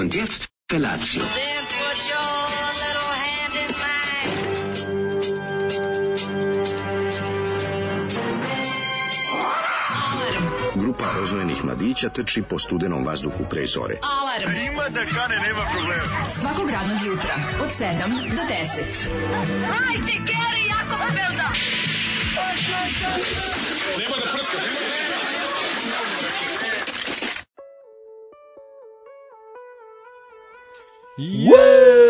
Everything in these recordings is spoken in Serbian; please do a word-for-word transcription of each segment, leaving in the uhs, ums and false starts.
Und jetzt Felatio. Then put your little hand in mine. Grupa rozvojenih mladića trči po studenom vazduhu pre zore. Alarm. Ima da kane, nema problema. Svakog radnog jutra od sedam do deset. Hajde, Geri, jako se velda. Nema da prska, nema da prska.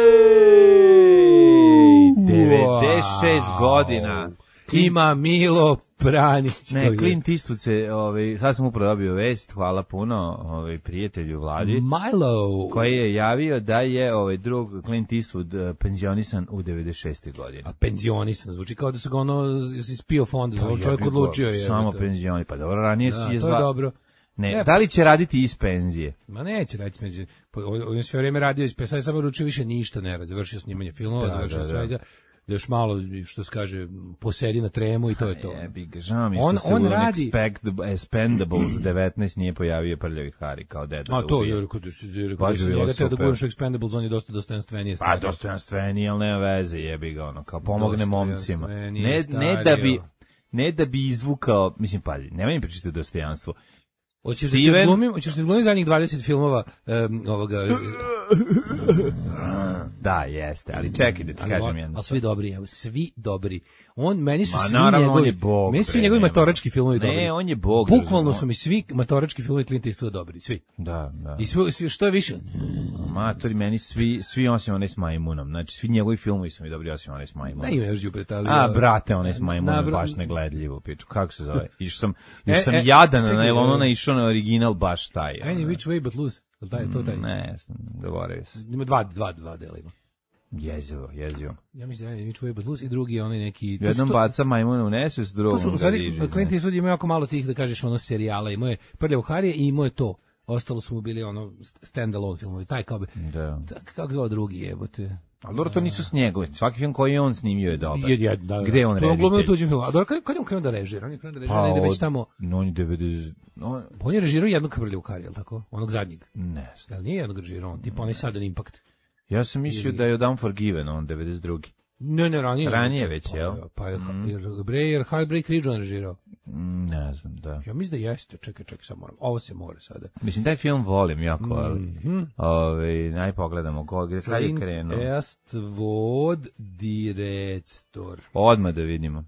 Jej! devedeset šest godina. Ima Milo Pranić. Ne, Clint Eastwood se, ovaj, sad sam upravo dobio vest, hvala puno ovaj, prijatelju Vladi, Milo. koji je javio da je ovaj drug Clint Eastwood penzionisan u devedeset šestoj godini. A penzionisan, zvuči kao da su ga ono ispio fond, Pa, čovjek ja odlučio je. Samo penzioni, pa dobro, ranije Da, si je to zva... je dobro. Ne, Ne, da li će raditi iz penzije? Ma neće raditi penzion. On je sve vrijeme radio iz sad je samo ručio više ništa ne radi. Završio snimanje filmova, Da, završio da, da. svega. Da još malo, što se kaže, posedi na tremu i to je to. Jebi ga, žao mi On- što se on u radi- Expendables devetnaest nije pojavio Prljavi Hari kao deda. A da to ubija. je, rekao da si Baš rekao da si bi bilo njega teo da super. guraš u Expendables, on je dosta dostojanstvenije. Pa stvario. dostojanstveniji, ali nema veze, jebi ga, ono, kao pomogne momcima. Dostojanstvenije Ne, ne stario. da bi ne da bi izvukao, mislim, pazi, nemoj mi pričati o dostojanstvu. Hoćeš da ti Steven- glumim, hoćeš da ti glumim zadnjih dvadeset filmova um, ovoga... Da, jeste, ali čekaj da ti ali, kažem jedno. ali svi dobri, evo, svi dobri. On, meni su Ma, svi naravno, njegovi, on je bog, meni su svi bre, njegovi nema. matorački filmovi Ne, dobri. on je bog, Bukvalno razumno. su mi svi matorački filmovi Clint Eastwooda dobri, svi. Da, da. I svi, svi, što je više? Matori, meni svi, svi osim onaj s majmunom. Znači, svi njegovi filmovi su mi dobri osim onaj s majmunom. Ne ima još đubreta, ali... A, brate, onaj s majmunom, Na- baš negledljivo, piču. Kako se zove? Išao sam, išao E, sam e, jadan, čekaj, na ono e. naišao na original, baš taj. Any ono. which way but loose. Jel taj, to taj? Ne, zaboravio sam. Ima dva, dva, dva dela ima. Jezivo, jezivo. Ja mislim da je Any which way but loose i drugi je onaj neki... to su- Jednom to- baca majmuna u nesvest, To drugom su, u ga stvari, diže. iz Clint nesvesti. Eastwood ima jako malo tih, da kažeš, ono, serijala. Imao je Prljavu Harije i imao je to. Ostalo su mu bili, ono, stand-alone filmovi. Taj kao bi... Da. Tak, kako zvao drugi, jebote? Ali dobro, to nisu s njegove. Svaki film koji je on snimio je dobar. Je, je, da, Gde je on to je glumio u reditelj? tuđem filmu. A dobro, kad, kad je on krenuo da režira? On je krenuo da režira, Pa, negde već od- tamo... no, on je devedeset... On... On je režirao jednog Prljavu Harije, jel tako? Onog zadnjeg. Ne znam. Jel nije jednog režirao on? Tipa onaj Sudden Impact. Ja sam mislio Ili- da je od Unforgiven, on devedeset drugi. Ne, ne, ranije. Ranije već, pa, jel? Pa je, jer, bre, jer Heartbreak Ridge on režirao. Mm, Ne znam, da. Ja mislim da jeste. Čekaj, čekaj, sad moram. Ovo se mora sada. Mislim, taj film volim jako, ali... Mhm. Ove, naj pogledamo koga je sad je Clint krenuo. Eastwood, direktor. Odmah da vidimo.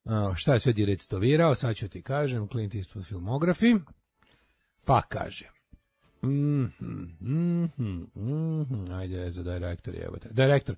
A, šta je sve direktovirao, sad ću ti kažem, Clint Eastwood filmografi. Pa kaže. Mhm, mhm, mhm. Ajde, za direktor jebote. Direktor.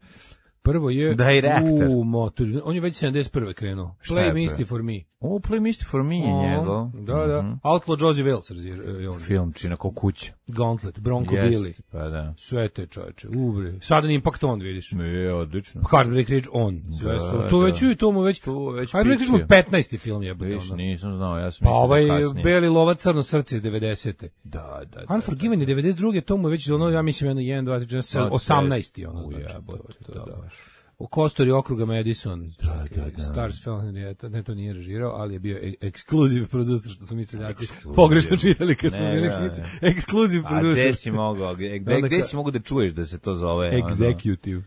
Prvo je... Direktor. U, motor, on je već sedamdeset prve krenuo. Šta Play je Misty prvo? for Me. O, Play Misty for Me je njegov. Da, da. Mhm. Outlaw Josie Wales režirao je on. Film čina ko kuća. Gauntlet, Bronco Jeste, Billy. Pa da. Sve te čoveče, ubre. Sudden Impact on, vidiš. Je, odlično. Heartbreak Ridge on. Sve Da, su, tu da. već i to mu već. Tu već Heartbreak Ridge mu pičio. petnaesti film jebote. Viš, ono. nisam znao, ja sam Pa mislio ovaj da kasnije. Beli lovac crno srce iz devedesete. Da, da, da. Unforgiven je devedeset druge, to mu je već ono, ja mislim, jedno, jedan, dva, tri, četiri, Da, osamnaesti ono, u, znači. jebote, to, to, da, da. baš. U Kostori okruga Madison, Da, da, da. Stars Film, ne, ne, to nije režirao, ali je bio e- ekskluziv producer, što su mi seljaci Ekskluziv. pogrešno čitali kad smo Ne, bili ne, klinici. ne. Ekskluziv A producer. gde si mogao, gde, gde, Onda gde ka- si mogu da čuješ da se to zove? ono? Executive.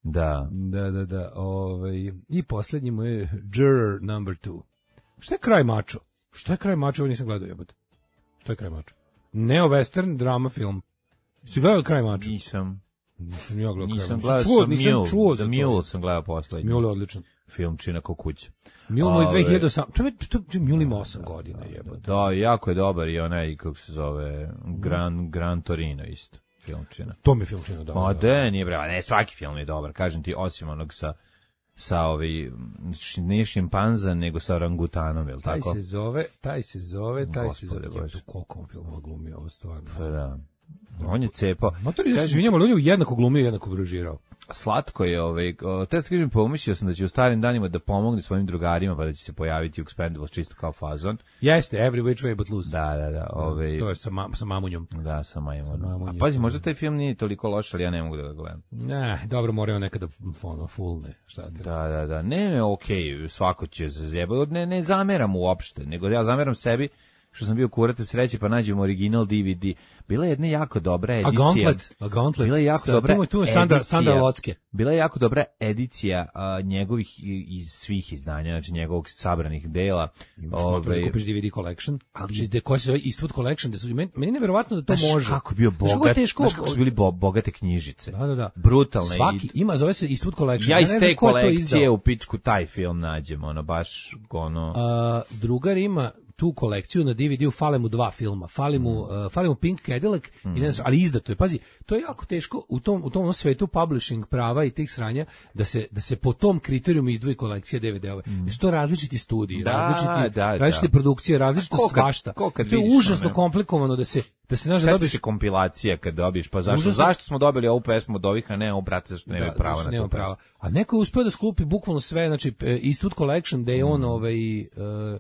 Da. Da, da, da. Ovaj, i poslednji mu je Juror number two. Šta je kraj mačo? Šta je kraj mačo? Ovo nisam gledao, jebote. Šta je kraj mačo? Neo-western drama film. Si gledao kraj mačo? Nisam. Nisam ja gledao kraj Nisam mačo. gledao Čuo, sam nisam Mule. čuo The za Mule to. sam gledao poslednji. Mule je odličan. Film čina ko kuća. Mule mu je Ove- dve hiljade osam. To je, to, to Mule ima osam godina, jebote. Da, jako je dobar i onaj, kako se zove, Gran, Gran Torino isto. Filmčina. To mi je film čino dobro. Ma da, nije bre, ne, svaki film je dobar, kažem ti, osim onog sa sa ovi, š- nije šimpanza, nego sa orangutanom, je li Taj tako? se zove, taj se zove, taj se Gospode zove. Bože. Jebote, koliko on filmova glumio, ovo stvarno. Pa da. On je cepao. Matori, ja se izvinjam, ali on je jednako glumio i jednako režirao. Slatko je, ovaj, o, te da kažem, pomislio sam da će u starim danima da pomogne svojim drugarima, pa da će se pojaviti u Expendables čisto kao fazon. Jeste, Every Which Way But Loose. Da, da, da. Ovaj, To je sa, ma, sa mamunjom. da, sa majmunom. Sa mamunjem. A pazi, možda taj film nije toliko loš, ali ja ne mogu da ga gledam. Ne, dobro, moraju nekada ono, full ne, šta te. Da, da, da. Ne, ne, okej, svako će se zjebati. Ne, ne zameram uopšte, nego ja zameram sebi što sam bio kurate sreće, pa nađemo original D V D. Bila je jedna jako dobra edicija. A Gauntlet, a Gauntlet. Bila je jako Sa, dobra tu, tu je Sandra, edicija. Sandra Locke. Bila je jako dobra edicija a, njegovih iz svih izdanja, znači njegovog sabranih dela. Ove, kupiš D V D collection, znači de koja se zove Eastwood collection, da su meni, meni je neverovatno da to znaš, može. Kako je bio bogat, teško, znaš kako su bili bo, bogate knjižice. Da, da, da. Brutalne. Svaki ima, zove se Eastwood collection. Ja iz ne te znam ko je to kolekcije izdao. u pičku taj film nađem, ono, baš, ono... A, drugar ima tu kolekciju na D V D-u, fale mu dva filma, fali mu, uh, fali mu Pink Cadillac, mm. i ne znam, ali izdato je, pazi, to je jako teško u tom, u tom svetu publishing prava i tih sranja, da se, da se po tom kriterijumu izdvoji kolekcija D V D-ove. Mm. Su to različiti studiji, da, različiti, da, različite da. produkcije, različita Ko kad- svašta. ko kad To je vidiš, užasno ono, komplikovano da se, da se znaš da Sjeti dobiješ se kompilacija kad dobiješ, pa zašto, Užasno. zašto smo dobili ovu pesmu od ovih, a ne ovu, brate, zašto nemaju da, prava zašto na nema tu pesmu. prava. A neko je uspeo da sklupi bukvalno sve, znači e, Eastwood collection, da je on ovaj... Uh,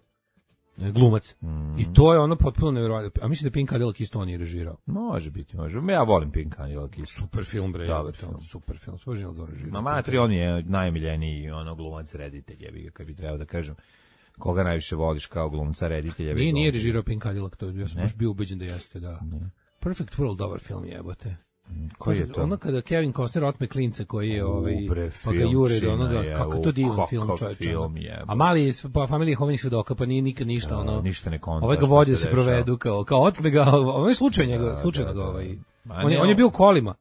glumac. Mm. I to je ono potpuno nevjerojatno. A mislim da Pink Cadillac isto on je režirao. Može biti, može. Ja volim Pink Cadillac isto. Super film, bre. Dobar Dobar film. Super film. Spožnjeno ga režirao. Ma matri, on je najomiljeniji ono glumac reditelj, jebi ga, kad bi trebao da kažem. Koga najviše voliš kao glumca reditelja? Nije, jebi ga, nije on- režirao Pink Cadillac, to ja sam Ne? baš bio ubeđen da jeste, da. Ne. Perfect World, dobar film jebote. Koji je to? Ono kada Kevin Costner otme klinca koji je ovaj U, bre, pa ga jure do filmčina onoga je, kako u, to divan kakav film, čoveče. film je, A mali je s- pa familija Hovnih svedoka, pa nije nikad ništa Da, ono. ništa ne konta Ovaj ga šta vodi se se dešava. provedu kao kao otme ga, on je slučajno njega, Da, slučajno da, ga da. ovaj. Ma On je ne, on je bio u kolima.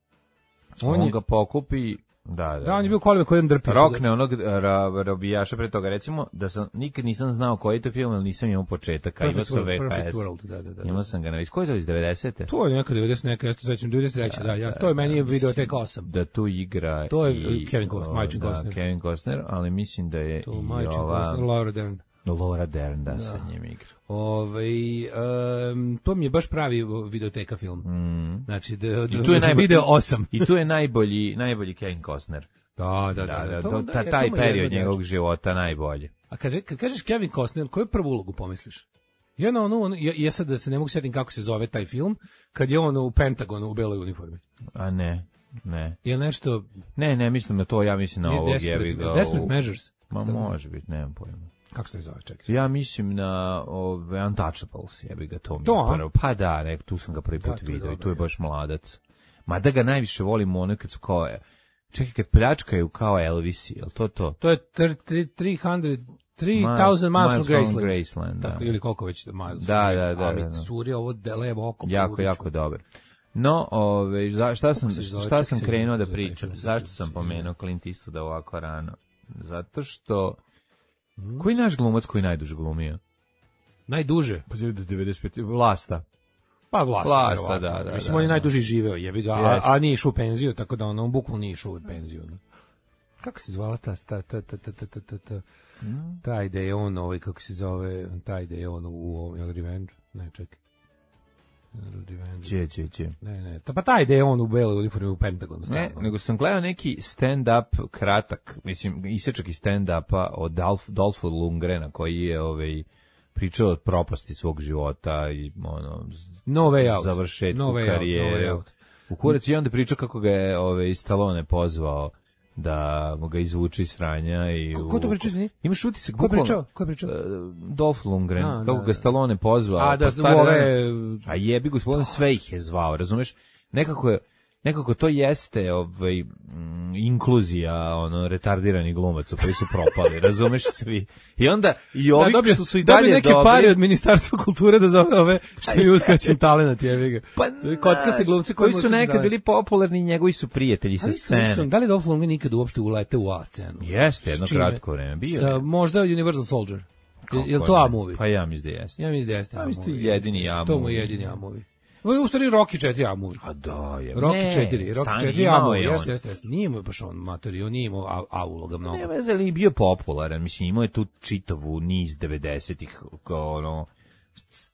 On, On je ga pokupi, da, da. Da, on je bio u kolima koji on drpi. Rokne onog ra, robijaša pre toga. Recimo, da sam nikad nisam znao koji je to film, ali nisam imao početak, a imao Perfect sam World, V H Perfect S. World, da, da, da. Imao sam ga na... Iz koje je to iz devedesete? To je neka devedeset neka, ja se sećam devedeset treće, da, ja, to je meni je videoteka osam. Da tu igra To je i, Kevin Costner, o, Majčin da, Costner. Kevin Costner, ali mislim da je To i Majčin ova... Costner, Laura Dern. Laura Dern, da, sa njim igra. Ovaj em, to mi je baš pravi videoteka film. Mm. Znači da, da I tu je najbolji, video osam. I tu je najbolji, najbolji Kevin Costner. Da, da, Da, da. da, to- to- da, ta, je, taj to mu je period jedno njegovog jače. života najbolji. A kad, kad kažeš Kevin Costner, koju prvu ulogu pomisliš? Ja na onu, ono, ja, ja sad da se ne mogu sjetiti kako se zove taj film, kad je on u Pentagonu u beloj uniformi. A ne, ne. Je nešto... Ne, ne, mislim na to, ja mislim na nije ovog Desperate, jebi ga. Desperate u- Measures. Ma može biti, nemam pojma. Kako se to zove, čekaj. Ja mislim na ove Untouchables, jebi ga to mi. To, je a? prvo. Pa da, ne, tu sam ga prvi Da, put to je vidio i dobro, tu je je. baš mladac. Ma da ga najviše volim ono kad su kao, čekaj, kad pljačkaju kao Elvisi, jel to to? To je tristo, three thousand Miles from Graceland. Graceland, da. Tako, ili koliko već Miles Da, from da, Graceland. da, Ali da, da. curi ovo delevo oko. Jako, poludiću. jako dobar. No, ove, za, šta sam, se zove? šta Čekaj, sam se krenuo da zove, pričam? čekaj, Zašto se sam zove. pomenuo Clint Eastwooda ovako rano? Zato što... Koji je naš glumac koji najduže glumio? Najduže. Pa do devedeset pete. Vlasta. Pa vlast. Vlasta, verovatno. da, da, Mislim, da, on je da. najduže živeo, jebi ga, a, Jeste. a nije išao u penziju, tako da on, on bukvalno nije išao u penziju. Da. Kako se zvala ta, ta, ta, ta, ta, ta, ta, ta, ta, taj da je on, ovaj, kako se zove, taj da je on u ovom, jel Revenge? Ne, čekaj. Jel Revenge? Če, če, če. Ne, ne, ta, pa taj da je on u beloj uniformi u Pentagonu. Ne, stalno. nego sam gledao neki stand-up kratak, mislim, isečak iz stand-upa od Dolph, Dolpha Lundgrena, koji je ovaj, pričao o propasti svog života i ono, No way out. završetku No way out, karijere. no way out. U kurac i onda pričao kako ga je ovaj, Stallone pozvao da mu ga izvuče iz sranja. I Ko- ko to u- pričao, izvini? Imaš utisak, Ko je bukvalno- pričao? Ko je pričao? E, Dolph Lundgren, A, kako da, ga da. Stallone pozvao. A da pa su stari ove... dan- A jebi gospodin, sve ih je zvao, razumeš? Nekako je, nekako to jeste ovaj, mm, inkluzija ono, retardiranih glumaca koji su propali, razumeš svi. I onda, i ovi Da, dobio, što su i dobio dalje neke dobri, pare od Ministarstva kulture da zove ove što je uskraćen talenat, jebi ga. pa, Kockaste znaš, glumci koji koji su mu nekad uskraćen bili popularni, njegovi su prijatelji sa Ali su iskreno, scene. da li Dolph Lundgren nikad uopšte ulete u A scenu? Jeste, jedno S čime? kratko vreme. Bio Sa, je. možda Universal Soldier. Je, je li Kako to ne? A movie? Pa ja mislim da jeste. Ja mislim da jeste Ja A mislim da je movie. jedini Jeste, A To mu je movie. jedini A movie. Ovo je u stvari Rocky četiri A movie. A da, je. Rocky Ne, četiri, Rocky stani, četiri A imao movie, je on. jeste, jeste, jeste. Nije mu baš on matori, on nije imao A, A uloga mnogo. Ne veze, ali je bio popularan, mislim, imao je tu čitavu niz devedesetih, kao ono,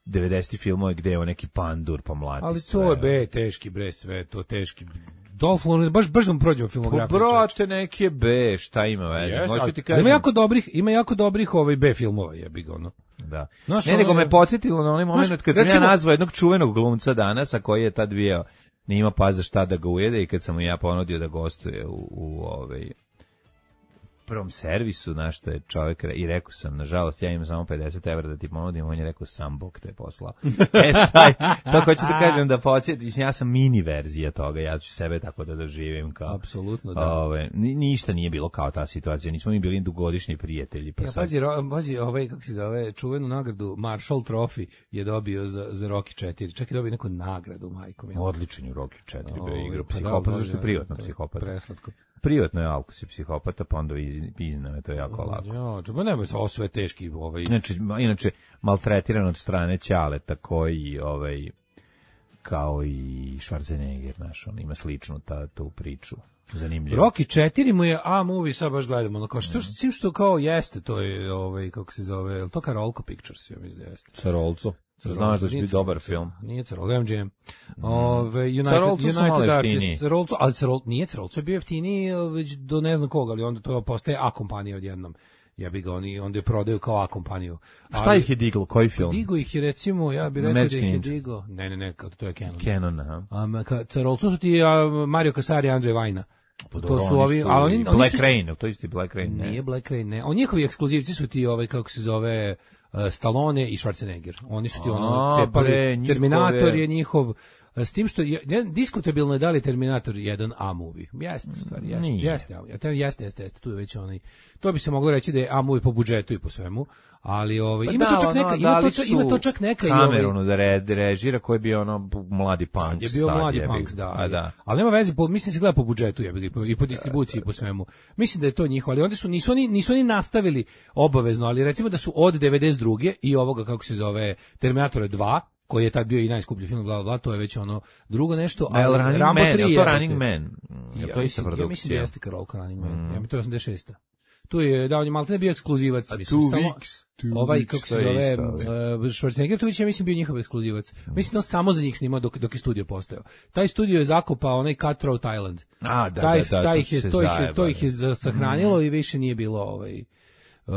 devedesetih filmova gde je on neki pandur, pa mlati Ali sve. to je be, teški bre, sve, to teški. Dolph Lundgren, baš, baš da mu prođemo Pa filmografiju. brate, neki je B, šta ima veze? Jeste, Hoću ali- ti ali kažem. Ima jako dobrih, ima jako dobrih ovaj B filmova, jebi ga ono. Da. Znaš, ne, nego ono- me podsjetilo na onaj moment Znaš, kad sam recimo- ja nazvao jednog čuvenog glumca danas, a koji je tad bio, nije ima pa za šta da ga ujede, i kad sam mu ja ponudio da gostuje u, u ovaj, prvom servisu, znaš, što je čovjek, i rekao sam, nažalost, ja imam samo pedeset evra da ti ponudim, on je rekao, sam Bog te je poslao. E, taj, to hoću da kažem da podsjetim, ja sam mini verzija toga, ja ću sebe tako da doživim kao... Apsolutno, da. Ove, ni, ništa nije bilo kao ta situacija, nismo mi bili dugogodišnji prijatelji. Pa ja, sad... pazi, ro, pazi, ovaj, kako se zove, čuvenu nagradu Marshall Trophy je dobio za, za Rocky četiri. Čak je dobio neku nagradu, majko mi. Odličan je Rocky četiri, O, bio igra pa psihopata, da, zašto je da, privatno to je psihopata. Preslatko. Privatno je ako si psihopata, pa onda iz, izname, to je jako lako. Ja, čuba nema se, ovo sve teški, ovaj... Inače, inače, maltretiran od strane Ćaleta, koji, ovaj, kao i Schwarzenegger, znaš, on ima sličnu ta, tu priču. Zanimljivo. Rocky četiri mu je A-movie, sad baš gledamo, ono kao što, što, što kao jeste, to je, ovaj, kako se zove, je li to Karolko Pictures, ja mislim da jeste. Carolco. Znaš da će biti dobar film. Nije Carolco, M G M. Ove, United, Carolco su malo United jeftiniji. Artists, Carolco, ali Carolco, nije Carolco, je bio jeftiniji već do ne znam koga, ali onda to postaje A-kompanija odjednom. Ja bi ga oni, onda je prodaju kao A-kompaniju. Šta ih je diglo, koji film? Digo ih je recimo, ja bih rekao Magic da ih je Ninja. digo, ne, ne, ne, to je Canon. Canon, aha. Um, Carolco su ti a, Mario Casari i Andrej Vajna. Pa To dobro, su ovi, su a oni, i oni Black su- Rain, to isti Black Rain, ne? Nije Black Rain, ne. On njihovi ekskluzivci su ti ovaj kako se zove uh, Stallone i Schwarzenegger. Oni su ti ono A, cepali. bre, njihove- Terminator je njihov uh, s tim što je ne, diskutabilno je da li je Terminator jedan A-movie. Jeste, u stvari, jeste. Nije. Jeste, ja, te- jeste, jeste, jeste, tu je već onaj. To bi se moglo reći da je A-movie po budžetu i po svemu, ali ovaj Pa ima da, to čak ono, neka, ima dali to čak, su ima to čak neka i ovaj Cameronu da re, režira koji je bio ono mladi punk. je bio star, mladi jebi ga. punks, da. A Ali, da. ali nema veze, po, mislim se gleda po budžetu, jebi ga, i po, i po distribuciji i po svemu. Mislim da je to njihovo, ali onda su nisu oni nisu oni nastavili obavezno, ali recimo da su od devedeset druge i ovoga kako se zove Terminator dva, koji je tad bio i najskuplji film, bla bla bla, to je već ono drugo nešto, A je li ali Running Rambo Man, je tri li to jebote. Running Man? Mm, Je Ja to ista mislim- Ja mislim da produkcija? jeste Karolko Running Man. Ja mislim to je osamdeset šesta. Tu je da on je maltene bio ekskluzivac, mislim two stalno- weeks, two ovaj weeks, kako se to je zove isto, ovaj. uh, Schwarzenegger to ja mislim bio njihov ekskluzivac. Mislim da on samo za njih snimao dok dok je studio postojao. Taj studio je zakopao onaj Cutthroat Island. A, da, taj, da, da, taj to ih je, se to ih je, zajebali. to ih je za- sahranilo i više nije bilo ovaj Uh,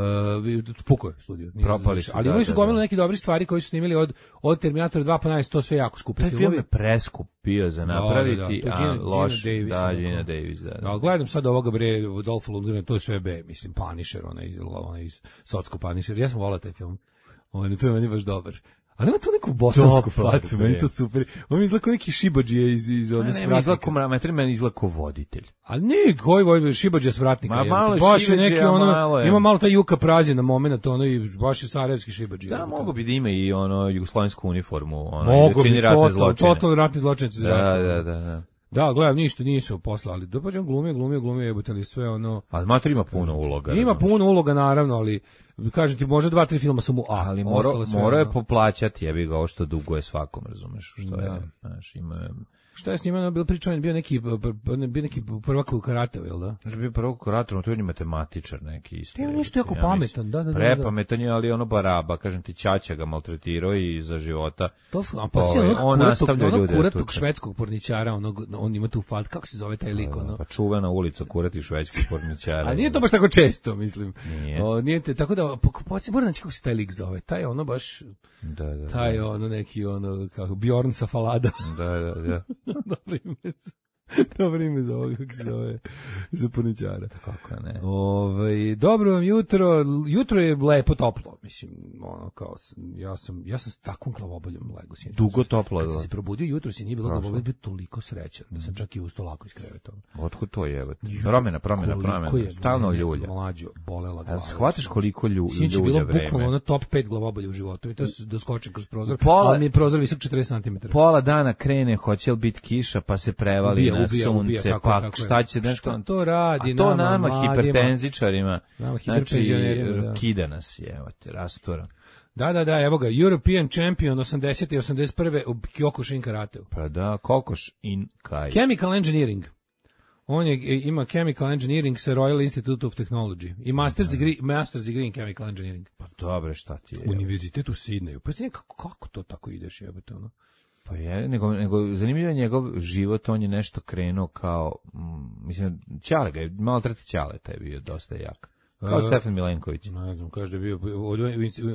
puko je studio. nije Propali završio. su, Ali da, imali su da, gomilu da. neki dobri stvari koji su snimili od, od Terminator dva pa najviše, to sve jako skupi Taj film filmovi. je preskup bio za napraviti, Da, da, da. To a Gina- loš, Gina Davis, da, da. Gina Davis, da. Da, ali gledam sad ovoga bre, Dolph Lundgren, to je sve B, mislim, Punisher, onaj, onaj iz Sotsko Punisher, ja sam volao taj film. On, to je meni baš dobar. Ali ima tu neku bosansku Dobar, facu, bre. meni to super. On mi izgleda kao neki šibađije iz, iz Ne, one ne, svratnika. izgleda ko mrametar, meni izgleda ko voditelj. A ne, koji voj šibađija s vratnika. Ma, jebote. malo je baš je šibađija, neki ono, malo je. ima malo taj Juka Prazina momenat, ono i baš je sarajevski šibađija. Da, mogu bi da ima i ono jugoslovensku uniformu, ono, Mogu i da čini bi, ratne totalno, zločine. totalno ratni zločinci. Da, da, da, da. Da, gledam, ništa nisu poslali. Da pa on glumio, glumio, glumio, jebote, ali sve ono. Ali mater ima puno uloga. Ima razumeš. puno uloga naravno, ali kažem ti, može dva, tri filma su mu A. Ali mora, ostalo sve mora je ono. poplaćati, jebi ga, ovo što duguje svakom, razumeš, što Da. je, znaš, ima... Šta je s njima bilo pričao, on je bio neki, bio neki prvak u karateu, jel da? Znaš, bio prvo kurator, to je on je matematičar neki isto. E, on je nešto jebote, jako ja mislim. pametan, da, da, da, da. Prepametan je, ali ono baraba, kažem ti, ćaća ga maltretirao i za života. To, a pa si Ovaj, onog on kuratog, nastavlja onog ljude da kuratog tuče. švedskog porničara, onog, on ima tu falt, kako se zove taj lik, ono? Pa čuvena ulica kurati švedskih porničara. A nije to baš tako često, mislim. Nije. O, nije te, tako da, poći, moram naći kako se taj lik zove. Taj ono baš, Da, da, taj ono neki ono, kako, Bjorn sa Falada. da, da, da. Dobro ime za, dobro ime za ovoga, kako se zove, za porničara. Kako ne. Ovaj, dobro vam jutro, jutro je lepo toplo, mislim, ono kao, sam- ja sam, ja sam s takvom glavoboljom lego sinoć. Dugo toplo, Kad sam da. se probudio jutro, si nije bilo Prošlo. glavobolje, bio toliko srećan, da sam čak i ustao lako iz kreveta. Otkud to je? Promjena, promjena, Koliko promjena. je Stalno mene ljulja. Mlađo, bolela glava. A shvataš koliko lju, Sinoć je ljulja bilo vreme? bukvalno ono top pet glavobolja u životu i to se doskočim kroz prozor, Pola- ali mi je prozor visok četrdeset centimetara. Pola dana krene, hoće li biti kiša, pa se prevali Ubija, na ubija, sunce, ubija, kako- pa kako je. šta će nešto... Šta to radi A to nama, nama, mladima? hipertenzičarima, Nama, znači, hiperpenzionerima, da. kida nas je, evo te, rastura. Da, da, da, evo ga, European Champion osamdesete i osamdeset prve u Kyokushin karateu. Pa da, kokoš in kaj. Chemical Engineering. On je, ima Chemical Engineering sa Royal Institute of Technology. I Master's degree, Master's degree in Chemical Engineering. Pa dobre, šta ti je? Univerzitet u Sidneju. Pa ti kako, kako to tako ideš, jebote, ono? Pa je, nego, nego zanimljivo je njegov život, on je nešto krenuo kao, mm, mislim, Ćale ga je, malo treti Ćale, taj je bio dosta jak. Kao E, Stefan Milenković. Ne znam, kaže da je bio, u,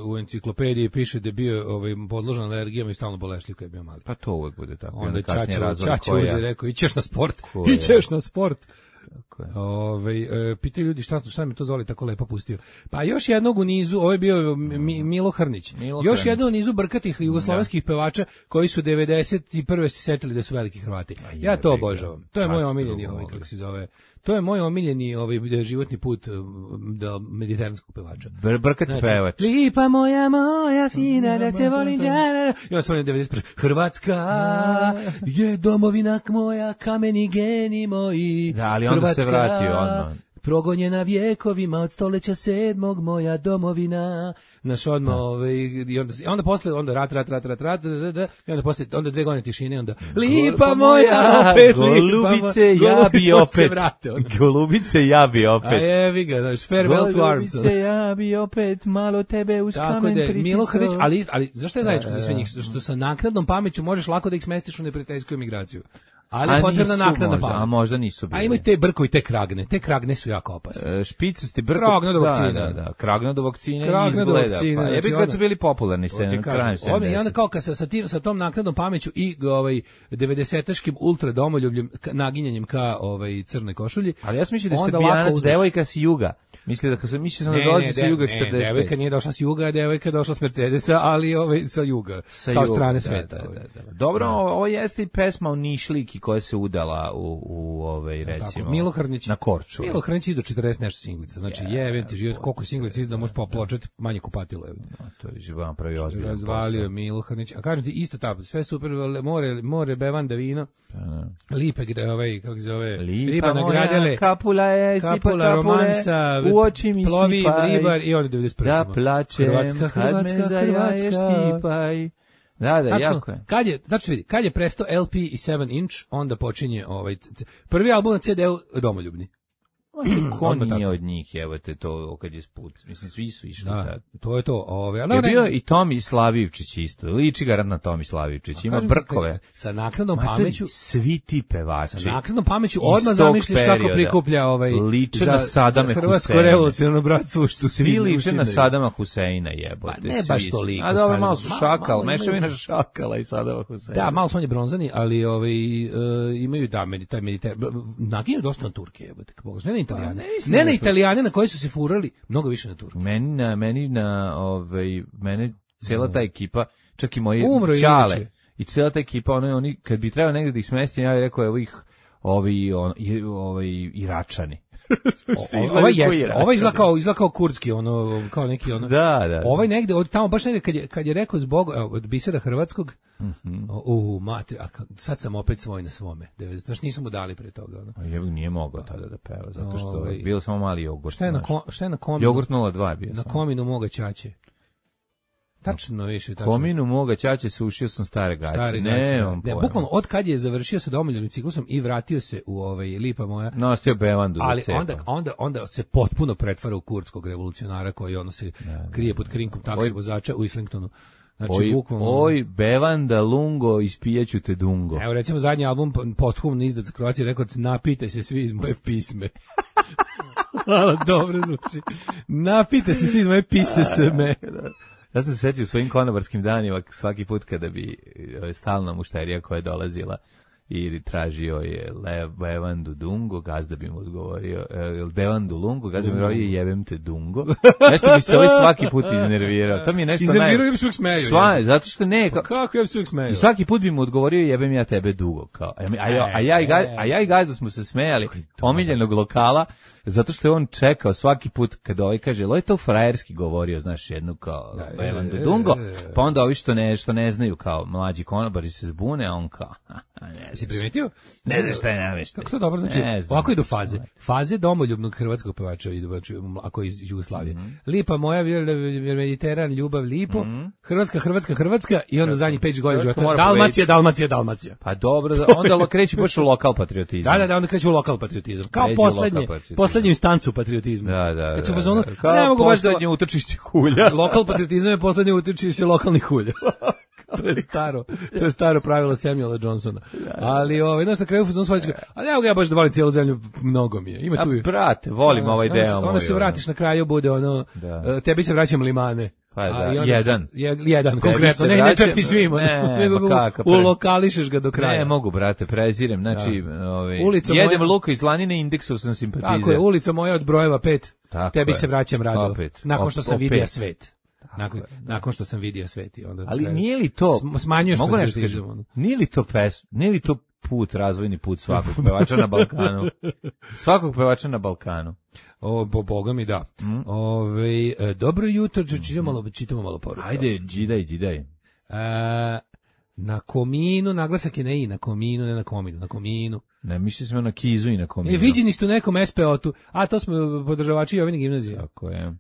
u enciklopediji piše da je bio ovaj, podložan alergijama i stalno bolešljiv kad je bio mali. Pa to uvek bude tako. Onda kasnije Čača, razvoj Čača koja- uzeo i rekao, ićeš na sport, Koja- ićeš na sport. Tako je. Ovaj e, pitaju ljudi šta šta mi to Zoli tako lepo pustio. Pa još jednog u nizu, ovo je bio Mi, Milo Hrnić. Milo još Hrnić. jednog u nizu brkatih jugoslovenskih pevača koji su devedeset i prve se setili da su veliki Hrvati. Ja to obožavam. To je moj omiljeni ovaj kako se zove. To je moj omiljeni ovaj životni put do mediteranskog pevača. Br brkati Znači, pevač. Lipa moja, moja fina, da te volim džana. I onda sam onim devedeset prve. Hrvatska je domovina moja, kameni geni moji. Da, ali onda se vratio odmah. Progonjena vjekovima od stoleća sedmog, moja domovina. Naš odmah, ovaj, i onda, onda posle, onda rat, rat, rat, rat, rat, rat, rat, i onda posle, onda dve godine tišine, onda lipa moja, opet Golubice, lipa moja. ja bi Golubice se opet. vrate, onda. Golubice, ja bi opet. A jevi ga, znaš, farewell to arms. Golubice, ja bi opet malo tebe uz Tako kamen da, pritisao. Milo Hrnić, ali, ali zašto je zajedničko za sve njih? Što sa naknadnom pameću možeš lako da ih smestiš u neprijateljsku emigraciju. Ali je potrebna naknadna možda, pamet. a možda nisu bili. A imaju te brkovi, te kragne. Te kragne su jako opasne. E, špicasti brko. Kragna do Da, vakcine. Da, da, kragna do vakcine Kragna do izgleda. vakcine, Pa, znači jebi kad onda- su bili popularni se Ti na kažem, kraju onda- I onda sedamdesetih. kao kad sa, sa, tim, sa tom naknadnom pameću i ovaj devedesetaškim ultra domoljubljem ka- naginjanjem ka ovaj crnoj košulji. Ali ja sam mislio da se onda ovako Bijanac uzmeš- devojka s juga. Mislio da se mislio sam da dolazi sa de- juga ne, četrdeset devojka pet. nije došla s juga, devojka je došla s Mercedesa, ali ovaj sa juga, Sa kao juga, strane da, sveta. da, ovaj. da, da. Dobro, ovo jeste i pesma o Nišliki koja se udala u, u ovaj, recimo, Tako, Milo Hrnić. na Korčuli. Milo Hrnić izdao četrdeset nešto singlica. Znači, jebem ti život, koliko singlica izdao, možeš popločati, manje kupatilo je. A, to je vam pravi ozbiljan Razvalio je posao. Milo Hrnić. A kažem ti, isto tako, sve super, more, more bevanda vino, lipe, gre, ovaj, kako se zove, Lipa riba moja, nagradele, kapula je, sipa kapula, kapule, romansa, u oči mi plovi, sipaj, ribar i onda devedeset prve. da samo. plačem, Hrvatska, kad me Hrvatska, zajaješ Hrvatska. tipaj. Da, da, Tačno, jako je. kad je, znači vidi, kad je prestao L P i sedam inch, onda počinje ovaj c- c- prvi album na C D-u Domoljubni. Ko Odmah nije tako. od njih, evo te to kad je sput. Mislim, svi su išli Da, tad. to je to. Ovaj, ali Je ne- bio i Tomi Slavivčić isto. Liči garant na Tomi Slavivčić. Ima kažem ti, brkove. sa naknadnom Matori, pameću, svi ti pevači. sa naknadnom pameću iz odmah tog zamišljaš kako perioda prikuplja ovaj liče za, na Sadame za Hrvatsko Huseina. revolucionarno bratstvo što Svi liče na ušinaju. Sadama Huseina, jebote. Pa ne svi baš su. toliko, A dobro, Sadama. malo su Malo- šakal, malo mešavina imaju. šakala i Sadama Huseina. Da, malo su oni bronzani, ali ovaj uh, imaju da medi taj mediter naginju dosta na Turke, jebote, kako ne na Italijane. ne mislim ne na na Turke. Italijane na koji su se furali, mnogo više na Turke. Meni na, meni na, ovaj, mene cela ta ekipa, čak i moji Umro je ćale, inače. i cela ta ekipa, ono, oni, kad bi trebao negdje da ih smestim, ja bih rekao, evo ih, ovi, on, i, ovaj, Iračani. O- Ovaj jeste, ovaj izgleda kao, izgleda kao kurdski, ono, kao neki ono. Da, da. Ovaj negde, od tamo baš negde, kad je, kad je rekao zbog, evo, od bisera hrvatskog, o, u, matri, a ka- sad sam opet svoj na svome. devedeset Znaš, nisam mu dali pre toga, ono. A jebog nije mogao tada da peva, zato što Ovaj, je bilo samo mali jogurt. Šta je na, znaš. ko, šta je na kominu? Jogurt nula dva je bio Na samo. kominu moga ćaće. Tačno više, tačno. Kominu moga ćaće sušio sam stare gaće. Stari ne, gaće, da. nemam Ne, pojma. bukvalno od kad je završio sa domoljubnim ciklusom i vratio se u ovaj Lipa moja, Nostio bevandu za ali cepa. onda, onda, onda se potpuno pretvara u kurdskog revolucionara koji ono se krije pod krinkom taksi Oj. vozača u Islingtonu. Znači, Oj, bukvalno... oj, bevanda lungo, ispijaću te dungo. Evo recimo zadnji album posthumno izdat za Croatia Records, napite se svi iz moje pisme. Hvala, dobro zvuči. Napite se svi iz moje pise se me. Zato se setio u svojim konobarskim danima svaki put kada bi e, stalna mušterija koja je dolazila i tražio je le, bevandu dungo, gazda bi mu odgovorio, e, bevandu lungo, gazda bi mu odgovorio, jebem te dungo. Nešto bi se ovaj svaki put iznervirao. To mi je nešto Iznervirao naj- i bi se uvijek smejao, Sva, jebe. zato što ne, ka- Kako ja bi se uvijek smejao? i svaki put bi mu odgovorio jebem ja tebe dugo. Kao. A, a, ja, a, ja i ga, a ja i gazda smo se smejali omiljenog lokala, zato što je on čekao svaki put kad ovaj kaže, lo je to frajerski govorio, znaš, jednu kao bevandu dungo, pa onda ovi što ne, što ne znaju kao mlađi konobari se zbune, a on kao, ne Si znaš, primetio? ne znaš šta je namještaj. Kako to dobro znači? Ne znam. Ovako idu faze. Faze domoljubnog hrvatskog pevača idu, znači, ako je iz Jugoslavije. Lipa moja, vir- Mediteran, ljubav, lipo. Hrvatska, Hrvatska, Hrvatska i onda zadnjih pet godina Hrvatska života. mora Dalmacija, Dalmacija, Dalmacija. Pa dobro, za- onda lo- kreće baš u lokal patriotizam. Da, da, da, onda kreće u lokal patriotizam. Kao Kreće u lokal poslednje, patriotizam. poslednju instancu patriotizma. Da, da, Kad su da, u fazonu, da. Kao ne mogu baš da... poslednje utrčište hulja. Lokal patriotizam je poslednje utiče lokalnih hulja. To je staro, to je staro pravilo Samuela Johnsona. Ali ovaj znaš na kraju fuzon svađa, a ne mogu ja baš da volim cijelu zemlju, mnogo mi je. Ima A tu i brate, volim ovaj onda se- deo moj. Onda se ono. vratiš na kraju bude ono, Da. e, tebi se vraćam limane. Pa A, da, i onda jedan. se- jed- jedan, Tebi konkretno, se ne, ne vraćam- čak ni svima, Ne, nego ma ga kakav u- pre- ulokališeš ga do kraja. Ne mogu, brate, prezirem. Znači, ovaj, Ulica jedem moja- luka i slanine, indeksu sam simpatizer. Tako je, ulica moja od brojeva pet, Tako tebi je. se vraćam rado, Opet. nakon što sam Opet. vidio svet. Nakon, nakon što sam vidio svet. I onda Ali kraj- nije li to... Sm- smanjuješ mogu nešto patriotizam, kažem, ono. nije li to pes, nije li to put, razvojni put svakog pevača na Balkanu? Svakog pevača na Balkanu. O, bo, boga mi da. Ove, e, dobro jutro, čitamo malo, čitamo malo poruka. Ajde, džidaj, džidaj. E, na kominu, naglasak je ne i, na kominu, ne na kominu, na kominu. Ne, mišli smo na Kizu i na Kominu. E, viđeni ste u nekom es pe o-tu, a to smo podržavači Jovine gimnazije. Tako je.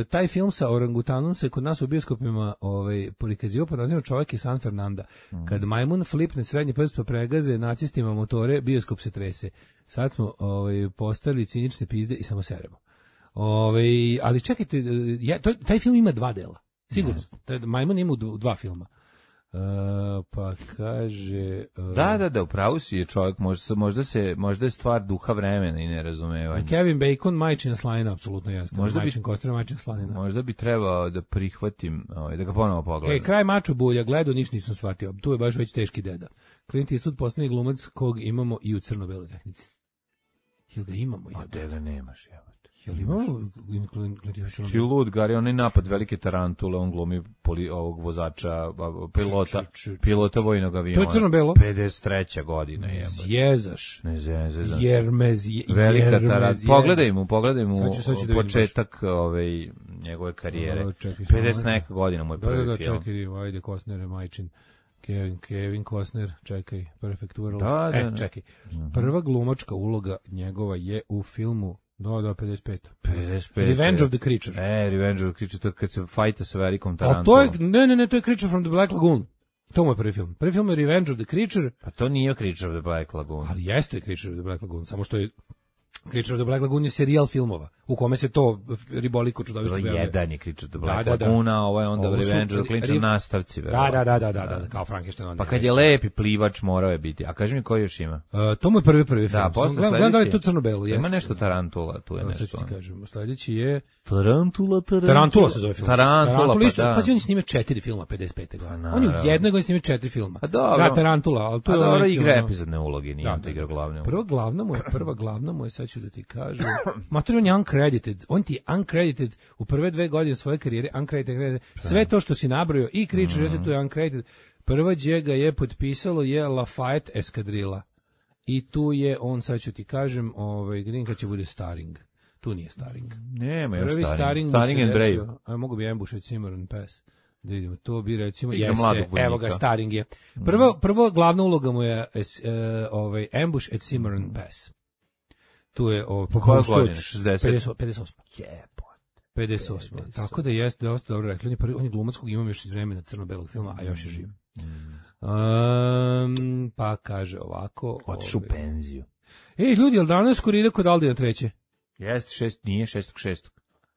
E, taj film sa orangutanom se kod nas u bioskopima ovaj, prikazivao pod nazivom Čovjek iz San Fernanda. Mm. Kad majmun flipne srednji prst pa pregaze nacistima motore, bioskop se trese. Sad smo ovaj, postali cinične pizde i samo seremo. Ovaj, ali čekajte, ja, to, taj film ima dva dela. Sigurno. Taj majmun ima u dv- dva filma. E, pa kaže... e, Da, da, da, upravo si je čovjek, možda, se- možda, se, možda je stvar duha vremena i nerazumevanja. Kevin Bacon, majčina slanina, apsolutno jeste. Možda bi- Majčin Kostra, majčina slanina. Možda bi trebao da prihvatim, ovaj, da ga ponovo pogledam. E, kraj maču bulja, gledao, ništa nisam shvatio. Tu je baš već teški deda. Clint Eastwood, posljednji glumac kog imamo i u crno-beloj tehnici. Jel ga imamo? A Jel, deda nemaš, jebote. jel imamo Clint Clint Eastwood? Ti lud, Gari, onaj napad velike tarantule, on glumi poli, ovog vozača, a, pilota, Č, č, č, č. pilota vojnog aviona. To je crno-belo? pedeset treća godina, jebote. Zjezaš. Ne zezam. Jer me zje, Velika jer me tarant. zje- Pogledaj mu, pogledaj mu Sad ću- sad ću da vidim početak ovaj, njegove karijere. Da, čekaj, samo pedeset ajde. neka godina mu je Da, prvi da, da, film. čekaj, ajde, Costner je majčin. Kevin, Kevin Costner, čekaj, Perfect World. Da, da, e, da. čekaj. Prva glumačka uloga njegova je u filmu, da, da, pedeset pet. pedeset pet. Revenge of the Creature. E, Revenge of the Creature, to je kad se fajta sa velikom A tarantulom. to je, ne, ne, ne, to je Creature from the Black Lagoon. To mu je prvi film. Prvi film je Revenge of the Creature, Pa to nije Creature of the Black Lagoon. ali jeste Creature of the Black Lagoon, samo što je Creature of the Black Lagoon je serijal filmova, u kome se to riboliko To čudovište je pojavljuje. jedan je Creature of the Da, Black da, da. Lagoon, a ovo je onda Ovo su Revenge of the ri- Creature nastavci. Da, verovatno. da, da, da, da, da, kao Frankenstein. Pa kad je lepi plivač morao je biti. A kaži mi koji još ima? Uh, to mu je prvi prvi film. Da, posle Gledam- gledam da li je sledeći- to crno-belo. Ima jeste. nešto tarantula, tu je Evo, sad ću nešto. ti ono. kažem. Sledeći je Tarantula, tarantula. Tarantula se zove film. Tarantula, pa isto, da. pazi, on je snimio četiri filma pedeset pete godine. Pa, On je u naravno. jednoj godini snimio četiri filma. A dobro. Da, Tarantula, ali to A je dobro, neki, igra ono- epizodne uloge, nije Da, on da, igra da. glavne uloge. Prva glavna mu je, prva glavna mu je, sad ću da ti kažem, mater, on je uncredited, on ti je uncredited u prve dve godine svoje karijere, uncredited, uncredited. Sve to što si nabrojao i Creature, mm. to je uncredited. Prva gdje ga je potpisalo je Lafayette eskadrila. I tu je, on, sad ću ti kažem, ovaj, gdje kad će bude starring. Tu nije starring. Nema još Prvi Staring. starring, Staring and Brave. A mogu bi Ambush at Cimarron Pass. Da vidimo, to bi recimo, Igra jeste, mladog vojnika. evo ga, starring je. Prvo, prvo glavna uloga mu je es, e, ovaj, Ambush at Cimarron Pass. Tu je o Po koje godine? šezdeset? pedeset osam. Jebote. pedeset osam. Tako da jeste dosta dobro rekli. On je, prvi, on je glumac kog imam još iz vremena crno-belog filma, a još je živ. Um, pa kaže ovako. Otišu u ovaj, penziju. Ej, ljudi, jel danas skoro ide kod Aldina treće? Jeste, šest, nije šestog šestog.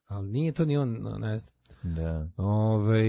Ali nije to ni on, no, ne znam. Da. Ove,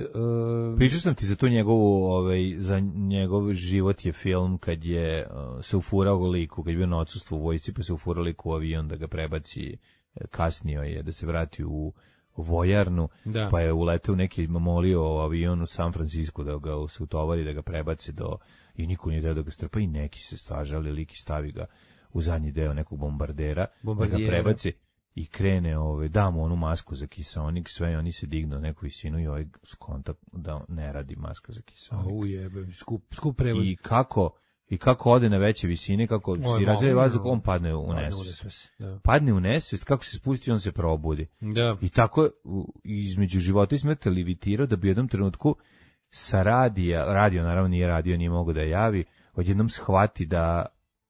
um, Pričao sam ti za tu njegovu, ovaj, za njegov život je film kad je uh, se ufurao u liku, kad je bio na odsustvu u vojsci, pa se ufurao liku u avion da ga prebaci, eh, kasnio je da se vrati u vojarnu, Da. pa je uleteo neki molio avion u San Francisco da ga se utovari, da ga prebaci do, i niko nije deo da ga strpa i neki se stažali, lik i stavi ga u zadnji deo nekog bombardera, da Bombardijera. ga prebaci i krene, ove, da mu onu masku za kiseonik, sve, i oni se dignu na neku visinu i ovaj skonta da ne radi maska za kiseonik. Au jebe, skup, skup prevoz. I kako, i kako ode na veće visine, kako Oj, si razreje malo, vazduh, no. on padne u Padne u nesvest. nesvest, da. Padne u nesvest, kako se spusti, on se probudi. Da. I tako u- između života i smrti levitirao da bi u jednom trenutku sa radija, radio naravno nije radio, nije mogo da javi, odjednom shvati da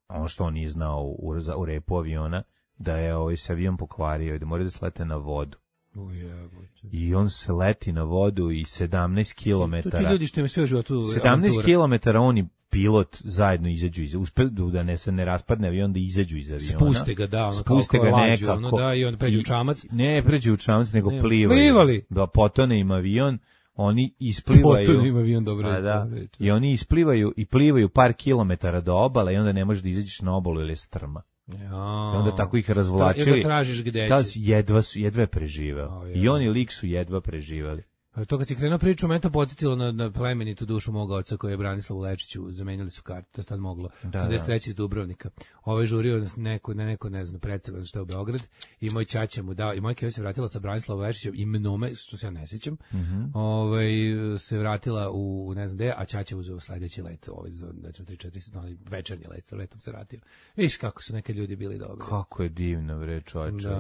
ono što on nije znao u, u repu aviona, da je ovaj se avion pokvario i da mora da slete na vodu. U jebote. I on se leti na vodu i sedamnaest To ti kilometara. ljudi što im sve u životu sedamnaest avantura. kilometara on i pilot zajedno izađu iz, uspedu da ne se ne raspadne avion, da izađu iz aviona. Spuste ga, da, ono, Spuste kao ga lađu, nekako. ono, da, i onda pređu u čamac. Ne, pređu u čamac, nego Ne, plivaju. plivali. Da potone im avion, oni isplivaju. Potpuno ima avion dobro. Pa da. reč. I oni isplivaju i plivaju par kilometara do obale i onda ne možeš da izađeš na obalu ili je strma. Ja. I onda tako ih razvlačili. Da, i tražiš gde Da, će. jedva su, jedva je preživeo. O, I on i lik su jedva preživeli. To kad si krenuo priču, me to podsjetilo na, na plemenitu dušu mog oca koji je Branislavu Lečiću, zamenili su kartu, to je tad moglo, Da, sedamdeset treći iz Dubrovnika. Ovaj žurio nas neko, na neko, ne znam, predstava za šta je u Beograd i moj ćaća mu dao, i moj keva se vratila sa Branislavom Lečićem i mnome, što se ja ne sjećam, Mm-hmm. ovaj, se vratila u ne znam gde, a ćaća uzeo sledeći let, ovaj, za, recimo, tri četiri, no, večernji let, sa letom se vratio. Viš kako su neke ljudi bili dobri. Kako je divno, bre, čovječe. Da.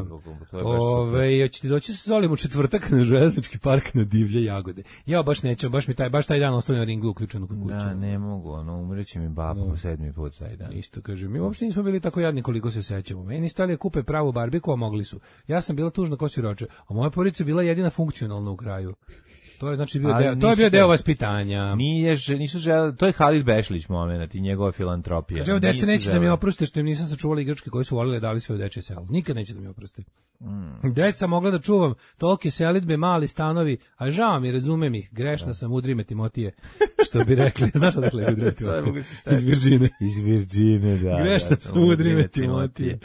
To je baš super. Ove, hoće ti doći sa Zolim u četvrtak na železnički park na divlje jagode. Ja baš neću, baš mi taj, baš taj dan ostavljam ringlu uključenu kod kuće. Da, ne mogu, ono, umreće mi baba No. po sedmi put taj dan. Isto kažem, mi uopšte nismo bili tako jadni koliko se sećamo. Meni stali kupe pravu barbiku, a mogli su. Ja sam bila tužna ko siroče, a moja porodica bila jedina funkcionalna u kraju. To je znači bio Ali deo, to je nisu bio deo te- vaspitanja. Nije, že- nisu želeli, to je Halid Bešlić moment i njegova filantropija. Kaže, evo, deca Nisu neće da mi želeli. oproste što im nisam sačuvali igračke koje su volile, dali sve u dečje selo. Nikad neće da mi oproste. Mm. Deca mogla da čuvam tolike selidbe, mali stanovi, a žao mi, razumem ih, grešna sam, udri me Timotije, što bi rekli. Znaš odakle je udri me Sad mogu Timotije? se setiti. Iz Virđine. Iz Virđine, da. Grešna da, sam, udri me Timotije.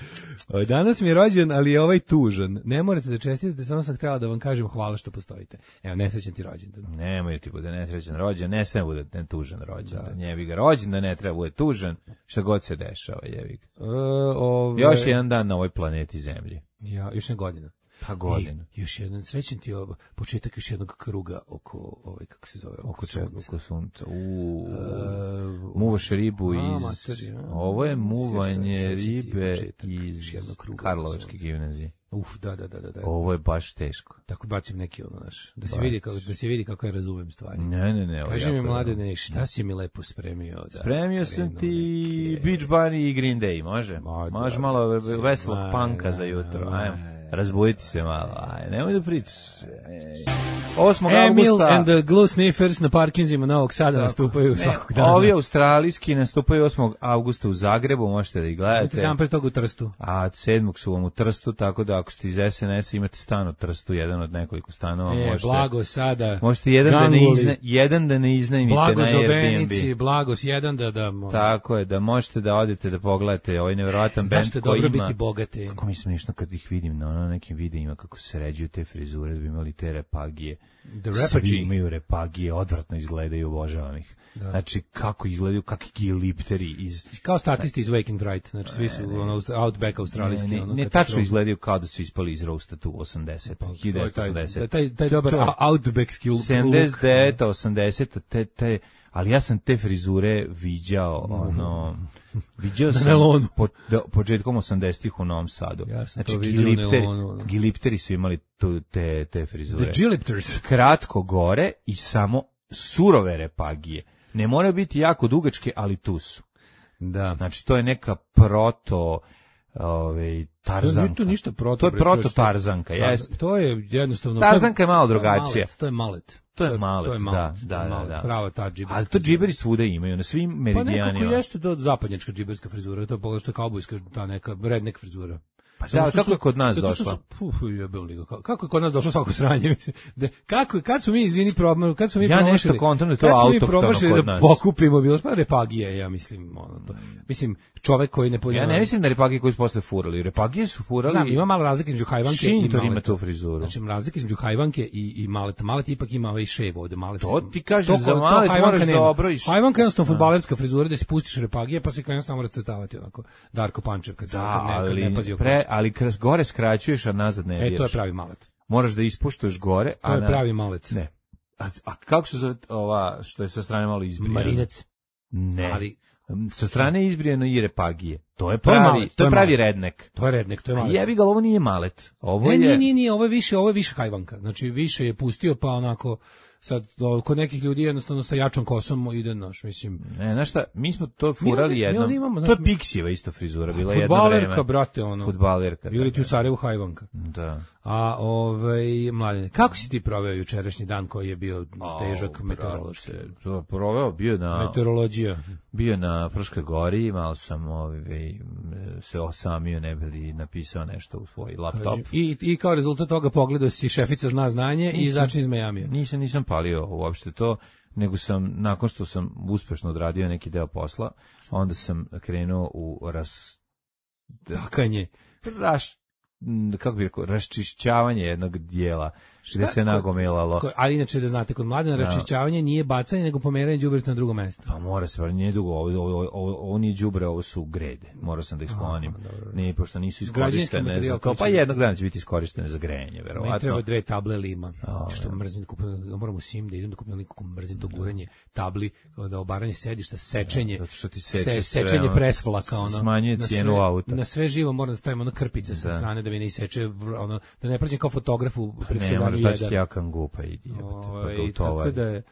O, Danas mi je rođen, ali je ovaj tužan. Ne morate da čestitate, samo sam htjela da vam kažem hvala što postojite. Evo, nesrećan ti rođendan. Nemoj ti bude nesrećan rođen, ne sve bude ne tužan rođen. Da. Njebi ga rođen, da ne treba bude tužan, šta god se dešava, jebi ga. E, ove, Još jedan dan na ovoj planeti Zemlji. Ja, još ne godina. Pa godina. I još jedan srećan ti je ovo, početak još jednog kruga oko, ovaj, kako se zove, oko, Oko čega? sunca. Oko sunca. U, E, muvaš ribu a, iz... mater, ja. Ovo je muvanje Sjećam ti ribe početak iz još jednog kruga Karlovačke oko sunca. gimnazije. Uf, da, da, da, da. da. Ovo je baš teško. Tako bacim neki ono, naš, da se Bac. vidi kako, da se vidi kako ja razumem stvari. Ne, ne, ne. ovo Kaži mi, jako je mladene, šta si mi lepo spremio? Da Spremio sam krenu ti neke- Beach Bunny i Green Day, može? Ma, Može da, malo ve- se- veselog ma, panka da, za jutro, ma, ajmo. da. Razbuditi se malo, aj, nemoj da pričaš. osmog Emil avgusta... and the Glue Sniffers na parkinzima Novog Sada nastupaju svakog dana. Ovi australijski nastupaju osmog avgusta u Zagrebu, možete da ih Imate gledate. dan pre toga u Trstu. A sedmog su vam u Trstu, tako da ako ste iz es en es imate stan u Trstu, jedan od nekoliko stanova. E, možete, blago sada. možete jedan da, ne Ganguli. izna, jedan da ne iznajmite Blago na za Airbnb. Benici, blago s jedan da da. mo- Tako je, da možete da odete da pogledate ovaj nevjerovatan bend Zašto je koji dobro ima... biti bogati? Kako mi je smiješno kad ih vidim na ono nekim videima kako se sređuju te frizure, da bi imali te repagije. The Svi Rapagee. imaju repagije, odvratno izgledaju, obožavam ih. Da. Znači, kako izgledaju, kakvi gilipteri iz... Kao statisti iz Wake and Fright, znači svi su ono Aust- Outback australijski. Ne, ne, ono, ne katastrofa. tačno izgledaju kao da su ispali iz Roasta tu osamdeset, Pa, to je hiljadu devetsto taj, osamdeset. taj, taj dobar To je. Outbackski look. sedamdeset devet, osamdeset, te, te, ali ja sam te frizure viđao, ono, viđao sam nelonu. po, da, početkom osamdesetih u Novom Sadu. Ja sam znači, to viđao u gilipteri, nelonu, ono. gilipteri su imali tu, te, te frizure. The Gilipters. Kratko gore i samo surove repagije. Ne mora biti jako dugačke, ali tu su. Da. Znači, to je neka proto... Ove, tarzanka. Nije to ništa proto. To je bre, proto čoveče. tarzanka, Tarzan- jeste. To je jednostavno... Tarzanka je malo to je drugačija. malet, To je malet. To je malet, to je da, malet, da, to je da, malet, da. Prava ta džiberska. Ali to džiberi svuda imaju, na svim Pa meridijanima. nekako jeste to zapadnjačka džiberska frizura, to je pogledaj što je kaubojska, ta neka redneck frizura. Pa Samo da, što kako su- je kod nas zato što došla? su- Puf, jebem li ga, ka- kako je kod nas došlo svako sranje, mislim. Da, kako, kad smo mi, izvini, problem, kad smo mi Ja nešto promašili- kontam da je to kad smo mi autohtono promašili kod da nas. pokupimo, bilo pa repagije, ja mislim, ono to. Mislim, čovek koji ne Ja ne mislim da repagije koji su posle furali. Repagije su furali... Znam, ima malo razlike između hajvanke i Šintor ima maleta. tu frizuru. Znači, razlike između hajvanke i, i maleta. Malet ipak ima ovaj šev ovde. Malet To se- ti kažem, to- za to malet hajvanka moraš nema. dobro iš- Hajvanka je jednostavno fudbalerska frizura gde si pustiš repagije pa se krene samo racetavati onako. Darko Pančev kad, se- Da, kad, ne, kad ne pazi ali, oko. pre, ali kras, gore skraćuješ, a nazad ne E, to je diraš. pravi malet. Moraš da ispuštuješ gore, To a je na... pravi malet. Ne. A, a kako se zove ova što je sa strane malo izbrijano? Marinec. Ne. Ali Sa strane je izbrijano i repagije. To je To je pravi, malet, to to je je pravi malet. rednek. to je rednek, to je A malet. jebi ga, ovo nije malet. Ovo Ne, je... nije, nije, nije, ovo je više, ovo je više hajvanka. Znači, više je pustio pa onako, sad, o, kod nekih ljudi jednostavno sa jačom kosom ide naš, mislim. Ne, znaš šta, mi smo to furali Mi- mi jednom. ovdje imamo, To znaš, je Pixijeva isto frizura, bila jedno Fudbalerka, vreme. brate, ono. Fudbalerka. Ili da, ti u Sarajevu hajvanka. Da. A ovaj mladine, kako si ti proveo jučerašnji dan koji je bio težak Au, meteorološki? To proveo bio na Meteorologija. bio na Fruškoj gori, malo sam ovaj se osamio, ne bi li napisao nešto u svoj laptop. Kaži, I, I kao rezultat toga pogledao si Šefica zna znanje i začni iz Majamija. Nisam nisam palio uopšte to, nego sam nakon što sam uspešno odradio neki deo posla, onda sam krenuo u ras Takanje. Raš, kako bi rekao, raščišćavanje jednog dijela gde se nagomilalo. Ali inače da znate, kod Mladena raščišćavanje nije bacanje, nego pomeranje đubreta na drugo mesto. Pa mora se, pa nije dugo, ovo, ovo, ovo, ovo nije đubre, ovo su grede. Morao sam da ih sklonim. Ne, pošto nisu iskorištene za to, pa jednog dana će biti iskorištene za grejanje, verovatno. Meni treba dve table lima, što mrzim, moram u Sim da idem da kupim nekako mrzim to guranje tabli, da obaranje sedišta, sečenje, sečenje presvlaka, ono. Smanjuje cijenu auta. Na sve živo moram da stavim ono krpice sa strane da mi ne iseče, ono, da ne prođem kao fotograf u predskazanju jedan. Da će ja kangupa idi, i tako da je...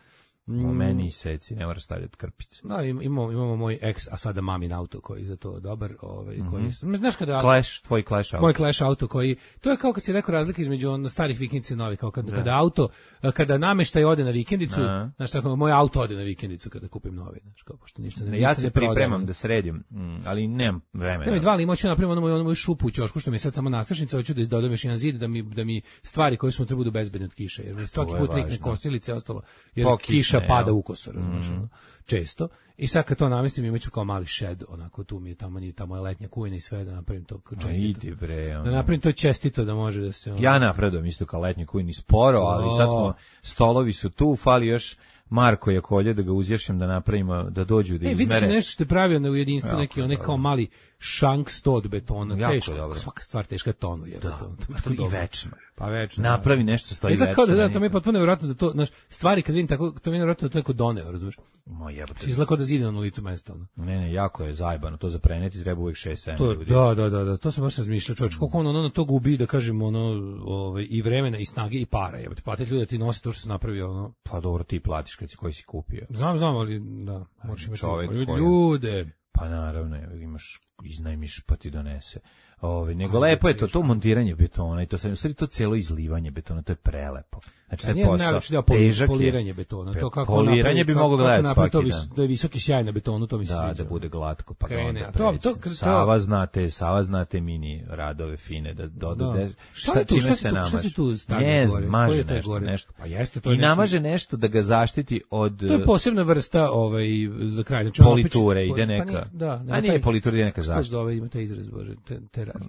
U meni seci, ne mora stavljati krpice. Da, imamo, imamo moj ex, a sada mamin auto koji je za to dobar. Ovaj, koji, mm-hmm. Znaš kada... Clash, tvoj Clash auto. Moj Clash auto koji... To je kao kad si rekao razlika između on, starih vikendica i novih. Kao kad, kada auto, kada nameštaj ode na vikendicu, uh-huh. Znaš tako, moj auto ode na vikendicu kada kupim novi. Znaš, kao, pošto ništa ne, ne, ništa ja se ne pripremam da sredim, ali nemam vremena. Treba mi dva limoća, napravim ono moju, ono moju šupu u ćošku, što mi je sad samo nastrašnica, hoću da dodam još jedan zid, da mi, da mi stvari koje su mu trebaju bezbedne od kiše. Jer mi svaki put rikne kosilice ostalo, jer kiša pada u kosor. Mm-hmm. Često. I sad kad to namestim imaću kao mali shed, onako tu mi je tamo, nije tamo je letnja kujna i sve, da napravim to čestito. Idi bre, ono. Da napravim to čestito da može da se... Ono... Ja napredujem isto kao letnju kujni sporo, ali sad smo, stolovi su tu, fali još Marko Jakolje da ga uzješem da napravimo, da dođu da e, izmere. E, vidiš nešto što je pravio na ujedinstvu, jako, neki onaj kao mali šank sto od betona, teško, svaka stvar teška tonu je. Da, to, to, to i večno. Pa večno. Napravi da. Nešto stoji večno. Kao da, da, to mi je potpuno nevjerojatno da to, znaš, stvari kad vidim tako, to mi je nevjerojatno da to je kod doneo, razumiješ? Moj jebote. Izgleda kao da zide na licu mesta, ono. Ne, ne, jako je zajebano, to za preneti treba uvijek šest sedam ljudi. Da, da, da, da, to sam baš razmišljao, čovječ, koliko ono na to gubi, da kažem, ono, ovaj, i vremena, i snage, i para, jebote, platiti ljudi da ti nosi to što se napravio, ono. Pa dobro, ti platiš kad si koji si kupio. Znam, znam, ali, da, možeš imati čovjek, ljude. Pa naravno, imaš, iznajmiš pa ti donese. Ove, nego lepo je to, to montiranje betona i to sad, u stvari to cijelo izlivanje betona, to je prelepo. Znači, to je posao, težak je. Poliranje betona, to kako poliranje bi moglo gledati svaki to, dan. Da je visoki sjaj na betonu, to mi se da, sviđa. Da, bude glatko, pa krene. Da to, to, to, Sava znate, Sava znate mini radove fine, da doda, da. šta, šta, čime šta se namaže. Šta se tu stavlja ne, gore? Maže nešto, gore? nešto. Pa jeste, to je I namaže nešto da ga zaštiti od... To je posebna vrsta ovaj, za kraj. Znači, politure, ide neka. Pa nije, da, a nije politura, ide neka zaštita. Što zove, ima taj izraz, bože,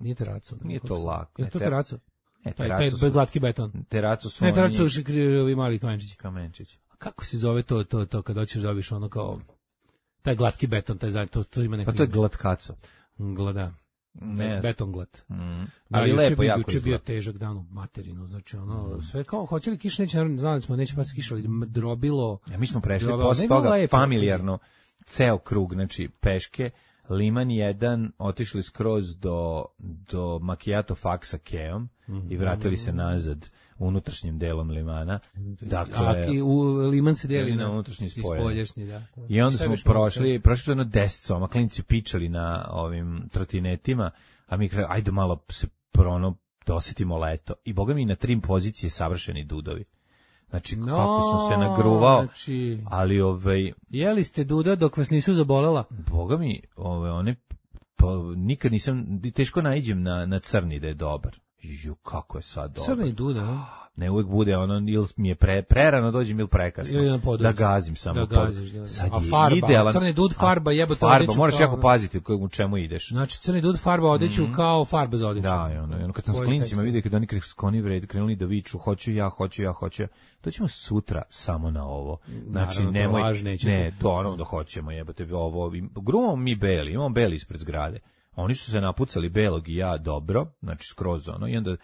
nije teraco. Nije to lako. Je to teraco? Ne, taj, taj glatki beton. Teraco su ne, teraco su ovi mali kamenčići. Kamenčići. A kako se zove to, to, to kad hoćeš dobiš ono kao taj glatki beton, taj zajedno, to, to ima neki... Pa to je glatkaco. Glada. Ne. Beton glat. Mm. Ali, ali lepo, jako izgleda. Bio težak dan u materinu, znači ono, mm. sve kao, hoće li kiša, neće, naravno, znali smo, neće pas kiša, ali drobilo... Ja, mi smo prešli posle toga familijarno, ceo krug, znači peške, Liman jedan, otišli skroz do, do Macchiato faksa Keom mm-hmm. i vratili se nazad unutrašnjim delom Limana. Dakle, a u Liman se deli na unutrašnji spoljašnji, da. I onda smo prošli, prošli su jedno deset soma, klinci pičali na ovim trotinetima, a mi kraju, ajde malo se prono, dosetimo leto. I boga mi na trim pozicije savršeni dudovi. Znači, no, kako sam se nagruvao, znači, ali ovaj... Jeli ste duda dok vas nisu zabolela? Boga mi, ove, one, pa, nikad nisam, teško naiđem na, na crni da je dobar. Ju, kako je sad dobar. Crni duda, a? Ne, uvijek bude ono, ili mi je pre, prerano dođem ili prekasno. Ili da gazim samo. Da gaziš, da. Sad a farba, idealan, crni dud, farba, jebote farba, odeću. Moraš kao, jako paziti u čemu ideš. Znači, crni dud, farba, odeću mm-hmm. kao farba za odeću. Da, i ono, ono, kad sam s klincima vidio, kad oni skloni vred, krenuli da viču, hoću ja, hoću ja, hoću ja. To ćemo sutra samo na ovo. Znači, naravno, nemoj, to ne, to ono da hoćemo, jebote, ovo, grumamo mi beli, imamo beli ispred zgrade. Oni su se napucali belog i ja dobro, znači skroz ono, i onda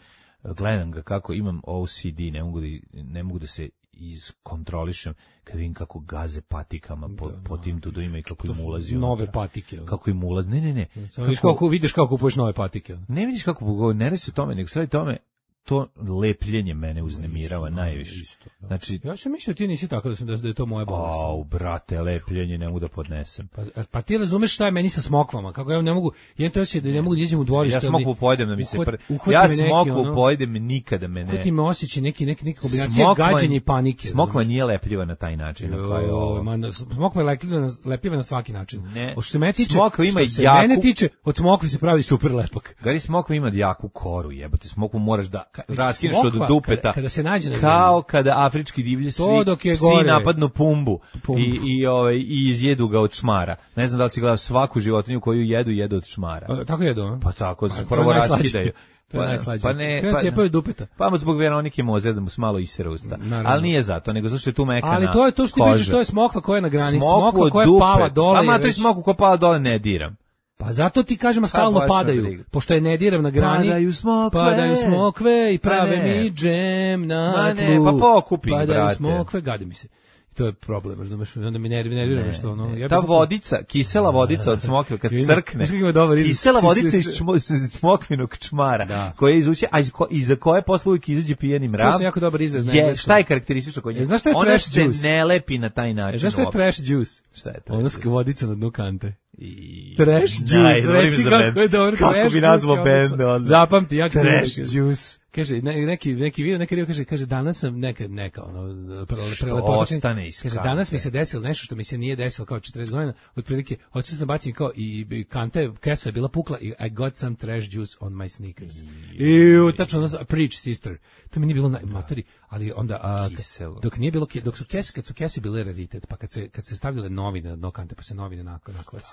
gledam ga kako imam O C D, ne mogu da, ne mogu da se iskontrolišem kad vidim kako gaze patikama po, da, po tim dudovima i kako im ulazi nove unutra. Patike. Kako im ulazi, ne, ne, ne. Kako, vidiš kako, vidiš kako kupuješ nove patike. Ne vidiš kako, ne radi se o tome, nego sve tome, to lepljenje mene uznemirava isto, najviše. Isto, da. Znači, ja sam mislio ti nisi tako da sam da je to moja bolest. Au, brate, lepljenje ne mogu da podnesem. Pa, pa ti razumeš šta je meni sa smokvama? Kako ja ne mogu, ja to osjećam da ne mogu da idem u dvorište. Ja smokvu pojedem da mi se pr... Ja smokvu ono, pojedem nikada me ne. Kako ti me osjeća neki neki neka kombinacija gađenja i panike. Smokva nije lepljiva na taj način na koji ovo. Man, smokva je lepljiva, lepljiva na svaki način. Ne. Što se mene tiče, smokva ima što jaku. Mene tiče, od smokve se pravi super lepak. Gari smokva ima jaku koru, jebote. Smokvu moraš da raskineš od smokva, dupeta. Kada, kada se nađe na kao zemlji. kada afrički divlji svi To dok je psi gore. napadnu pumbu, Pumbu. i i ovaj i izjedu ga od šmara. Ne znam da li si gledao svaku životinju koju jedu, jedu od šmara. A, tako jedu, a? Pa tako Pa, se to je prvo najslađe. raskidaju. To je Pa- najslađe. Pa ne, Krenu pa, cijepaju dupeta. pa zbog Veronike Mozer da mu se malo isere usta. Naravno. Ali nije zato, nego zato što je tu mekana. Ali to je to što ti koža. pričaš, to je smokva koja je na grani, Smokvu smokva od koja je dupe. pala dole. A je ma to je već- smoku koja pala dole ne diram. Pa zato ti kažem, a stalno baš me padaju, briga. pošto je ne diram na grani. Padaju smokve. Padaju smokve i Pa prave ne. mi džem na Ma ne, tlu. pa pokupi ih, Padaju brate. smokve, gadi mi se. I to je problem, razumeš? Onda mi nervi nervira nešto ono. Ja Ta bih- vodica, kisela vodica od smokve kad Ima- crkne. znaš kako ima dobar izraz? Kisela Ti vodica si- iz čmo- iz smokvinog čmara, Da. koja izuče, a iz ko- iza koje posle uvijek izađe pijeni mrav. sam jako dobar izraz na Je, engleskom. šta je karakteristično kod nje? E, znaš šta je Ona trash se juice? ne lepi na taj E, način. znaš šta je uopšte. trash juice? Šta je trash Ono juice? s vodica na dnu kante. I... Trash juice, Najbolji reci za kako bend. je dobro. Kako trash bi juice nazvao je odlično. bend onda? Zapamti, ja Trash trash juice. Kaže, ne, neki, neki video, neki video kaže, kaže, danas sam neka, neka, ono, pre- Što prelepotačen. ostane iz Kaže, kante. danas mi se desilo nešto što mi se nije desilo kao četrdeset godina, otprilike, hoćeo sam baciti kao, i, i kante, kesa je bila pukla, i I got some trash juice on my sneakers. I, tačno, ono, preach sister. To mi nije bilo na matori, ali onda, a, Kiselo. dok nije bilo, ke- dok su kese, kad su kese bile raritet, pa kad se, kad se stavljale novine na dno kante, pa se novine nakon, nakon se.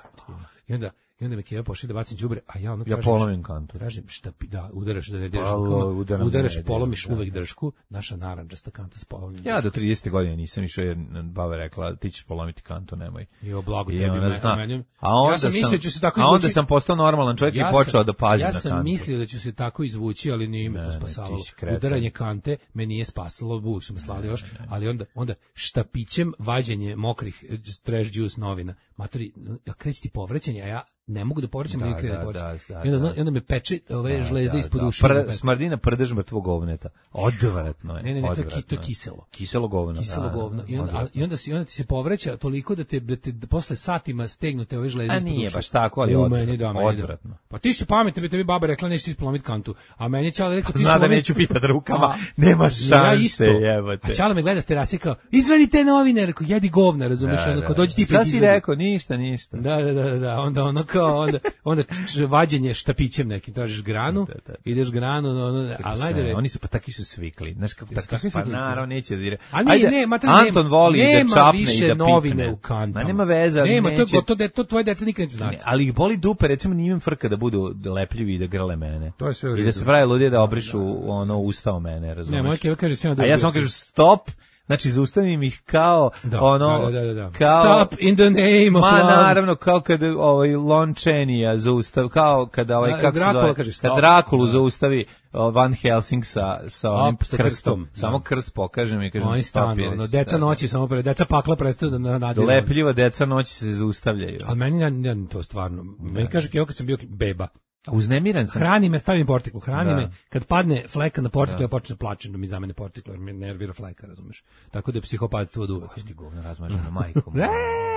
I onda, i onda me Keva pošli da bacim đubre, a ja ono Ja tražim- polomim kantu. Tražim šta pi- da udaraš da ne diraš Pa, rukama, udaram udaraš, da ne polomiš diram, da, uvek da. dršku, naša narandžasta kanta s polomljenim. Ja do tridesete godine nisam išao jer baba rekla ti ćeš polomiti kantu, nemoj. Jo, blago I tebi, ona me- zna. meni- A onda ja sam mislio da ću se tako A onda izvući. sam postao normalan čovjek i počeo da pazim ja na sam kantu. mislio da ću se tako izvući, ali nije me Ne, to ne, spasavalo. ti si kreten. Udaranje kante me nije spasalo, uvijek su me slali još, ali onda, onda štapićem vađenje mokrih eh, trash juice novina. Matori, ja kreći ti povraćanje, a ja ne mogu da povraćam, Da, da, krene da, povraćam. da, da, I onda, da. i onda me peče ove Da, žlezde da, ispod da. ušiju. Pr- smrdina prdež mrtvog govneta. Odvratno je. Ne, ne, ne, to je ki- odvratno to je kiselo. Kiselo govno. Kiselo da, da, govno. I onda, a, odvratno. i onda, si, onda ti se povraća toliko da te, da te da posle satima stegnute ove žlezde A ispod nije ušiju. baš tako, ali U, odvratno, meni da, meni da. odvratno. Pa ti si pametan, bi tebi baba rekla nećeš ti ispolomit kantu. A meni je Ćale rekao ti Zna da ispolomit- neću pipat rukama, A, nema ja šanse, isto. jebote. A Ćale me gleda s terase kao, izvedi te novine, rekao, jedi govna, razumeš, Da, ono, da, kao dođi ti Šta pred si izvedi. rekao? Ništa, ništa. Da, da, da, da, da, onda ono kao, onda, onda č- vađenje štapićem nekim, tražiš granu, Da, da. ideš granu, no, ono, a najde Oni su pa taki su svikli. Znaš kako Jesu tako takvi pa sviklice? naravno neće da dire. A nije, Ajde, ne, ma to Anton nema, voli nema da čapne više i da novine pikne. u kantama. Ma nema veze, ali Nema, to je neće. gotovo, da to tvoje deca nikad neće znati. Ne, ali ih boli dupe, recimo nije im frka da budu lepljivi i da grle mene. To je sve u I da redu. se pravi ludije da obrišu ono usta o mene, razumeš? Ne, moj Keva kaže svima da A je ja bio samo kriv. kažem stop, znači zaustavim ih kao Da, ono, da, da, da, da. kao... Stop in the name of Ma love. naravno, kao kada ovaj Lon Chaney zaustav, kao kada ovaj, Da, kako se Drakula zove, kaže, kad stop. Drakulu Da. zaustavi o, Van Helsing sa, sa onim sa krstom. krstom, da. Samo krst pokažem i kažem Oni stop. stanu, jer ono, si- deca da, da. noći samo pre, deca pakla prestaju da na- nadiru. Lepljiva deca noći se zaustavljaju. Ali meni ja, ja, to stvarno, meni kaže Keva kad sam bio beba, Uznemiran sam. hrani me, stavim portikl, hrani Da. me, kad padne fleka na portikl, ja počnem da plačem da mi zamene portikl, jer me nervira fleka, razumeš. Tako da je psihopatstvo od uvek. Ti govno razmaženo majkom. Ne,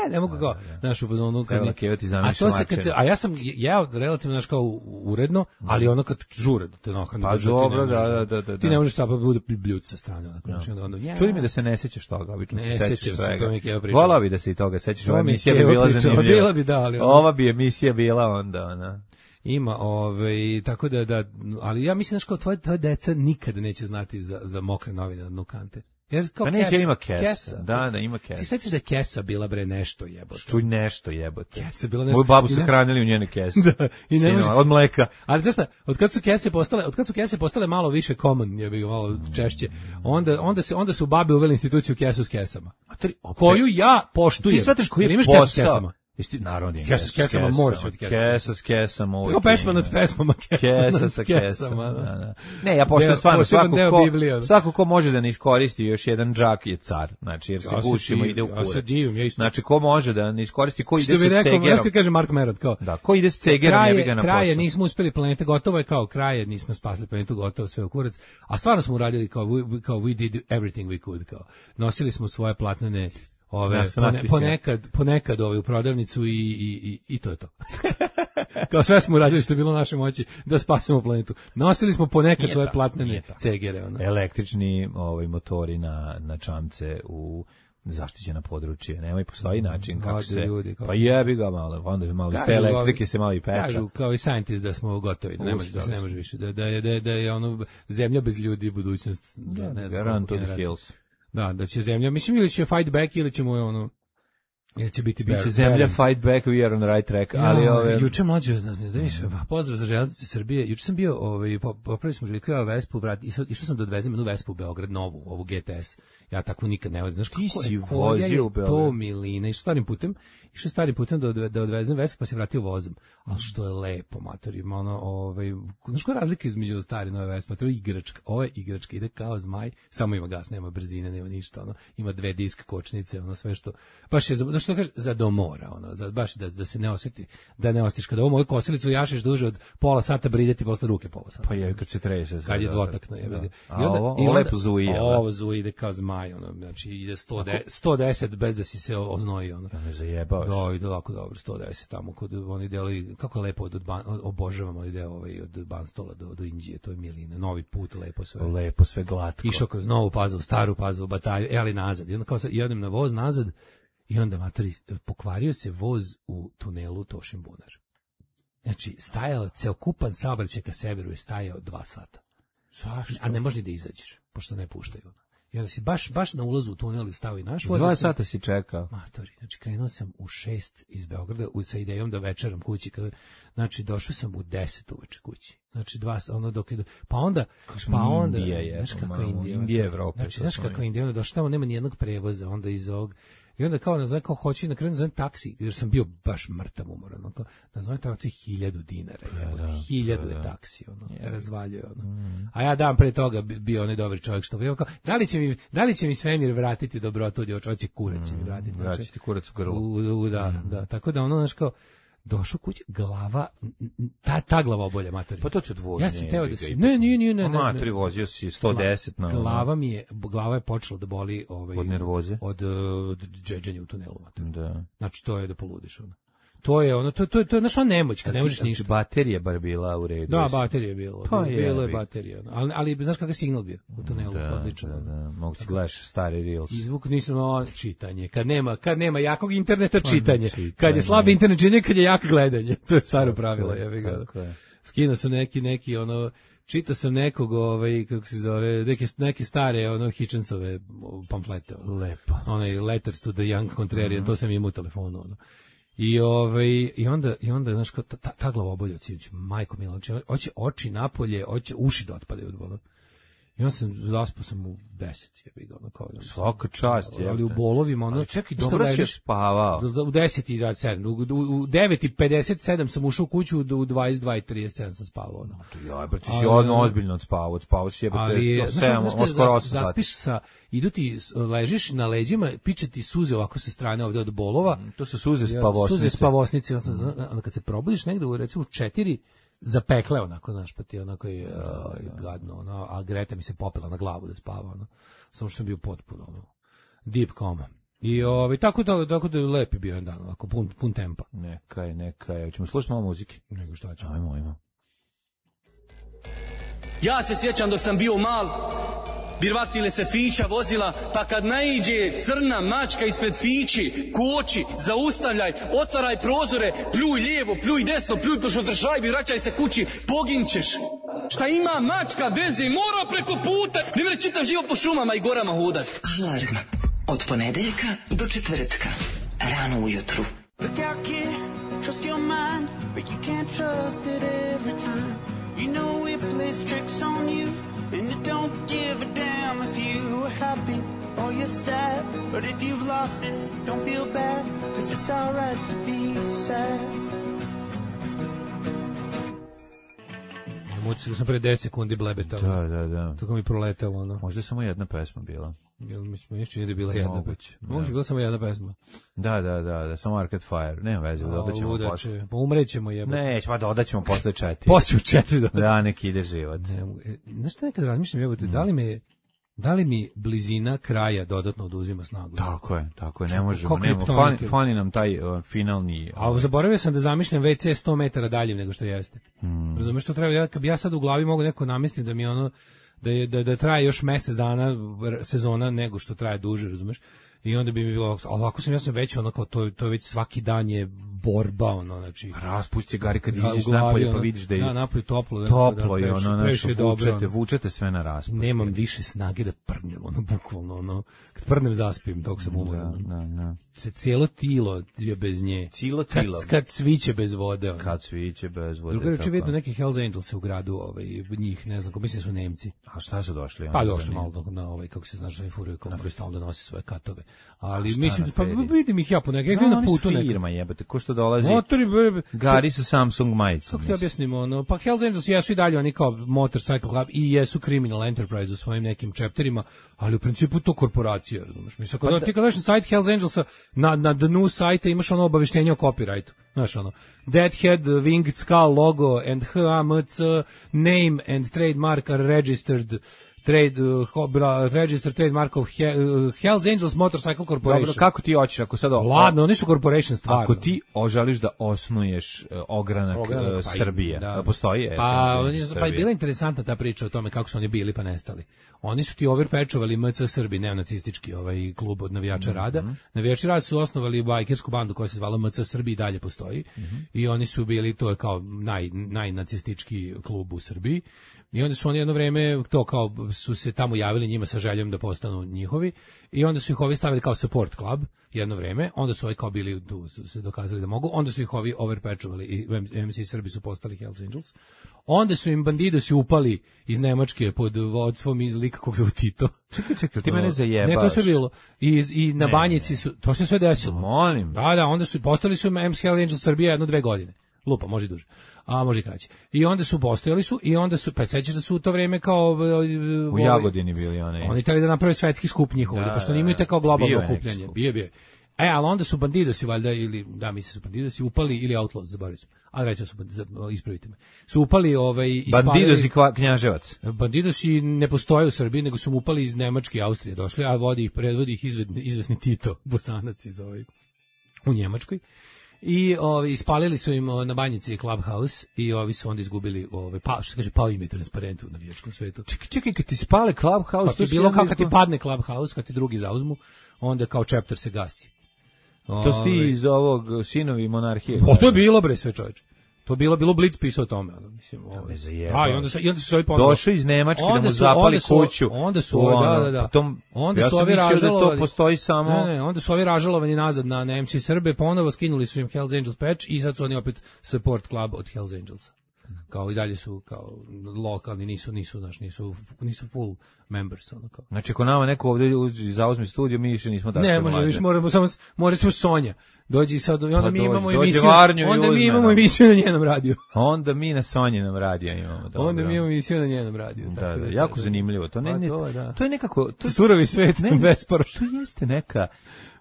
ne mogu kao, znaš, u fazonu kad Evo, mi- Keva ti a zamišlja to se kad se, mačeve. a ja sam jeo relativno, znaš, kao uredno, ali ono kad žure da te nahrani. Pa baš da ti dobro, ne da, možeš da, da, da, Ti da. ne možeš sad pa bude bljuc sa strane, onako, znaš, onda ono, ja. Čudi mi da se ne sećaš toga, obično Ne se sećaš sećam se, svega. to mi je Keva pričala. Volao bi da se i toga sećaš, To ova mi je emisija bi Keva bila pričala, zanimljiva. bila bi, da, ali ono- Ova bi emisija bila onda, ona. Ima, ovaj, tako da, da, ali ja mislim, znaš, kao tvoje, tvoje deca nikada neće znati za, za mokre novine na dnu kante. Jer kao Pa neće, kesa, ima kesa. Da, da, ima Ti kesa. sećaš da je kesa bila, bre, nešto jebote? Čuj nešto jebote. Kesa bila nešto. Moju babu su I ne- hranili u njene kese. Da, i ne može- Sinova, od mleka. Ali znaš šta, od kad su kese postale, od kad su kese postale malo više common, je bi malo češće. Onda onda se onda su babe uveli instituciju kesu s kesama. Materi, opet. Koju ja poštujem. Ti shvataš koji Jer je imaš kesu s posao? kesama. Jesi ti narod je Kesa s kesama, mora se biti kesa. Kesa s kesama. uvijek Kao pesma ima. nad pesmama, kesa, Kesa nad sa kesama, kesama. da. Da, da. Ne, ja poštujem Deo- stvarno poseban svako deo ko, Biblije, da. svako ko može da ne iskoristi još jedan džak je car. Znači, jer se Ja se gušimo divim, ide u ja kurac. se divim, ja isto. Znači, ko može da ne iskoristi, ko ide Što bi sa rekao, znaš cegerom. kad kaže Mark Merod, kao, Da, ko ide s cegerom, ne bi ga na posao. kraje nismo uspeli planete, gotovo je kao kraje, nismo spasili planetu, gotovo sve u kurac, a stvarno smo uradili kao we, kao we did everything we could, kao nosili smo svoje platnene ove Ja sam pone, natpisao. ponekad ponekad ove u prodavnicu i i i, i to je to. Kao sve smo uradili što je bilo u našoj moći da spasimo planetu. Nosili smo ponekad Nije svoje tako, platnene nije tako. cegere, ono. Električni ovaj motori na na čamce u zaštićena područje, nema i postoji način kako Ode se, ljudi, kako- pa jebi ga malo, onda malo iz te Kažu, elektrike se malo i peča. Kažu kao i scientist da smo gotovi, da ne može, da se ne može više, da, da, je, da, je, da je ono zemlja bez ljudi budućnost, da, ne znam, Run koliko to the generacija. hills. Da, da će zemlja, mislim ili će fight back ili ćemo je ono, ili će biti Biće bar- zemlja barren. fight back, we are on the right track, ali Ja, ove... juče mlađe, da mi se pozdrav za železnice Srbije. Juče sam bio, ovaj po- popravili smo željkova Vespu, vrat, išao išao sam da odvezem jednu Vespu u Beograd novu, ovu G T S. Ja tako nikad ne vozim. Znaš Ti kako si je, koja vozio je u Beograd? to milina. Išao starim putem, išao starim putem da, odve, da odvezem Vespu, pa se vratio vozom. Ali što je lepo, mater, ima ono, ovaj, znaš koja je razlika između stare i nove Vespe? To je igračka. Ovo je igračka, ide kao zmaj, samo ima gas, nema brzine, nema ništa, ono. Ima dve disk kočnice, ono sve što baš je za, znaš što kaže, za domora, ono, za, baš da, da se ne osjeti, da ne osjetiš kada ovo moju kosilicu jašeš duže od pola sata, brideti posle ruke pola sata. Pa je kad se trese. Kad je dvotakno, je. Da. I A onda, ovo, i ovo onda, lepo zuji, jel da? ovo zuji ide kao zmaj, ono, znači ide sto deset, sto deset bez da si se oznoji, ono. Ja me zajebavaš. Da, ide lako dobro, sto deset tamo kod oni delovi, kako je lepo od, od ban, obožavam ovaj deo ovaj od Banstola do do Inđije, to je milina, novi put, lepo sve. Lepo, sve glatko. Išao kroz Novu Pazovu, Staru Pazovu, Batalju, e, ali nazad. I onda kao sad, i odem na voz nazad i onda, matori, pokvario se voz u tunelu Tošin Bunar. Znači, stajao, ceokupan saobraćaj ka severu je stajao dva sata. Zašto? A ne može ni da izađeš, pošto ne puštaju. I onda si baš, baš na ulazu u tunel stao i naš voz. Dva da sam- sata si čekao. Matori, znači krenuo sam u šest iz Beograda u, sa idejom da večeram kući. Kada, znači, došao sam u deset uveče kući. Znači, dva, ono dok je, do- pa onda, smo pa onda, Indija, je, znaš kako malo, je Indija. Indija Evrope, Znači, to znaš smo kako mi. je Indija, onda došao tamo, nema ni jednog prevoza, onda iz ovog, i onda kao, nazove, kao hoću, i na kraju nazovem taksi, jer sam bio baš mrtav umoran, ono, kao, nazovem tamo, to je hiljadu dinara, ja, da, hiljadu da, je da. taksi, ono, ja razvaljuje, ono. A ja dan pre toga bi- bio onaj dobar čovjek što bio kao, da li će mi, da li će mi svemir vratiti dobrotu, ili hoće kurac će mi vratiti, znači, Vraći ti kurac u grlo. u, u, da, da, tako da ono, znaš kao, došao kući, glava, n- n- ta, ta glava obolja, matori. Pa to ti odvozi. Ja sam teo da se, ne, nije, nije, ne, ne, ne. Matori, vozio si sto deset na... Glava mi je, glava je počela da boli ovaj, Od nervoze? Od, uh, od džedženja u tunelu, matori. Da. Znači, to je da poludiš, ono. To je ono, to, to, to je, znaš, ona nemoć, kad ne možeš ništa. Baterija bar bila u redu. Da, jesi? baterija je bilo. Pa bilo je jebi. baterija. ono. Ali, ali znaš kakav signal bio u tunelu, Da, odličan. da, ono. da. Mogu ti gledaš stari reels. I zvuk nisam o, čitanje. Kad nema, kad nema jakog interneta, čitanje. čitanje. Kad je slabi internet, čitanje, kad je jak gledanje. To je staro pravilo, jebi ga. Tako je. Skinuo sam neki, neki, ono, čitao sam nekog, ovaj, kako se zove, neke, neke stare, ono, Hitchensove pamflete. Ono. Lepo. Onaj Letters to the Young Contrarian, to sam imao u telefonu, ono. I ovaj i onda i onda znaš kao ta, ta, ta glava obolja sinoć, majko mila, znači hoće oči napolje, hoće uši da otpadaju od bola. I onda sam zaspao sam u deset, jebi ga, ono kao da sam- Svaka čast, ali jebote. u bolovima, ono. Ali čekaj, znaš, dobro kad si ležeš- spavao. u deset i dvadeset sedam, u, u, u devet i pedeset sedam sam ušao u kuću, u dvadeset dva i trideset sedam sam spavao, ono. Ja, brate, si Ali, odno ono- ozbiljno odspavao, odspavao si jebote Ali, do znaš, sedam, znaš, kad skoro zas- osam sati. zaspiš sa, idu ti, s- ležiš na leđima, piče ti suze ovako sa strane ovde od bolova, To su suze Ja, spavosnice. Suze spavosnice, onda, sam, onda kad se probudiš negde u recimo četiri, zapekle onako, znaš, pa ti onako je uh, gadno, ono, a Greta mi se popela na glavu da spava, ono, samo što sam bio potpuno, ono, deep coma. I ovaj, tako da, tako da je lepi bio jedan dan, onako, pun, pun tempa. Neka je, neka je. Hoćemo slušati malo muzike? Nego šta ćemo. Ajmo, ajmo. Ja se sjećam dok sam bio mal, birvatile se fića vozila, pa kad naiđe crna mačka ispred fići, koči, zaustavljaj, otvaraj prozore, pljuj lijevo, pljuj desno, pljuj pošto šajbi, vraćaj se kući, poginćeš. Šta ima mačka veze, mora preko puta, ne mre čitav život po šumama i gorama hodat. Alarm od ponedeljka do četvrtka, rano ujutru. Look out, kid, trust your mind, but you can't trust it every time. You know it plays tricks on you, and it don't give a damn if you are happy or you're sad. But if you've lost it, don't feel bad, cause it's alright to be sad. Moći da sam pre deset sekundi blebetao. Da, da, da. Tako mi proletelo, ono. Možda je samo jedna pesma bila. Jel mi smo još čini da je bila jedna Moguće, peć. da. Moguće, bila samo jedna pesma. Da, da, da, da, samo Arcade Fire. Nema veze, dodat ćemo Luda posle. će, pa umrećemo jebote. Neće, pa dodat ćemo posle četiri. Poslije u četiri da. Da, nek ide život. Ne mogu- e, Znaš šta nekad razmišljam, jebote, da li me da li mi blizina kraja dodatno oduzima snagu? Tako je, tako je, ne Kao možemo, nema, kriptonit. fani, fani nam taj uh, finalni... A zaboravio sam da zamišljam ve ce sto metara dalje nego što jeste. Hmm. Razumeš što treba, ja, kad bi ja sad u glavi mogu neko namislim da mi ono da je da, da traje još mjesec dana sezona nego što traje duže, razumeš? I onda bi mi bilo, ovako sam ja sam već ono kao to, to je već svaki dan je borba, ono, znači... Raspusti gari kad da, iđeš glavi, napolje ono, pa vidiš da je da, napolje toplo. Da, toplo da, i ono, previše, nešto, dobro, vučete, ono. vučete sve na raspusti. Nemam više snage da prdnem, ono, bukvalno, ono, kad prdnem zaspim dok sam umoran. Da, da, da. Se cijelo tilo je bez nje. Cijelo tilo. Kad, kad sviće bez vode. Ono. Kad sviće bez vode. Drugo reći, vidio neki Hells Angels u gradu, ovaj, njih, ne znam, ko mislim su Nemci. A šta su došli? Pa došli malo na ovaj, kako se znaš, na furuje, kao moraju stalno da nosi svoje katove. Ali mislim, pa vidim ih ja po nekaj, no, na putu nekaj. Firma jebate, ko što dolazi. Motori, Gari sa Samsung majicom. Kako ti objasnimo, ono, pa Hells Angels jesu i dalje oni kao Motorcycle Club i jesu Criminal Enterprise u svojim nekim chapterima, ali u principu to korporacija, razumiješ? Mislim, kada pa ti kada na sajt Hells Angelsa, na, na dnu sajta imaš ono obaveštenje o copyrightu, znaš ono, Deadhead, Winged Skull logo and H A M C name and trademark are registered trade uh, register trademark of He, uh, Hells Angels Motorcycle Corporation. Dobro, kako ti hoćeš ako sad Ladno, oni su corporation stvarno. Ako ti oželiš da osnuješ uh, ogranak, ogranak uh, Srbije, pa, da. Postoji? Pa, oni, pa je bila interesantna ta priča o tome kako su oni bili pa nestali. Oni su ti overpečovali M C Srbi, neonacistički ovaj klub od navijača mm -hmm. Rada. Navijači Rada su osnovali bajkersku bandu koja se zvala M C Srbi i dalje postoji. Mm -hmm. I oni su bili, to je kao naj, najnacistički klub u Srbiji. I onda su oni jedno vreme to kao su se tamo javili njima sa željom da postanu njihovi i onda su ih ovi stavili kao support club jedno vreme, onda su ovi kao bili tu su se dokazali da mogu, onda su ih ovi overpečovali i M C Srbi su postali Hells Angels. Onda su im bandidosi upali iz Nemačke pod vodstvom iz lika kog zove Tito. Čekaj, čekaj, ti mene zajebaš. Ne, to sve bilo. I, i na ne, Banjici su, to se sve desilo. Molim. Da, da, onda su, postali su M C Hells Angels Srbija jedno dve godine. Lupa, može i duže. A može i kraće. I onda su postojali su i onda su, pa sećaš da su u to vreme kao u Jagodini bili oni. Oni hteli da naprave svetski skup njihov, da, pošto nimaju te kao globalno okupljanje. Bio bio. E, ali onda su bandidosi valjda ili da mi se su bandidosi upali ili outlaws, zaboravio sam. Ali reći su ispravite me. Su upali ovaj ispalili bandidosi Knjaževac. Bandidosi ne postoje u Srbiji, nego su upali iz Nemačke i Austrije došli, a vodi ih predvodi ih izvesni Tito, Bosanac iz ovaj u Njemačkoj. I ovi ispalili su im na Banjici Clubhouse i ovi su onda izgubili ovaj pa što kaže pao im je transparent u navijačkom svetu. Čekaj, čekaj, kad ti spale Clubhouse, pa to je bilo kao kad ti padne Clubhouse, kad ti drugi zauzmu, onda kao chapter se gasi. To sti iz ovog Sinovi monarhije. O, to je bilo bre sve čoveče. To bilo bilo Blitz pisao o tome, ono, mislim, ovaj. A, i onda su i onda su ovi ponovo došao iz Nemačke da mu zapali kuću. Onda su, da, da, da. Potom, onda ja su ovi ražalovali. Da to postoji samo. Ne, ne, onda su ovi ražalovani nazad na, na M C Srbe, ponovo skinuli su im Hells Angels patch i sad su oni opet support club od Hells Angels. Kao i dalje su kao lokalni, nisu nisu naš nisu nisu full members ono kao. Znači ako nama neko ovde zauzme studio, mi više nismo tako. Ne, može, više moramo samo može samo Sonja. Dođi sad i onda pa mi dođi, imamo dođi emisiju. Onda mi imamo emisiju na njenom radiju. Onda mi na Sonjinom radiju imamo. Dobro. Onda mi imamo emisiju na njenom radiju. Da, tako da, da, jako da, zanimljivo. To ne, ne to, da. To je nekako to surovi svet, ne besporoš. To jeste neka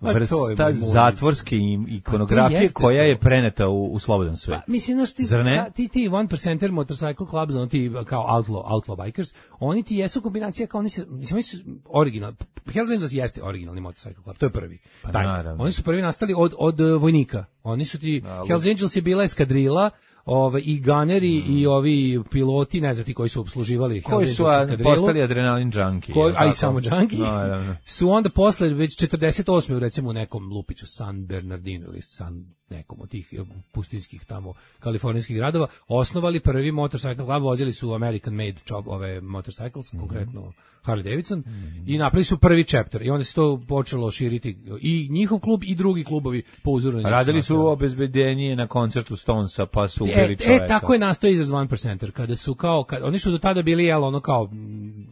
vrsta zatvorske ikonografije koja je preneta u, u slobodan svet. Pa, mislim, znaš, ti, sa, ti, ti one percenter motorcycle clubs, ono ti kao outlaw, outlaw bikers, oni ti jesu kombinacija kao oni se, mislim, oni su original, Hells Angels jeste originalni motorcycle club, to je prvi. Pa, taj. Oni su prvi nastali od, od vojnika. Oni su ti, da, Hells Angels je bila eskadrila, ove i ganeri mm. i ovi piloti, ne znam ti koji su obsluživali koji su postali adrenalin junkie, koji, a i samo junkie, no, su onda posle već četrdeset osme recimo u nekom lupiću San Bernardino ili San nekom od tih pustinskih tamo kalifornijskih gradova osnovali prvi motorcycle club, vozili su American made job ove motorcycles, mm. konkretno Harley Davidson, mm. i napravili su prvi chapter i onda se to počelo širiti i njihov klub i drugi klubovi po uzoru na njih. Radili su obezbeđenje na koncertu Stonesa, pa su ubili čoveka. E, tako je nastao izraz one percenter, kada su kao, kad, oni su do tada bili, jel, ono kao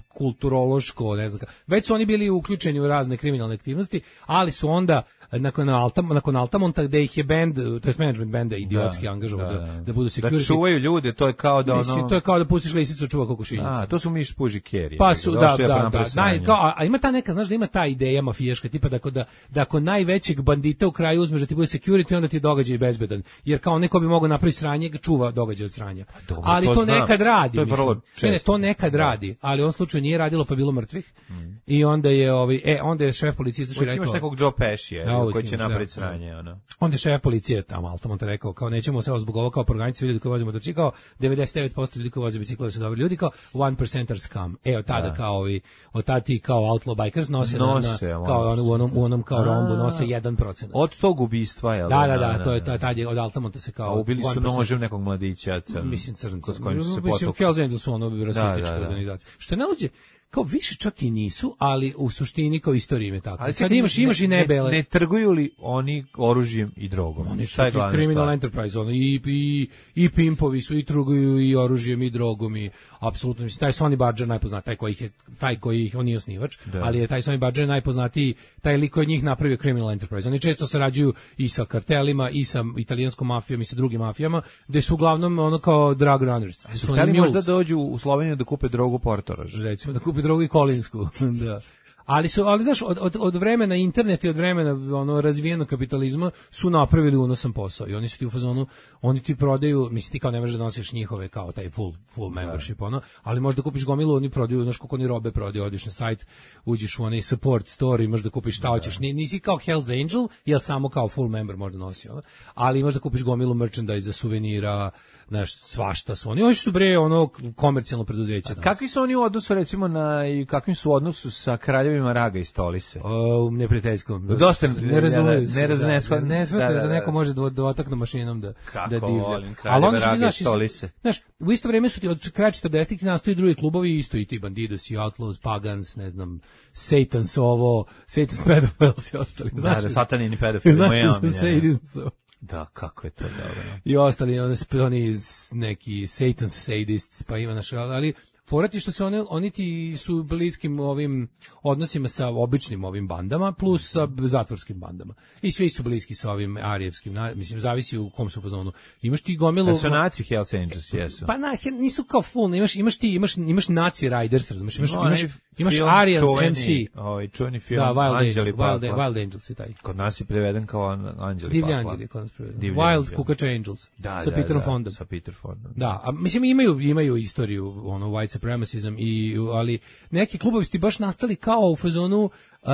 kulturološko, ne znam, već su oni bili uključeni u razne kriminalne aktivnosti, ali su onda nakon Altamont, nakon Altamonta gde ih je band, to jest management benda idiotski da, angažovao da, da, da budu security. Da čuvaju ljude, to je kao da ono... Mislim, to je kao da pustiš lisicu čuva kokošinjicu. A, to su miš puži kerije. Pa su, da, da, da, da, naj, kao, a, a ima ta neka, znaš da ima ta ideja mafijaška, tipa da ako, da, da ako najvećeg bandita u kraju uzmeš da ti bude security, onda ti je događaj bezbedan. Jer kao neko bi mogao napraviti sranje, čuva događaj od sranja. Dobro, ali to, to nekad radi. To je vrlo često. Ne, ne, to nekad da. radi, ali u ovom slučaju nije radilo pa je bilo mrtvih. Mm. I onda je ovaj e onda je šef policije izašao i rekao imaš nekog Joe Pesci da, koji će imaš, napraviti da, sranje, ono. Onda je šef policije tamo Altamont rekao kao nećemo se zbog ovoga kao proganjati ljudi koji voze motocikl, kao devedeset devet posto ljudi koji voze bicikle su dobri ljudi, kao one percenters come. E od tada da. Kao ovi od tada ti kao outlaw bikers nose, nose na, na kao ono, u onom u onom kao rombu nose jedan procenat. Od tog ubistva je. Da, da, da, to je tad je od Altamonta se kao ubili su nožem nekog mladića, mislim crnca. S kojim su se mislim Hells Angels su ono rasistička organizacija. Što ne uđe kao više čak i nisu, ali u suštini kao istorija im je tako. Ali sad imaš, imaš i nebele. Ne, ne trguju li oni oružjem i drogom? Oni su criminal stvar? Enterprise, ono, i, i, i pimpovi su, i trguju i oružjem i drogom i apsolutno, mislim, taj Sonny Barger najpoznatiji, taj koji ih je, taj koji ih, on nije osnivač, da. Ali je taj Sonny Barger najpoznatiji, taj lik od njih napravio criminal enterprise. Oni često sarađuju i sa kartelima, i sa italijanskom mafijom, i sa drugim mafijama, gde su uglavnom ono kao drug runners. Su, su oni možda dođu u Sloveniju da kupe drogu Portorož? Recimo, da kupe drogu i Kolinsku, da. Ali su, ali znaš, od, od, od vremena interneta i od vremena ono razvijenog kapitalizma su napravili unosan posao i oni su ti u fazonu, oni ti prodaju, mislim ti kao ne možeš da nosiš njihove kao taj full full membership, ono, ali možeš da kupiš gomilu, oni prodaju, znaš koliko oni robe prodaju, odiš na sajt, uđeš u onaj support store i možeš da kupiš šta hoćeš, nisi kao Hells Angel, jel samo kao full member možda nosi, ono, ali možeš da kupiš gomilu merchandise, suvenira, znaš, svašta su oni. Oni su bre ono komercijalno preduzeće. Kakvi su oni u odnosu recimo na i kakvim su u odnosu sa kraljevima Raga i Stolise? O, neprijateljskom. Dosta ne razumiju. Ne razumiju. Ne, ne smete da, da neko može dotaknuti mašinom da kako da divlja. Volim kraljeve Raga i Stolise. Znaš, u isto vrijeme su ti od kraja četrdesetih nastaju drugi klubovi, isto i ti Bandidos i Outlaws, Pagans, ne znam, Satan's ovo, Satan's Pedophiles i ostali. Znaš, da, da, satanini pedofili. Znaš, Satan's da, kako je to dobro. I ostali oni, oni neki Satan's sadists, pa ima naš, ali forati što se oni, oni ti su bliskim ovim odnosima sa običnim ovim bandama, plus sa zatvorskim bandama. I svi su bliski sa ovim arijevskim, mislim, zavisi u kom su fazonu. Imaš ti gomilu... Da su naci Hells Angels, jesu. Pa na, nisu kao full, imaš, imaš ti, imaš, imaš naci Riders, razumiješ, imaš, no, imaš, imaš Arians M C. Ovaj čuveni film, da, Wild Anđeli Wild, Wild Angels je taj. Kod nas je preveden kao Anđeli Divlji Anđeli, kod nas preveden. Wild Kukač Angels, da, sa da, Peterom da, Fondom. Sa Peter Fondom. Da, a mislim imaju, imaju istoriju, ono, white supremacism, i, ali neki klubovi su ti baš nastali kao u fazonu uh,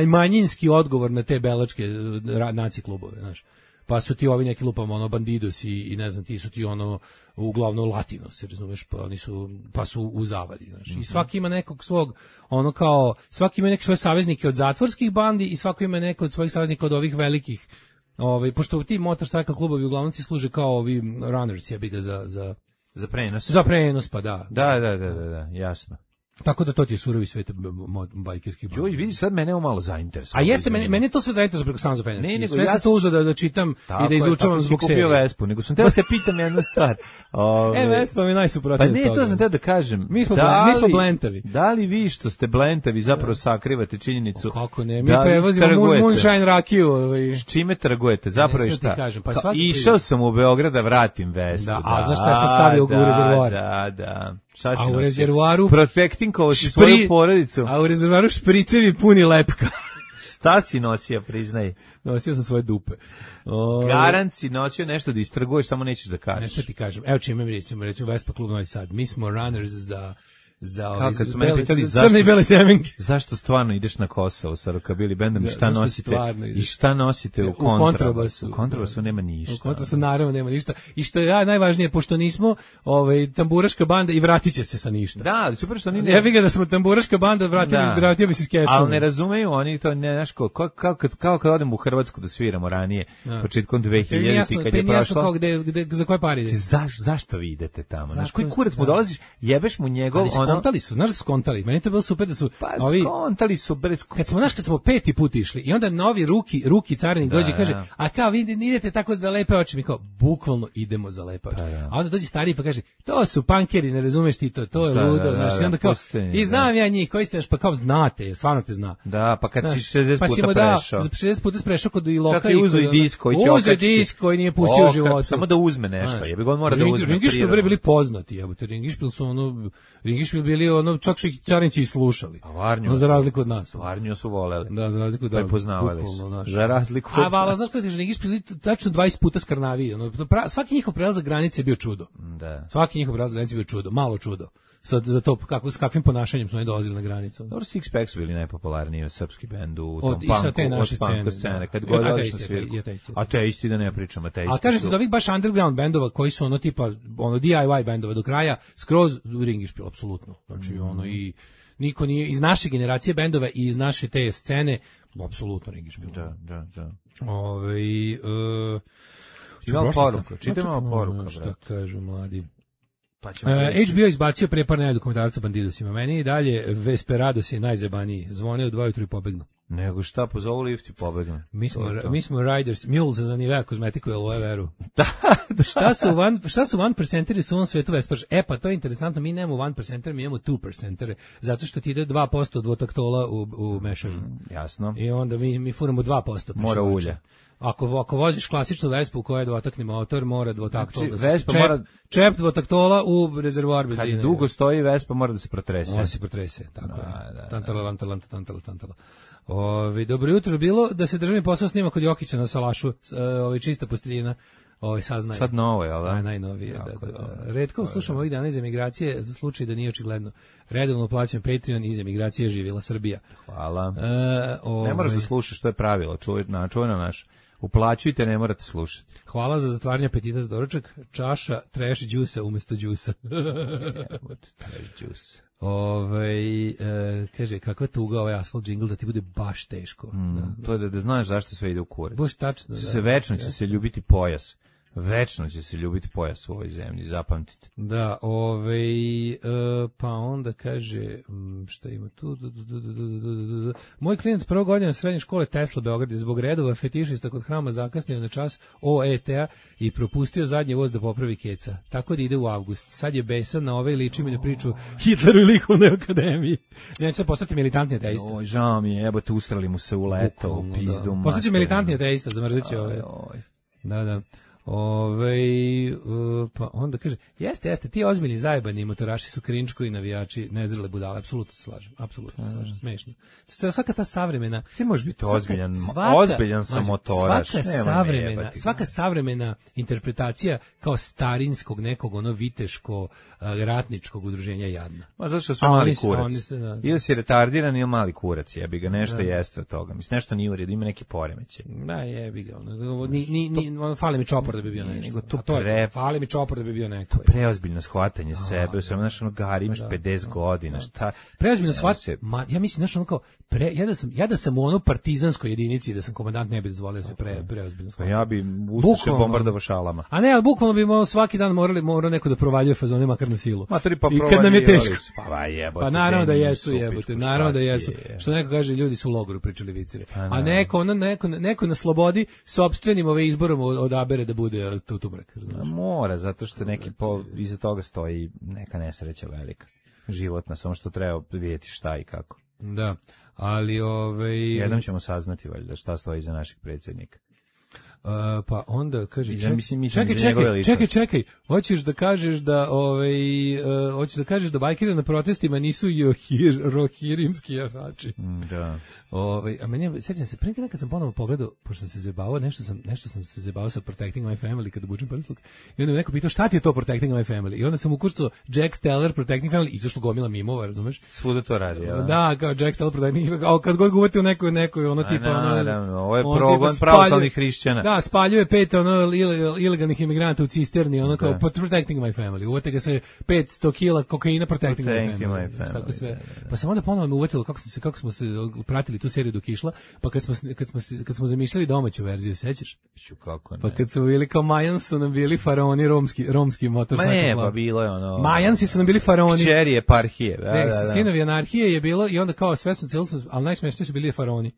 manjinski odgovor na te belačke naci klubove, znaš. Pa su ti ovi neki lupama, ono, Bandidos i, i ne znam, ti su ti ono, uglavnom Latino, se razumeš, pa oni su, pa su u zavadi, znaš. I svaki ima nekog svog, ono kao, svaki ima neke svoje saveznike od zatvorskih bandi i svaki ima neko od svojih saveznika od ovih velikih, ovaj, pošto ti motorcycle klubovi uglavnom ti služe kao ovi runners, jebi ga za, za, za prenos. Za prenos, pa da. Da, da, da, da, da, jasno. Tako da to ti je surovi svet bajkerskih. Joj, vidi, sad mene ovo malo zainteresovalo. A jeste, meni, meni je to sve zainteresovalo preko Sons of Anarchy. Ne, nego sve ja sam to uzeo da, da čitam tako i da izučavam zbog serije. Kupio Vespu, nego sam teo te pitam jednu stvar. Ove, e, Vespa mi je najsuprotnije. Pa ne, to sam teo da kažem. Mi smo, da mi smo blentavi. Da li vi što ste blentavi zapravo sakrivate činjenicu? O, kako ne, mi da prevozimo moonshine rakiju. Ovaj. Čime trgujete? Zapravo je šta? Kažem, pa Ka, išao sam u Beograd da vratim Vespu. Da, a znaš šta sam stavio u rezervoar? Da, da. Šta a u rezervoaru protecting kao si svoju porodicu. A u rezervoaru špricevi puni lepka. Šta si nosio, priznaj? Nosio sam svoje dupe. O... Garant si nosio nešto da istrguješ, samo nećeš da kažeš. Nešto ti kažem. Evo čime mi recimo, recimo Vespa klub Novi Sad. Mi smo runners za... za kao kad su mene pitali zašto, bele zašto stvarno ideš na Kosovo sa rokabili bendom i šta nosite i šta nosite u, u kontrabasu. U kontrabasu nema ništa. U kontrabasu naravno nema ništa. I što je ja najvažnije, pošto nismo ovaj, tamburaška banda i vratit će se sa ništa. Da, ali super što oni... Ja bih ga da smo tamburaška banda, vratili, da. vratio bi se s kešom. Ali ne razumeju oni to, ne, znaš, kao, kao, kao, kad, kao kad odemo u Hrvatsku da sviramo ranije, da. početkom dve hiljadite kad je prošlo. Kao gde, gde, za koje pare ide? Zaš, zašto vi idete tamo? Znaš, koji kurac mu dolaziš, jebeš mu njegov... Ali skontali su, znaš, skontali. Meni to bilo super da su pa, ovi skontali su bez kad smo naš kad smo peti put išli i onda novi ruki ruki carinik dođe i kaže da. a kao vi idete tako za lepe oči, mi kao bukvalno idemo za lepe oči. Da. A onda dođe stariji pa kaže to su pankeri, ne razumeš ti to, to je da, ludo, da, znaš, da, i onda kao postoji, i znam da. ja njih koji ste, pa kao znate, stvarno te zna. Da, pa kad znaš, si šezdeset pa puta prešao. Pa si šezdeset puta prešao kod i loka i uzeo i disk koji će uzeo disk koji nije pustio u životu. Samo da uzme nešto, jebi ga on mora da uzme. Ringišpil bre bili poznati, jebote, Ringišpil su ono Ringišpil bili ono čak su ih carinci slušali. A Varnju, no, za razliku od nas. Varnju su voleli. Da, za razliku od nas. Prepoznavali su. Za razliku od nas. A vala, znaš kada ti Ringišpil tačno dvadeset puta skrnaviji. Ono, svaki njihov prelazak granice je bio čudo. Da. Svaki njihov prelazak granice je bio čudo, malo čudo. sa, za to kako, s kakvim ponašanjem su oni dolazili na granicu. Dobro, Six Pack su bili najpopularniji srpski bend u tom Od- i sa punku, te naše od punka scene, scene. da. Kad I god odeš ateisti, na svirku. i ateisti. A te isti da ne pričamo, te isti. A kaže se su- da ovih baš underground bendova koji su ono tipa ono D I Y bendova do kraja skroz ringišpil apsolutno. Znači Mhm. ono i niko nije iz naše generacije bendova i iz naše te scene apsolutno ringišpil. Da, da, da. Ovaj e, Imamo prošlost, poruku, tako. čitaj malo Znači, poruka, Šta brate. kažu mladi? Pa ćemo E, reći. H B O izbacio pre par nedelja dokumentarac o bandidosima. Meni i dalje Vesperados je najzabaniji. Zvone u dva ujutru i pobegnu. Nego šta, pozovu lift i pobegnu. Mi smo, To je to. mi smo riders, mules za Nivea kozmetiku i aloe veru. šta su van, šta su one percenteri su u ovom svetu Vesparž? E pa to je interesantno, mi nemamo one percenter, mi imamo two percentere, zato što ti ide dva posto dvotaktola u, u mešavini. Jasno. I onda mi, mi furamo dva posto. Mora ulja. Ako, ako voziš klasičnu Vespu u kojoj je dvotakni motor, mora dvotaktola. Znači, da se- Vespa čep, mora- čep dvotaktola u rezervoar benzina. Kad dugo stoji Vespa mora da se protrese. Mora se protrese, tako Da, je. da, da. Tantala, lantala, lantala, tantala, tantala. Ovi, dobro jutro bilo da se državni posao snima kod Jokića na salašu, s- e, ovaj čista posteljina. Ovaj saznaje. Sad novo, jel da? Aj, najnovije, da, Jako da, da. dobro. Redko slušamo ovih dana iz emigracije za slučaj da nije očigledno. Redovno plaćam Patreon, iz emigracije živjela Srbija. Hvala. E, ovaj, Ne moraš da slušaš, to je pravilo, čuvaj, na, čuvaj na naš. Uplaćujte, ne morate slušati. Hvala za zatvaranje apetita za doručak. Čaša trash džusa umjesto džusa. Trash juice. Ovaj e, kaže, kakva tuga ovaj asfalt džingl da ti bude baš teško. Da. To je da, da znaš zašto sve ide u kurac. Baš tačno, da. Se večno će se ljubiti pojas. Večno će se ljubiti pojas u ovoj zemlji, zapamtite. Da, ovaj, e, pa onda kaže, m, šta ima tu, du, du, du, du, du, du, du, du. Moj klijent prvo godina srednje škole Tesla Beograd je zbog redova fetišista kod hrama zakasnio na čas O E T-a i propustio zadnji voz da popravi keca. Tako da ide u avgust. Sad je besan na ove liči mi na priču Hitleru i likovnoj akademiji. Ja ću sad postati militantni ateista. Oj, žao mi je, evo te ustrali mu se u leto, u Bukvalno, pizdu. da. Postaće materinu. militantni ateista, zamrzeće ove. Aj, oj. Da, da. Ove, uh, pa onda kaže, jeste, jeste, ti ozbiljni zajebani motoraši su krinčko i navijači, nezrele budale, apsolutno se slažem, apsolutno se slažem, smešno. Sve- Svaka ta savremena... Ti možeš biti svaka- ozbiljan, svaka- ozbiljan sam mlađe, motoraš. Svaka Nemoj me savremena, jebati. svaka savremena interpretacija kao starinskog nekog ono viteško, uh, ratničkog udruženja je jadna. Ma zato što sve A mali oni se- kurac. oni se, da. Ili si retardiran ili mali kurac, jebi ga, nešto jeste od toga. Mislim, nešto nije u redu, ima neki poremećaj. Da, jebi ga, ono, ni, ni, ni, ono, fali mi čopor da bi bio nešto. nego to A to je, pre- fali mi čopor da bi bio neko. Preozbiljno shvatanje sebe, sve znaš, ono, Gari, imaš pedeset godina, šta? Preozbiljno Ne, shvat, se- ma, ja mislim, znaš, ono kao, pre, ja, da sam, ja da sam u ono partizanskoj jedinici, da sam komandant, ne bi dozvolio se pre, preozbiljno Pa shvat. ja bi Ustaše Bukvalno. bombardovao šalama. A ne, ali bukvalno bi mo- svaki dan morali, morao neko da provaljuje fazone makar na silu. Matori, pa I kad nam je provaljivali teško. su. Pa jebote, Pa naravno da Denis, jesu, Supić, jebote, pa naravno da šta jesu. ti je? Što neko kaže, ljudi su u logoru pričali viceve. A naravno. neko, ono, neko, neko na slobodi sopstvenim ove izborom od- odabere da bude tu tumrak. A mora, zato što neki po, iza toga stoji neka nesreća velika. Životna, samo što treba vidjeti šta i kako. Da, ali ovaj... Jednom ćemo saznati valjda šta stoji iza našeg predsjednika. Uh, pa onda kaže Ja ček, mislim, mislim, čekaj, za njegove čekaj, ličnosti. čekaj, čekaj, hoćeš da kažeš da ovaj uh, hoćeš da kažeš da bajkeri na protestima nisu johir, rohirimski jahači. Mm, Da. Ovaj, a meni sećam se pre neki dan kad sam ponovo pogledao, pošto sam se zebavao, nešto sam nešto sam se zebavao sa Protecting My Family kad obučem prsluk. I onda me neko pitao šta ti je to Protecting My Family? I onda sam ukucao Jack Steller Protecting Family, izašlo gomila mimova, razumeš? Svuda to radi, jel? Da, kao Jack Steller Protecting Family, a kad god ga uvati u nekoj nekoj ono A, tipa ono, naravno, ovo je ono progon tipa pravoslavnih spaljuje- hrišćana. Da, spaljuje pet ono ile- ilegalnih imigranata u cisterni, ono kao Da. Protecting My Family. Uvate ga se petsto kila kokaina Protecting, Protecting My My Family. Family, Tako sve. da, da, da. Pa sam onda ponovo me uvetilo kako sam se kako smo se pratili tu seriju dok je išla, pa kad smo s- kad smo se- kad smo zamišljali domaću verziju, sećaš? Ću, kako ne. Pa kad su bili kao Majan su nam bili faraoni romski romski Ma motorcycle ne, club. pa bilo je ono... Majansi su nam bili faraoni. Kćeri eparhije, da, Ne, da, da. sinovi anarhije je bilo i onda kao sve su celo su, ali najsmešniji su bili faraoni.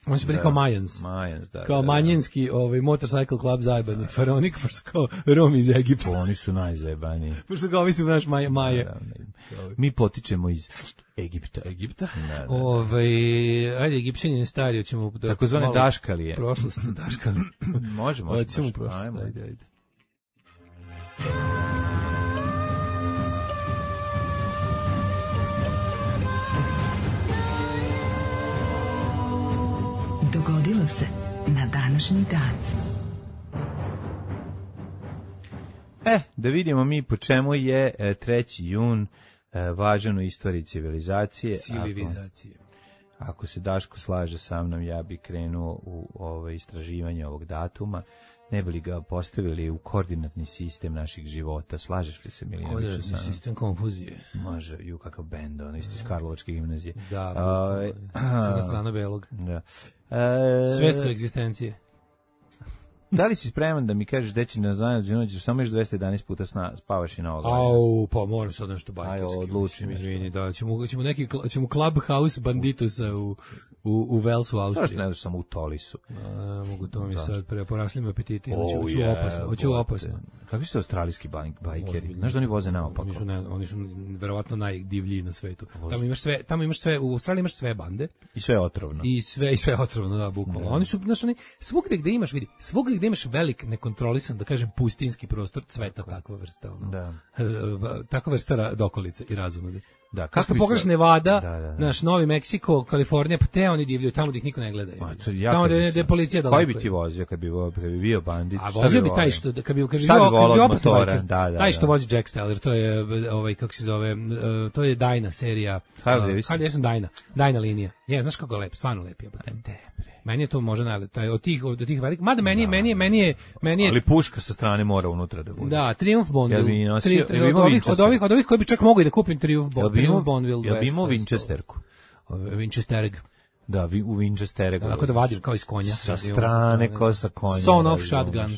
Oni su bili kao Majans. Majans, da. Kao da, da. manjinski ovaj motorcycle club zajebani faraoni, pošto kao Rom iz Egipta. Oni su najzajebaniji. Pošto kao mislim naš Maja, Maje. Naravno. Mi potičemo iz Egipta. Egipta? Da, da. Ovaj, ajde, Egipćani stari, hoćemo da Takozvane malo daškalije. prošlost, daškali. Može, može. Hoćemo može. prošlost. Ajmo. Ajde, ajde. Dogodilo se na današnji dan. E, da vidimo mi po čemu je e, treći jun e, važan u istoriji civilizacije. Civilizacije. Ako, ako se Daško slaže sa mnom, ja bih krenuo u ovo istraživanje ovog datuma, ne bi li ga postavili u koordinatni sistem naših života. Slažeš li se, Milinoviću? Koordinatni sistem konfuzije. Može, ju kakav bend, ono isto iz Karlovačke gimnazije. Da, uh, crna strana belog. Da. Uh, Svest u egzistencije. Da li si spreman da mi kažeš da će na zanad samo još dvesta jedanaest puta sna, spavaš i na ovo? Au, pa moram sad nešto bajkarski. Ajde, odlučim. Izvini, da, ćemo, ćemo neki, ćemo Clubhouse banditusa u, u, u Velsu, Austriji. Zašto ne daš samo u Tolisu? A, mogu to mi sad, pre, porasli mi apetiti, oh, hoću, hoću yeah, opasno, hoću opasno. Kakvi su australijski bajkeri? Znaš da oni voze naopako? Oni su, ne, oni su verovatno najdivljiji na svetu. Tamo imaš sve, tamo imaš sve, u Australiji imaš sve bande. I sve otrovno. I sve, i sve otrovno, da, bukvalno. Oni su, znaš, oni, svugde gde imaš, vidi, svugde gde imaš velik, nekontrolisan, da kažem, pustinski prostor, cveta takva vrsta, ono. Da. Takva vrsta dokolice i razumode. Da, kako bi pogledaš Nevada, da, da, da. Naš Novi Meksiko, Kalifornija, pa te oni divljaju tamo gde ih niko ne gleda. Ja tamo gde je policija daleko. Koji bi ti vozio kad bi, kad bi bio bandit? A vozio bi taj što, kad bi, kad bi bio opasno bajker, da, da, taj što vozi Jack Steller, to je, ovaj, kako se zove, to je Dajna serija. Harley Davidson. Harley Davidson Dajna, Dajna linija. Je, znaš kako je lep, stvarno lep je. Meni je to može najlepše, taj od tih od tih velikih, mada meni je meni je meni je meni je ali puška sa strane mora unutra da bude. Da, Triumph Bonneville. Ja nosio, tri, od, ovih, od ovih od ovih koji bi čak mogli da kupim Triumph Bonneville. Ja bi imao Winchesterku. Winchesterg. Da, vi, u Winchestereg. Tako da vadim kao iz konja. Sa strane, kao sa konja. Son of shotgun.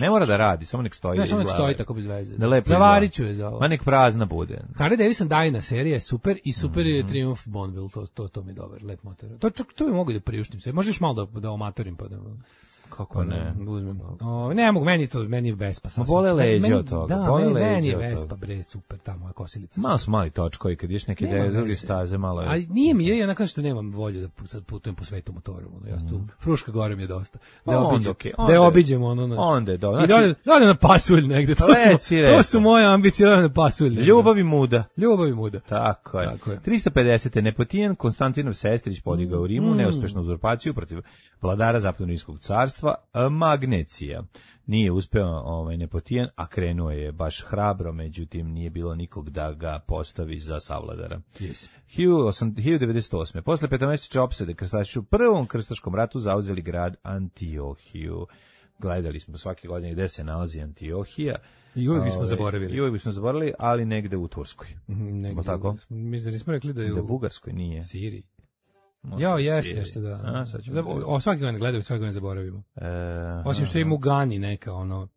Ne mora da radi, samo nek stoji. Ne, samo nek stoji tako bez veze. Da Zavarit ću je za ovo. Ma nek prazna bude. Harley Davidson Dajna serija je super i super je mm-hmm. Triumph Bonneville, to, to, to mi je dobar, lep motor. To, to, to bi mogu da priuštim se. Možeš malo da, da omatorim pa da... Kako ne? Uzmem. O, ne mogu, meni to, meni je Vespa. Ma bole leđe od toga. Da, bole meni, leđe meni je Vespa, bre, super, tamo je kosilica. Malo su mali točkovi, kad ješ neke ideje, druge staze, malo je. Ali nije mi je, ja nakon što nemam volju da sad putujem po svetu motorom. Ono, ja tu, Fruška gore mi je dosta. Da obiđem, okay, da obiđemo ono. Na, onda je do. Znači, I da na pasulj negde, to, su, to su moje ambicije na pasulj. Ljubav i muda. Ljubav i muda. Tako je. Tako je. tristo pedeset. Nepotijan Konstantinov Sestrić podigao u Rimu, mm. neuspešnu uzurpaciju protiv vladara Zapadno-Rimskog carstva, Magnecija. Nije uspeo ovaj Nepotijan, a krenuo je baš hrabro, međutim nije bilo nikog da ga postavi za savladara. Yes. hiljadu devetsto osme. Posle petomesečne opsade krstaši u prvom krstaškom ratu zauzeli grad Antiohiju. Gledali smo svake godine gde se nalazi Antiohija. I uvijek bismo zaboravili. I uvijek bismo zaboravili, ali negde u Turskoj. Mm, negde. Tako? Mi zar nismo rekli da je u... Da Bugarskoj nije. Siriji. Jo, jeste, što da. A, sad ćemo Zab- o, svaki godin gledaju, svaki godin zaboravimo. E, Osim što ima u Gani neka, ono,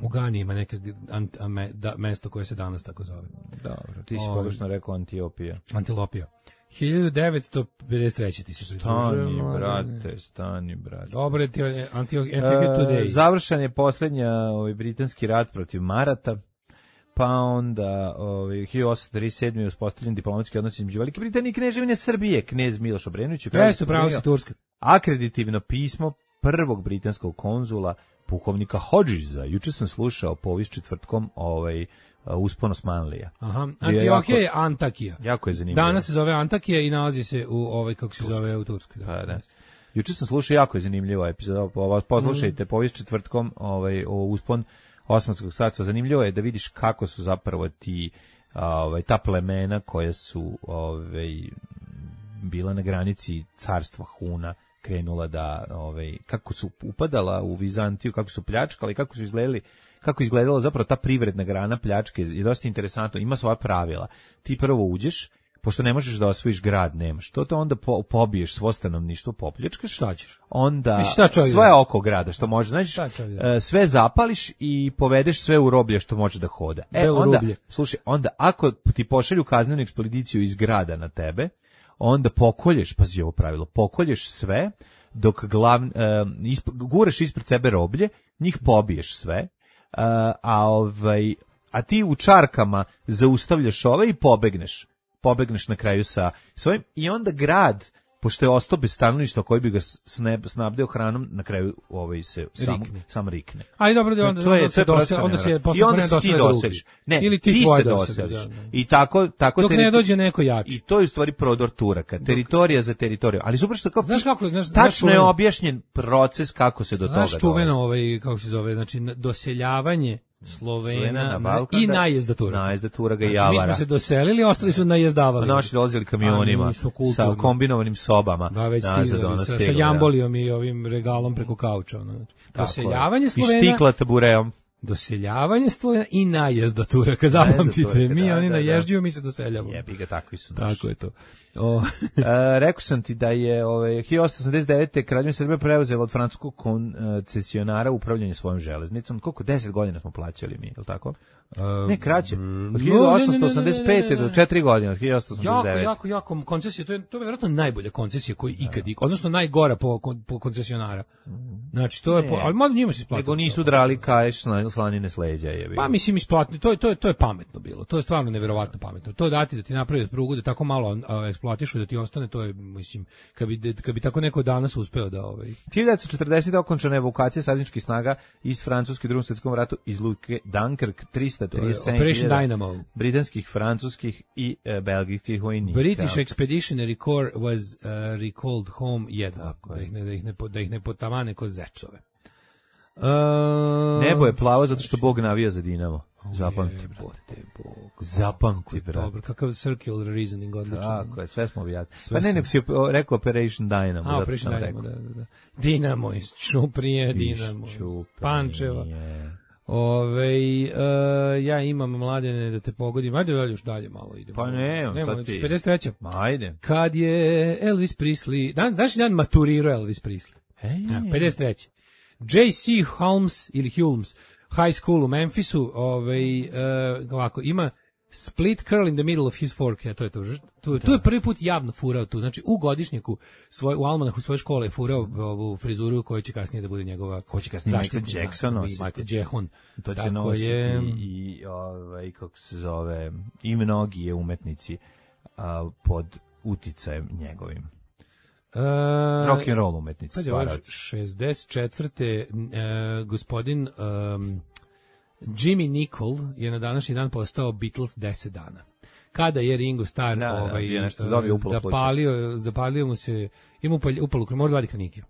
u Gani ima neka ant, a me, da, mesto koje se danas tako zove. Dobro, ti si pogrešno rekao Antiopija. Antilopija. hiljadu devetsto pedeset treće ti se pridružio. Stani, brate, stani, brate. Dobro, ti Antiohija Today. E, završen je posljednja ovaj, britanski rat protiv Marata. Pa onda ovaj hiljadu osamsto trideset sedme. je uspostavljen diplomatski odnos između Velike Britanije i Kneževine Srbije. Knez Miloš Obrenović Jeste pravo sa Turske. Akreditivno pismo prvog britanskog konzula pukovnika Hodgesa. Juče sam slušao povijest četvrtkom ovaj uspon Osmanlija. Aha, Antiohija je Antakija. Jako je zanimljivo. Danas se zove Antakija i nalazi se u ovaj kako se Turska. Zove u Turskoj. Da. Pa, da. Juče sam slušao, jako je zanimljiva epizoda. Poslušajte mm. povijest četvrtkom ovaj o uspon Osmanskog carstva. Zanimljivo je da vidiš kako su zapravo ti ovaj ta plemena koja su ovaj bila na granici carstva Huna krenula da ovaj kako su upadala u Vizantiju, kako su pljačkali, kako su izgledali, kako izgledala zapravo ta privredna grana pljačke. Je dosta interesantno, ima svoja pravila. Ti prvo uđeš, pošto ne možeš da osvojiš grad, nemaš. To to onda po, pobiješ svo stanovništvo, popljačkaš. Šta ćeš? Onda sve oko grada što može, znači sve zapališ i povedeš sve u roblje što može da hoda. E Belo onda, rublje. slušaj, onda ako ti pošalju kaznenu ekspediciju iz grada na tebe, onda pokolješ, pazi ovo pravilo, pokolješ sve dok glav, uh, isp, guraš ispred sebe roblje, njih pobiješ sve, uh, a ovaj a ti u čarkama zaustavljaš ove i pobegneš. Pobegneš na kraju sa svojim i onda grad, pošto je ostao bez stanovništva koji bi ga snabdeo hranom, na kraju ovaj se sam rikne. sam rikne. Ali dobro, da onda, onda se dosel, onda se i onda se ti doseliš. Ne, ili ti, ti se doseliš. Da, da. I tako tako dok ne dođe neko jači. I to je u stvari prodor Turaka, teritorija za teritoriju. Ali super što kao znaš kako, znaš, tačno je objašnjen proces kako se do znaš toga čuveno ovaj kako se zove, znači doseljavanje Slovena na Balkan, i da. najezda Turaka. Najezda Turaka i Znači, Javara. mi smo se doselili, ostali su najezdavali. Naši dolazili kamionima sa kombinovanim sobama. Da, već stizali, sa, sa jambolijom i ovim regalom preko kauča. Ono. Doseljavanje Slovena... I štikla tabureom. Doseljavanje Slovena i najezda Turaka, zapamtite. Mi, oni naježđuju, mi se doseljavamo. Jebi ga, takvi su naši. Tako je to. O. e, rekao sam ti da je ove, hiljadu osamsto osamdeset devete. Kraljevina Srbija preuzela od francuskog koncesionara upravljanje svojom železnicom. Koliko? deset godina smo plaćali mi, je li tako? Uh, ne, kraće. Od hiljadu osamsto osamdeset pete do četiri godine, od hiljadu osamsto osamdeset devete. Jako, jako, jako koncesija, to je, to je vjerojatno najbolja koncesija koju ikad, odnosno najgora po, po koncesionara. Znači, to je, po, ali malo njima se isplatilo. Nego nisu drali kaješ slanine s leđa. Je pa mislim isplatno, to je, to, je, to je pametno bilo, to je stvarno nevjerovatno pametno. To dati da ti napravi prugu, da tako malo a, eksploatišu, da ti ostane, to je, mislim, kad bi, kad bi tako neko danas uspeo da... Ovaj... hiljadu devetsto četrdesete. okončana evakuacija savezničkih snaga iz Francuske u Drugom svjetskom ratu iz luke Dunkirk, trista trideset sedam Dynamo. Britanskih, francuskih i e, belgijskih vojnika. British Expeditionary Corps was uh, recalled home jedva, da ih ne, da ih ne, da ih ne potamane ko zečove. Uh, Nebo je plavo zato što Bog navija za Dinamo. Zapamti. Jebote Bog. Zapamti, brate. Dobro, kakav circular reasoning odlično. Tako je, sve smo objasnili. Pa ne, nek si rekao Operation Dynamo. A, Operation Dynamo, da, da, da. Dinamo iz Čuprije, Dinamo iz Pančeva. Ove, uh, ja imam, Mladene, da te pogodim. Ajde još dalje malo idemo. Pa ne, Nemo, sad ti. pedeset treća. Ajde. Kad je Elvis Presley, dan, današnji dan maturirao Elvis Presley. Hey. Ja, pedeset treća. J C. Holmes ili Hulmes High School u Memphisu, ovaj, uh, ovako, ima split curl in the middle of his fork, ja, to je to. Tu, tu je prvi put javno furao tu, znači u godišnjaku, svoj, u almanahu svoje škole je furao ovu frizuru koja će kasnije da bude njegova... Ko će kasnije Michael Jackson nositi. Michael Jehon. To će nositi je, i, ovaj, kako se zove, i mnogi umetnici a, pod uticajem njegovim. Uh, rock and roll umetnici, stvarac. šezdeset četvrte. Uh, gospodin um, Jimmy Nicol je na današnji dan postao Beatles deset dana. Kada je Ringo Starr da, ovaj, da, uh, zapalio, zapalio mu se, ima upalu krv, mora dva kranike.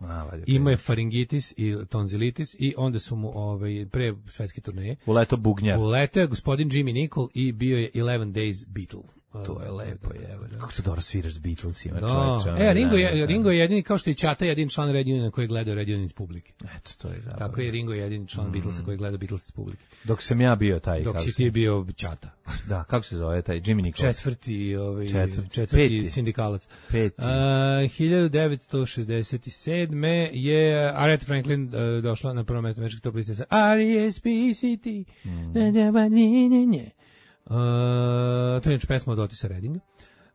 Ima je faringitis i tonzilitis i onda su mu ovaj, pre svetske turneje. Uleto bugnjar. Uleto je gospodin Jimmy Nicol i bio je eleven days Beatle. To je lepo, je. Kako to dobro sviraš s Beatlesima, no. čovječe. E, Ringo je, Ringo je jedini, kao što je Ćata jedini član Red Uniona koji gleda Red Union iz publike. Eto, to je zabavno. Tako je Ringo jedini član mm. Beatlesa koji gleda Beatles iz publike. Dok sam ja bio taj... Dok si ti bio Ćata. Da, kako se zove taj Jimmy Nichols? Četvrti, ovaj, četvrti, četvrti sindikalac. Peti. Uh, hiljadu devetsto šezdeset sedme. je Aretha Franklin uh, došla na prvo mjesto američkih top liste sa R E S P C T. Mm. Uh, to je inače pesma od Otisa Reddinga.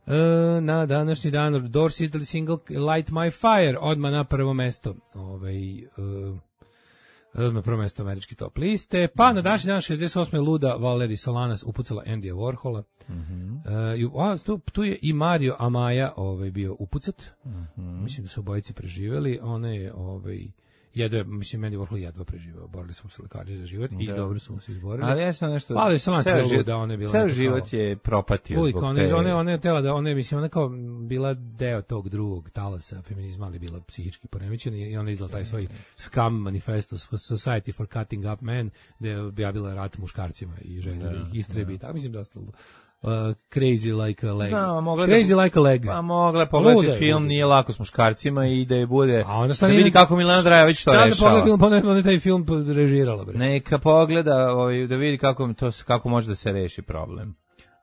Uh, na današnji dan Doors izdali single Light My Fire, odmah na prvo mesto ovaj, uh, odmah na prvo mesto američki top liste, pa na današnji dan šezdeset osme. luda Valerie Solanas upucala Andyja Warhola. Mm-hmm. uh, a, tu, tu je i Mario Amaya ovaj, bio upucat. Mm-hmm. Mislim da su obojice preživeli. Ona je ovaj, jedva, mislim, Andy Warhol jedva preživao. Borili smo se lekari za život i da. dobro su mu se izborili. Ali ja sam nešto... Ali sam ceo život, da ona je bila... Ceo život kao, je propatio uvijek, zbog one, te... One, one je tela da, one, mislim, ona kao bila deo tog drugog talasa feminizma, ali bila psihički poremećena i ona izdala taj svoj Scum Manifesto Society for Cutting Up Men, gde je objavila rat muškarcima i žene da ih istrebi. Tako, mislim, dosta... Uh, crazy like a leg. Znam, crazy da, like a leg. Pa mogla pogledati Lude, film, nije lako s muškarcima i da je bude, a onda da vidi kako Milana Drajević to rešava. Da pogleda, pa ne taj film režirala. Bre. Neka pogleda, ovaj, da vidi kako, to, kako može da se reši problem.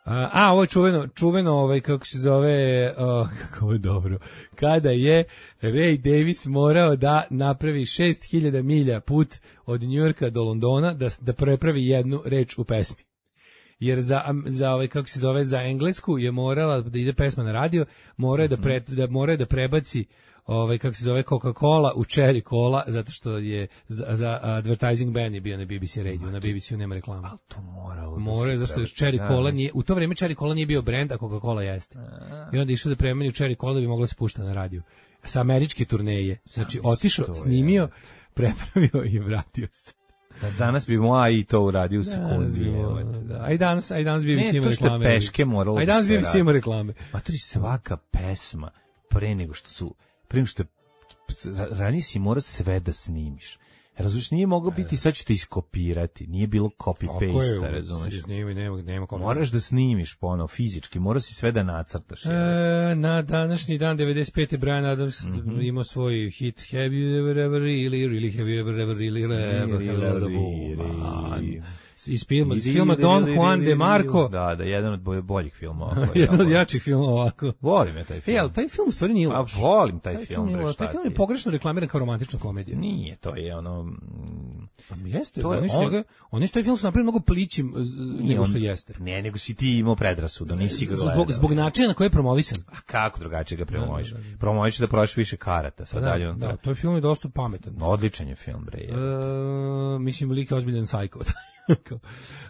A, a ovo je čuveno, čuveno ovaj, kako se zove, oh, kako je dobro, kada je Ray Davis morao da napravi šest hiljada milja put od Njujorka do Londona da, da prepravi jednu reč u pesmi. Jer za, za ovaj, kako se zove, za englesku je morala da ide pesma na radio, mora da, pre, da, mora da prebaci ovaj, kako se zove, Coca-Cola u Cherry Cola, zato što je za, za advertising ban je bio na B B C radio, na B B C-u nema reklama. Ali to moralo Mora, da zato što Cherry Cola nije, u to vrijeme Cherry Cola nije bio brend, a Coca-Cola jeste. I onda išao da premeni u Cherry Cola da bi mogla se puštati na radio. Sa američke turneje. Znači, otišao, snimio, prepravio i vratio se. Da, danas bi mu A I to uradio u sekundi. Da, a i danas, a i danas bi bi svima reklame. Ne, to što peške moralo a i danas bi bi svima reklame. Ma to je svaka pesma pre nego što su, pre nego što je, ranije si morao sve da snimiš. Razumiješ, nije mogao biti, sad ću te iskopirati, nije bilo copy-paste, razumiješ. Snimi, nema, nema moraš da snimiš ponovo, fizički, moraš si sve da nacrtaš. E, na današnji dan, devedeset pete. Brian Adams mm-hmm. imao svoj hit Have you ever, ever, really, really, have you ever, ever, really, ever, ever, really, iz filma, iz filma Don Juan de Marco. Da, da, jedan od boljih filmova. Jedan od jačih filmova ovako. Volim je taj film. E, ali taj film u stvari nije loš. A volim taj, taj film. film bre, taj film je pogrešno reklamiran kao romantična komedija. Nije, to je ono... Pa jeste, to je, oni, on, oni što taj film su napravili mnogo plićim nego što jeste. Ne, nego si ti imao predrasudu, nisi ga gledao. Zbog, zbog načina na koji je promovisan. A kako drugačije ga promoviš? Promoviš da prodaš više karata. Sad da, dalje on da, to je film je dosta pametan. Odličan je film, bre. Je. E, mislim, lik je ozbiljan sajko.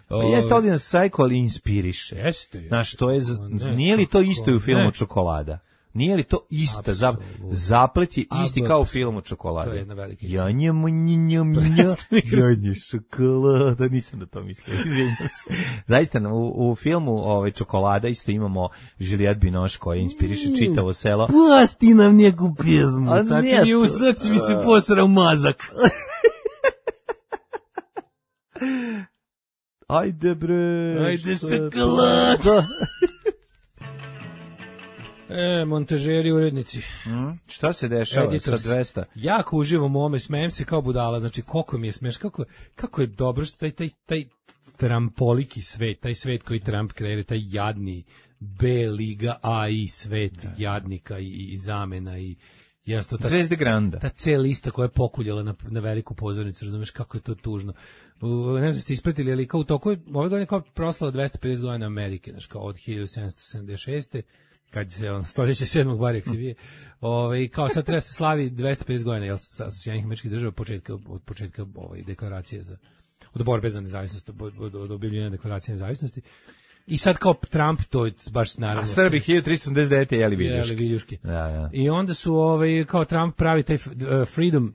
Pa jeste ovdje Psycho, ali inspiriše. Jeste. Znaš, to je, ne, nije li to isto u filmu ne. Čokolada? Nije li to ista? Zap, zaplet je isti kao u filmu Čokolada. To je jedna velika istina. Janja, mnja, mnja, janja, šokolada. Nisam na to mislio, izvinjam se. Zaista, u, u filmu ovaj, Čokolada isto imamo Juliette Binoche koja inspiriše čitavo selo. Pusti nam neku pjesmu. A sad mi u srcu mi se posrao mazak. Ajde bre. Ajde šokolada. E, montažeri, urednici. Mm, šta se dešava Editors. Sa dvesta? Jako uživam u ome, smejem se kao budala, znači koliko mi je smeš, kako, kako je dobro što taj, taj, taj trampoliki svet, taj svet koji Trump kreira, taj jadni B liga A I svet da. Jadnika i, i zamena i jasno, ta, Zvezde Granda. Ta C lista koja je pokuljala na, na veliku pozornicu, razumeš kako je to tužno. U, ne znam, ste ispratili, ali kao u toku, ove godine kao proslava dvesta pedeset godina Amerike, znači kao od hiljadu sedamsto sedamdeset šeste kad se on stoljeće sedmog barek se vije, ovaj kao sad treba se slavi dvesta pedeset godina jel sa Sjedinjenih Američkih Država početka od početka ovaj deklaracije za od borbe za nezavisnost, od, od objavljivanja deklaracije nezavisnosti. I sad kao Trump to je baš naravno. A Srbi hiljadu tristo sedamdeset devete jeli viljuške. Jeli viljuške. Da, da. I onda su ovaj kao Trump pravi taj uh, Freedom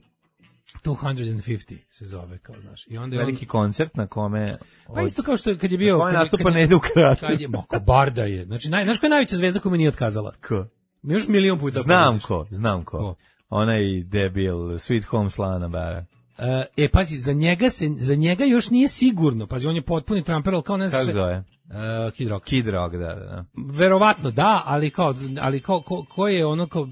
dvesta pedeset se zove, kao znaš. I onda je veliki on, koncert na kome pa isto kao što je kad je bio kad nastupa ne ide u krat. Kad je Moko Barda je. Znači naj znaš koja je najveća zvezda koju mi nije otkazala? Ko? Mi još milion puta. Znam ko, znam ko. ko? Onaj debil Sweet Home Slana Bara. Uh, e pazi, za njega se za njega još nije sigurno. Pazi, on je potpuni Trumper, al kao ne znam. Kako zove? Uh, Kid Rock. Kid Rock, da, da. Verovatno da, ali kao ali kao ko, ko je ono kao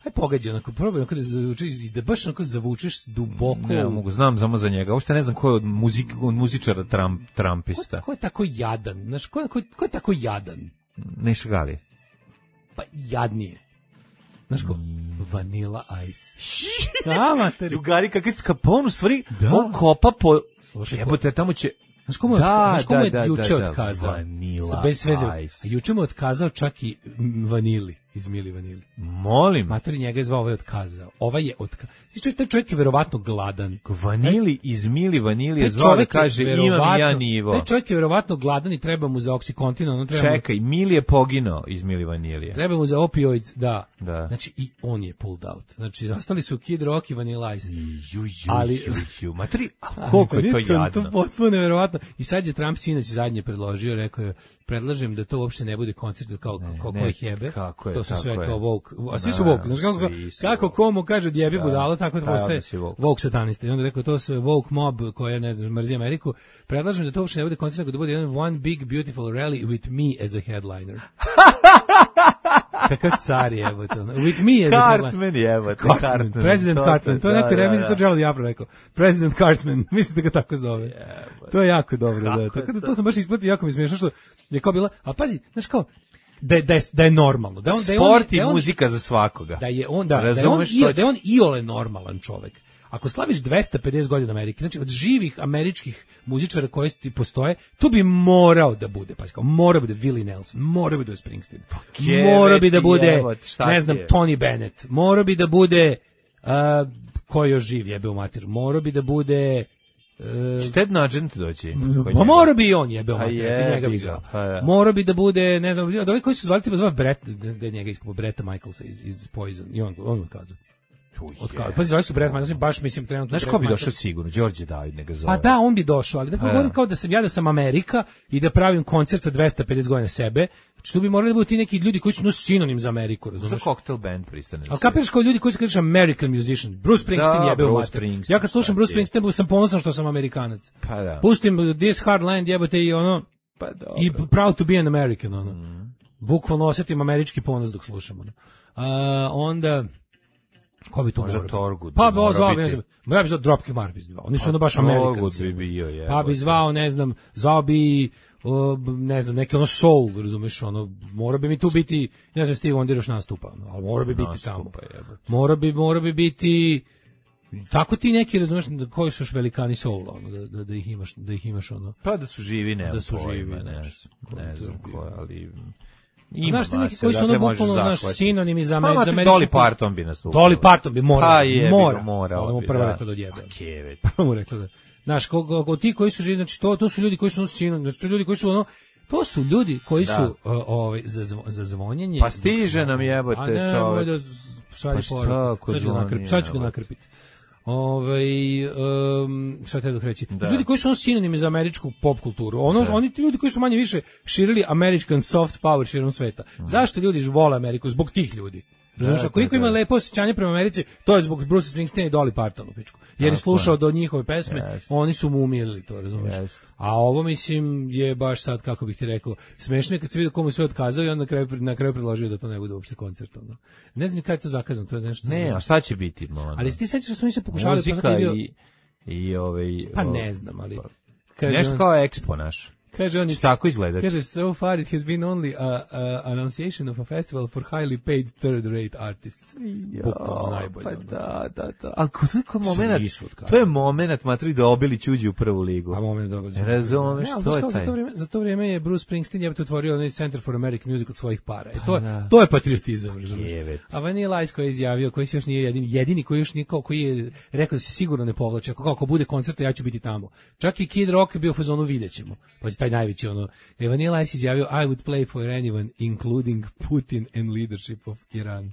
aj pogađa, onako, probaj onako da zavučeš, da baš onako zavučeš duboko. Ne, mogu, znam samo za njega. Uopšte ne znam ko je od, muzik, od muzičara Trump, Trumpista. Ko, ko je tako jadan? Znaš, ko, ko, ko je tako jadan? Neša Gali. Pa jadnije. Znaš ko? Vanilla Ice. Da, materi. Jugari, kakvi ste kapon, u stvari, da. On kopa po... Slušaj, jebote, tamo će... Znaš komu je, da, znaš komu je da, juče da, da, otkazao? Vanilla bez sveze. Ice. A juče mu je otkazao čak i Vanili, iz Mili Vanili. Molim. Materi njega je zvao, ovaj otkazao. Ovaj je otkazao. Znači, taj čovjek je verovatno gladan. Vanili iz Mili Vanili je zvao da kaže imam ja nivo. Taj čovjek je verovatno gladan i treba mu za Oxycontin. Ono treba čekaj, mu... Mili je poginuo iz Mili Vanilije. Treba mu za opioids, da. da. Znači, i on je pulled out. Znači, ostali su Kid Rock i Vanilla Ice. Ju, ju, ali, ju, ju. Materi, a koliko je to jadno. To potpuno neverovatno. I sad je Trump sinoć zadnje predložio, rekao je, predlažem da to uopšte ne bude koncert kao ne, kao koji jebe. Kako je, to su sve je. kao woke. A svi su woke. Znaš kako, kako komu kaže djebi da. Budalo, tako da postaje woke. woke satanista. I onda rekao, to su woke mob koja, ne znam, mrzi Ameriku. Predlažem da to uopšte ne bude koncert, nego da bude jedan one big beautiful rally with me as a headliner. Kakav car je, evo to. With me as a headliner. Cartman je, evo to. Cartman. President to, Cartman. To je neko remizi, to Jello Diablo rekao. President Cartman. Mislim da ga tako zove. Yeah, to je jako dobro. Da. Tako da to sam baš isplatio, jako mi smiješno što je kao bila, a pazi, znaš kao, da je, da je, da je normalno. Da on, da je on, sport i da on, muzika za svakoga. Da je on, da, da je on, i, da je on iole normalan čovek. Ako slaviš dvesta pedeset godina Amerike, znači od živih američkih muzičara koji ti postoje, tu bi morao da bude, pa kao mora bi da Willie Nelson, mora bi da Springsteen, mora bi da bude, jevo, ne znam, je? Tony Bennett, mora bi da bude, uh, ko još živ jebe u mater, mora bi da bude... Uh, Šted Nugent doći. Pa mora bi i on jebe u mater, je, njega bi zvao. Mora bi da bude, ne znam, da ovi koji su zvali tipa zove Brett, da je njega iskopo Bretta Michaelsa iz, iz Poison, i on, on odkazao. Od kao, pa zove su Brett Michaels, baš mislim trenutno. Znaš ko bi došao sigurno? Đorđe David neka zove. Pa da, on bi došao, ali da kao govorim kao da sam ja da sam Amerika i da pravim koncert sa dvesta pedeset godina sebe. Znači tu bi morali da budu ti neki ljudi koji su no sinonim za Ameriku, razumiješ? Za cocktail band pristane. Ali kapiraš kao ljudi koji se kažu American musician. Bruce Springsteen jebe u mater. Ja kad slušam Bruce Springsteen sam ponosan što sam Amerikanac. Pa da. Pustim This Hard Land jebote i ono pa dobro. I proud to be an American ono. Mm. Bukvalno osjetim američki ponos dok slušam ono. A, onda ko bi to možda Torgud? Pa bi zvao, ne znam, ja bi zvao Dropkick Murphys zvao. Oni su ono baš Amerikanci. Bi bio, je, pa bi zvao, ne znam, zvao bi uh, ne znam, neki ono soul, razumeš, ono, mora bi mi tu biti, ne znam, Steve Wonder još nastupa, ono, ali mora bi biti nastupa, tamo. Jebate. Mora bi, mora bi biti tako ti neki, razumeš, koji su još velikani soula, ono, da, da, da ih imaš, da ih imaš ono. Pa da su živi, ne, da su pojma, živi, ne, ne, ne znam ko, ali ima, znaš, neki koji su ono bukvalno naš sinonimi za Ameriku. Pa Dolly Parton bi nastupio. Dolly Parton bi morao. Pa je, mora. mora. Ono mu prvo rekla da odjebe. A kevet. Prvo mu rekla da. Znaš, ko, ko, ko, ti koji su živi, znači to, to su ljudi koji su sinonimi, znači to ljudi koji su ono, to su ljudi koji da. su uh, ovaj, za, zvo, za zvonjenje. Pa stiže nam jebote čovjek. Da šalje poruku. Sad ću ga nakrpiti. Ove, um, šta te dok reći? Da. Ljudi koji su ono sinonimi za američku pop kulturu. Ono, da. Oni ti ljudi koji su manje više širili American soft power širom sveta. Mm. Zašto ljudi vole Ameriku? Zbog tih ljudi. Razumiješ, ako iko ima lepo osjećanje prema Americi, to je zbog Bruce Springsteen i Dolly Parton u pičku. Jer je slušao do njihove pesme, yes. Oni su mu umilili to, razumiješ. Yes. A ovo, mislim, je baš sad, kako bih ti rekao, smešno je kad se vidio komu sve otkazao i onda na kraju, na kraju predložio da to ne bude uopšte koncert. Ono. Ne znam kada je to zakazano, to je nešto. Ne, a šta će biti? No, ali ti sećaš da su oni se pokušali... Muzika bio... i, i ovaj... Pa ne znam, ali... Kaže, nešto kao Expo naš. Kaže on, tako izgleda. Kaže, so far it has been only a, a annunciation of a festival for highly paid third-rate artists. Bukvalno najbolje. Pa da, da, da. Ali to je kao moment, to je moment, matri, da Obilić uđe u prvu ligu. A moment da Obilić. Razumeš, ne, to je taj. Za to, vrijeme, za to vrijeme je Bruce Springsteen jebate otvorio onaj Center for American Music od svojih para. I to, pa, to je patriotizam, razumeš. A Vanilla Ice koji je izjavio, koji se još nije jedini, jedini koji još nije, koji je rekao da se sigurno ne povlači. Ako, ako bude koncert, ja ću biti tamo. Čak i Kid Rock je bio u fazonu, vidjet ćemo. Pa taj najveći ono. Vanilla Ice izjavio, I would play for anyone, including Putin and leadership of Iran.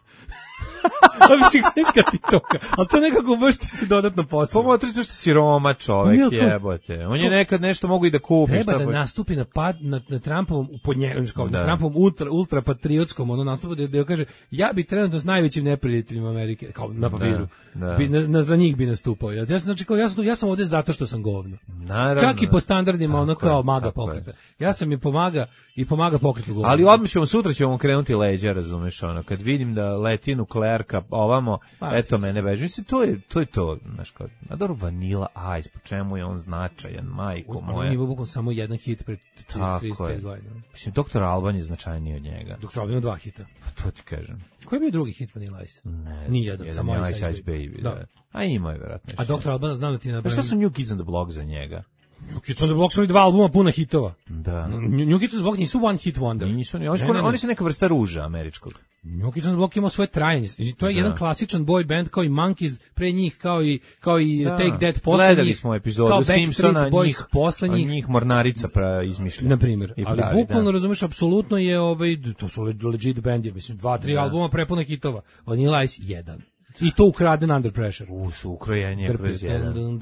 A mislim, iskati toga. Ali to nekako baš ti se dodatno posebno. Pomotri što si Roma čovek, jebote. On je nekad nešto mogu i da kupi. Treba da nastupi na, pad, na, na Trumpovom, pod njegom, na Trumpovom ultra, ultra patriotskom ono nastupu, da, da kaže, ja bi trenutno s najvećim neprijateljima Amerike, kao na papiru, da, da. Bi, na, na, za njih bi nastupao. Ja sam, znači, kao, ja, sam, ja sam ovde zato što sam govno. Naravno. Čak i po standardima, ono kao maga pokreta. Ja sam mi pomaga i pomaga pokretu govno. Ali odmah ćemo, sutra ćemo krenuti leđa, razumeš, ono, kad vidim da leti nuklearka ovamo, pa, eto mene beži. Mislim, to je to, je to znaš, kao, a dobro, Vanilla Ice, po čemu je on značajan, majko moja. On je bukvalno samo jedan hit pre trideset pet godina. Mislim, doktor Alban je značajniji od njega. doktor Alban ima dva hita. Pa to ti kažem. Koji je bio drugi hit Vanilla Ice? Ne, nijedan, samo Ice Ice, Ice Baby. Baby da. Da. A ima je vjerojatno. A doktor Alban, znam da ti napravim. Pa šta su New Kids on the Block za njega? New Kids on the Block su dva albuma puna hitova. Da. New Kids on the Block nisu one hit wonder. Nisu, oni, oni, ne, ne, ne. oni su neka vrsta ruža američkog. New Kids on the Block ima svoje trajanje. To je da. jedan klasičan boy band kao i Monkeys pre njih, kao i, kao i da. Take That posle njih. Gledali smo epizodu Simpsona, njih, posle njih. njih Mornarica pra izmišlja. Na primjer, ali pravi, bukvalno da. razumeš, apsolutno je, ovaj, to su legit band, je, mislim, dva, tri da. albuma prepuna hitova. Vanilla Ice, jedan. I to ukraden Under Pressure. U, su ukrojenje kroz jedan.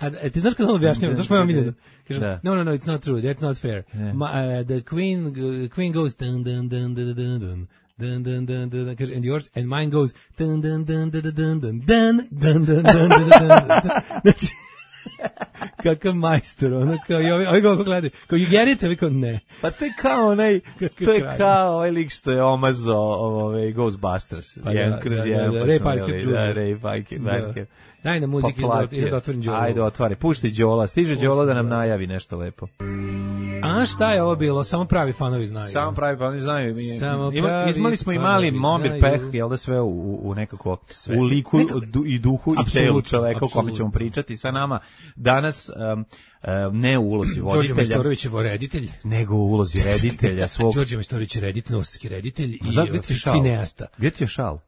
A ti znaš kada on objašnjava? Znaš moja miljena? Kaže, no, no, no, it's not true, that's not fair. Yeah. Ma, uh, the queen, uh, queen goes dun dun dun dun dun dun. Dun dun dun dun, and yours and mine goes dun dun dun dun dun dun dun dun dun dun dun. Kakav majstor, ono kao, i ovi, ovi kako gledaju, kao, you get it, ovi kao, ne. Pa to je kao onaj, to je kao ovaj lik što je omazao ovaj Ghostbusters, pa jedan kroz jedan, da, Ray Parker, da, Ray Parker, daj na muziki, ili da otvorim Đolo. Ajde, otvari, pušti Đola, stiže Đolo da nam najavi nešto lepo. A šta je ovo bilo? Samo pravi fanovi znaju. Samo pravi fanovi znaju. Ima, imali smo i mali momir peh, jel da sve u, u nekako, sve. U liku Nekako. i duhu i telu čoveka o kome ćemo pričati sa nama. Danas um, um, ne u ulozi voditelja. Đorđe Majstorović je reditelj. Nego u ulozi reditelja svog. Đorđe Majstorović je reditelj, novosadski reditelj i cineasta. Gdje ti je šal?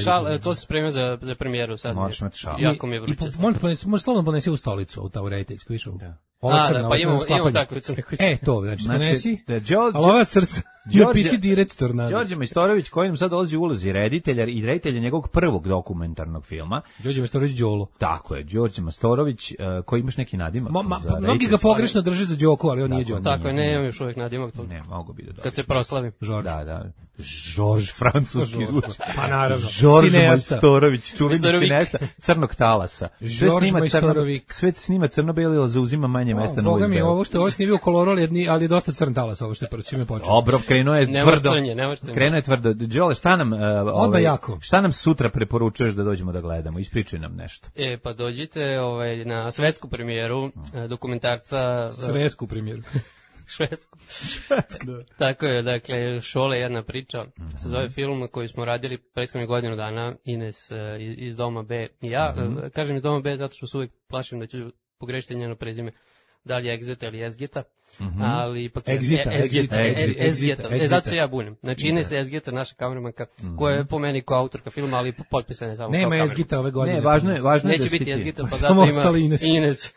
Šal, e, to se spremio za, za premijeru sad. Možeš imati šal. Jako mi je vruće. Možeš slavno ponesi u stolicu, u ta rediteljsku, viš? A, da, pa imamo, imamo tako crne kuće. E, to, znači, ponesi, ali ova srca. Đorđe P C direktor. Đorđe Majstorović koji nam sad dolazi u ulozi reditelja i reditelja njegovog prvog dokumentarnog filma. Đorđe Majstorović Đolo. Tako je, Đorđe Majstorović uh, koji imaš neki nadimak. Ma, ma, mnogi ga pogrešno drže za Đoku, ali on nije Đorđe. Tako je, ne imam još uvijek nadimak to. Ne, mogu bi da dođe. Kad se proslavi. Žorž. Da, da. Žorž, francuski zvuči. Pa naravno. Žorž Majstorović, čuveni sinesta crnog talasa. Sve snima, crno, sve snima crno-belo, zauzima manje mesta na U S B-u. Boga mi, ovo što ovo snimio kolorol, ali je dosta crn talas, ovo što je prvo čime počeo. Dobro, krenuo je tvrdo. Nemoštranje. Krenuo je tvrdo. Đole, šta nam, uh, ovaj, jako. šta nam sutra preporučuješ da dođemo da gledamo? Ispričaj nam nešto. E, pa dođite ovaj, na svetsku premijeru dokumentarca... Svetsku premijeru. Švedsku. Tako je, dakle, Šole jedna priča, se zove film koji smo radili prethodnih godinu dana, Ines iz Doma B i ja. Mm-hmm. Kažem iz Doma B zato što se uvijek plašim da ću pogrešiti njeno prezime, da li je Egzeta ili Ezgeta. Mm-hmm. Ali ipak je Egzita, Ezgeta, Egzita, Ezgeta. E, zato se ja bunim. Znači, Ines Ezgeta, naša kameramanka, mm-hmm. koja je po meni kao autorka filma, ali potpisana je samo nema kao kameramanka. Nema Ezgeta ove godine. Ne, važno je, važno je Neće da biti Ezgeta, pa samo zato ima Ines. Ines.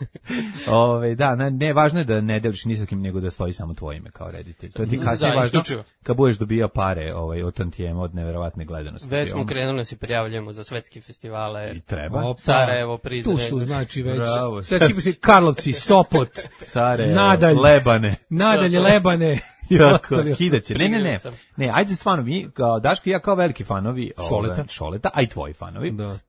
Ove, da, ne, ne, važno je da ne deliš ni sa kim, nego da stoji samo tvoje ime kao reditelj. To ti kasnije da, važno kad budeš dobijao pare ovaj, od tantijema, od neverovatne gledanosti. Već smo krenuli da se prijavljamo za svetske festivale. I treba. Opa. Sarajevo, Prizren. Tu su, znači, već Bravo. svetski festivali, Karlovci, Sopot, Sarajevo, Nadalj, Lebane. Nadalje, Lebane. Jako, hidaće. Ne, ne, ne. Ne, ajde stvarno, mi, kao Daško i ja kao veliki fanovi Šoleta, ove, Šoleta, a i tvoji fanovi. Da.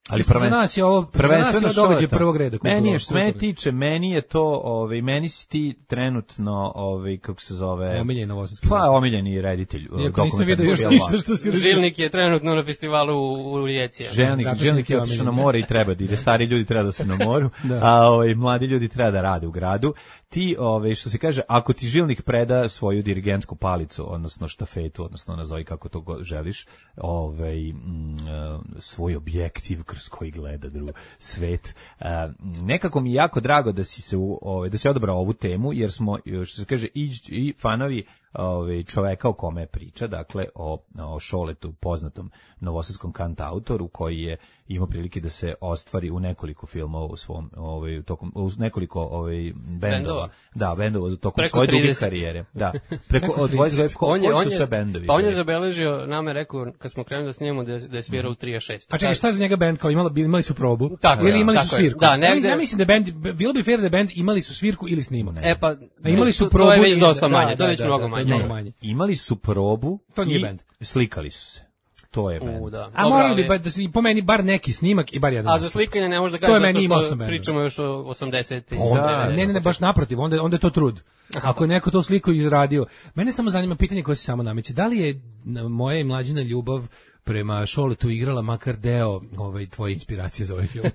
Ali prvenstveno za nas je ovo prvenstveno događaj prvog reda. Meni je što mene tiče, meni je to, ovaj meni si ti trenutno, ovaj kako se zove, omiljeni novosadski. Pa omiljeni reditelj. Iako nisam vidio još ništa što si Žilnik je trenutno na festivalu u Rijeci. Žilnik, Žilnik je otišao na more i treba da ide. Stari ljudi treba da su na moru, a ovaj mladi ljudi treba da rade u gradu. Ti, ovaj što se kaže, ako ti Žilnik preda svoju dirigentsku palicu, odnosno štafetu, odnosno nazovi kako to go, želiš, ovaj m, svoj objektiv kroz koji gleda drugi svet. A, nekako mi je jako drago da si se u, ovaj da si odabrao ovu temu, jer smo, što se kaže, i, i fanovi ovaj čoveka o kome priča, dakle o, o Šoletu, poznatom novosadskom kantautoru koji je imao prilike da se ostvari u nekoliko filmova u svom ovaj tokom u nekoliko ovaj bendova. Da, bendova tokom preko svoje duge karijere. Da. Preko od dvadeset ko, on je, koji on su sve bendovi. Pa on je zabeležio, nama je rekao kad smo krenuli da snimamo da da je svirao u trideset šest. A čekaj, šta za njega bend kao imali imali su probu? Tako, ili imali tako su svirku? Da, negde... Ja mislim da bend bilo bi fair da bend imali su svirku ili snimali. E pa a imali su probu. To je već dosta manje, to je već mnogo manje. Imali su probu to nije bend. Slikali su se. To je bend. U, da. A morali bi da se po meni bar neki snimak i bar jedan. A za slikanje ne možeš da kažeš zato što pričamo još o osamdesetim. Da, ne, ne, ne, baš naprotiv, onda onda je to trud. Ako je neko to sliku izradio. Mene samo zanima pitanje koje se samo nameće. Da li je moja i mlađina ljubav prema Šoletu igrala makar deo ovaj tvoje inspiracije za ovaj film?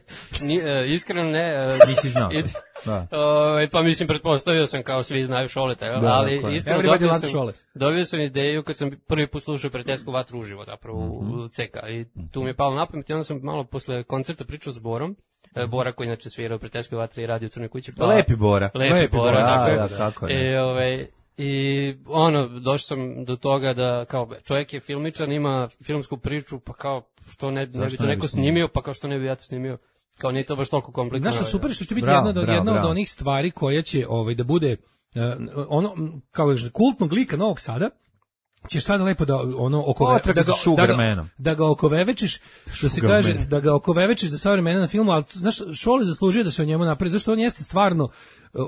Ni, e, iskreno ne. E, Nisi znao. Id, da. O, pa mislim, pretpostavio sam kao svi znaju Šoleta, da, ali okay. Iskreno dobio sam, dobio sam ideju kad sam prvi put slušao Prijateljsku vatru uživo zapravo mm-hmm. u C K i tu mi je palo na pamet i onda sam malo posle koncerta pričao s Borom. Bora koji inače svira u Prijateljskoj vatri i radi u Crnoj kući. Pa, lepi Bora. Lepi, lepi Bora, Bora dakle. Da, da, tako je. I, ovaj, I ono, došao sam do toga da kao čovjek je filmičar, ima filmsku priču, pa kao što ne, ne bi to neko snimio, pa kao što ne bi ja to snimio. Kao nije to baš toliko komplikovano. Znaš što super što će biti bravo, jedna, bravo, jedna bravo. od onih stvari koja će ovaj, da bude uh, ono, kao kultnog lika Novog Sada, ćeš sada lepo da ono oko da, da, da, ga, da ga okovevečiš, što se kaže, da ga okovevečiš za sva vremena na filmu, ali znaš, Šole zaslužuje da se o njemu napravi, zašto on jeste stvarno,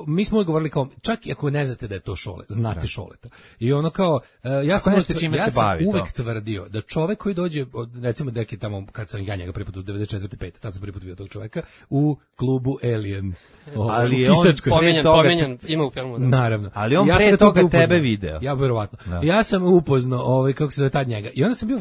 mi smo govorili kao, čak i ako ne znate da je to Šole, znate da. Šoleta. I ono kao, ja sam, uvek, ja sam uvek to. tvrdio da čovek koji dođe, od, recimo deki tamo, kad sam ja njega prvi put u devedeset četvrte pete tad sam prvi put vidio tog čoveka, u klubu Alien. O, ali je on pomenjan, pomenjan, ima u filmu. Da. Naravno. Ali on ja pre toga tebe video. Ja verovatno. Da. Ja sam upoznao, ovaj, kako se zove tad njega. I onda sam bio,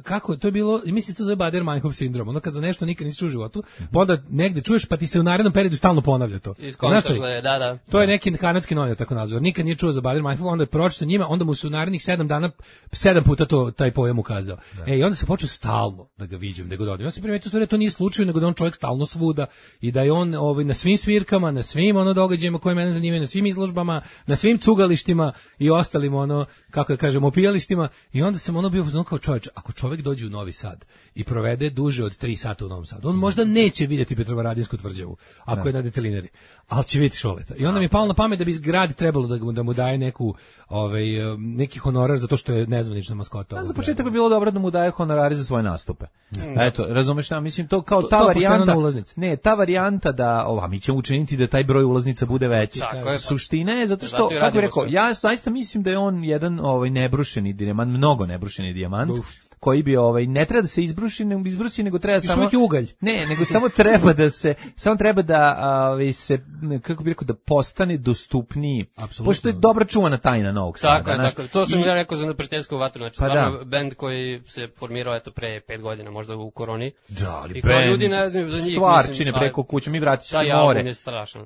kako, to je bilo, mislim se to zove Bader-Meinhof sindrom. Ono kad za nešto nikad nisi čuo u životu, pa onda negde čuješ, pa ti se u narednom periodu stalno ponavlja to. Znaš što je? Da, da. To je neki kanadski novinar tako nazvao. Nikad nije čuo za Bader-Meinhof, onda je pročitao njima, onda mu se u narednih sedam dana sedam puta to taj pojam ukazao. Da. E, i onda se počeo stalno da ga viđem, da ga dođem. Ja sam primetio stvari, to nije slučaj, nego da on čovjek stalno svuda i da je on ovaj na svim svirkama, na svim ono događajima koje mene zanimaju, na svim izložbama, na svim cugalištima i ostalim ono, kako da kažemo, opijalištima. I onda sam ono bio kao čovjek, ako čovjek dođe u Novi Sad i provede duže od tri sata u Novom Sadu, on možda neće vidjeti Petrovaradinsku tvrđavu, ako da. je na detelinari, ali će vidjeti Šole. Šoleta. I onda mi je palo na pamet da bi grad trebalo da, da mu daje neku, ovaj, neki honorar zato što je nezvanična maskota. A za početak bi bilo dobro da mu daje honorari za svoje nastupe. Mm. Eto, razumeš šta, mislim, to kao ta to, to varijanta, ne, ta varijanta da, ova, mi ćemo učiniti da taj broj ulaznica bude veći. Suština je zato što, kako bih rekao, ja zaista mislim da je on jedan ovaj, nebrušeni dijamant, mnogo nebrušeni dijamant, Uf. koji bi ovaj ne treba da se izbruši, nego izbruši, nego treba samo ugalj. Ne, nego samo treba da se samo treba da ovaj se kako bih rekao da postane dostupniji. Pošto je dobra čuvana tajna Novog Sada. Tako je, tako. To sam i, ja rekao za neprijateljsku vatru, znači pa stvarno da. Bend koji se formirao eto pre pet godina, možda u koroni. Da, ali i kao ljudi ne znaju za njih, stvarčine preko kuće, mi vrati se more.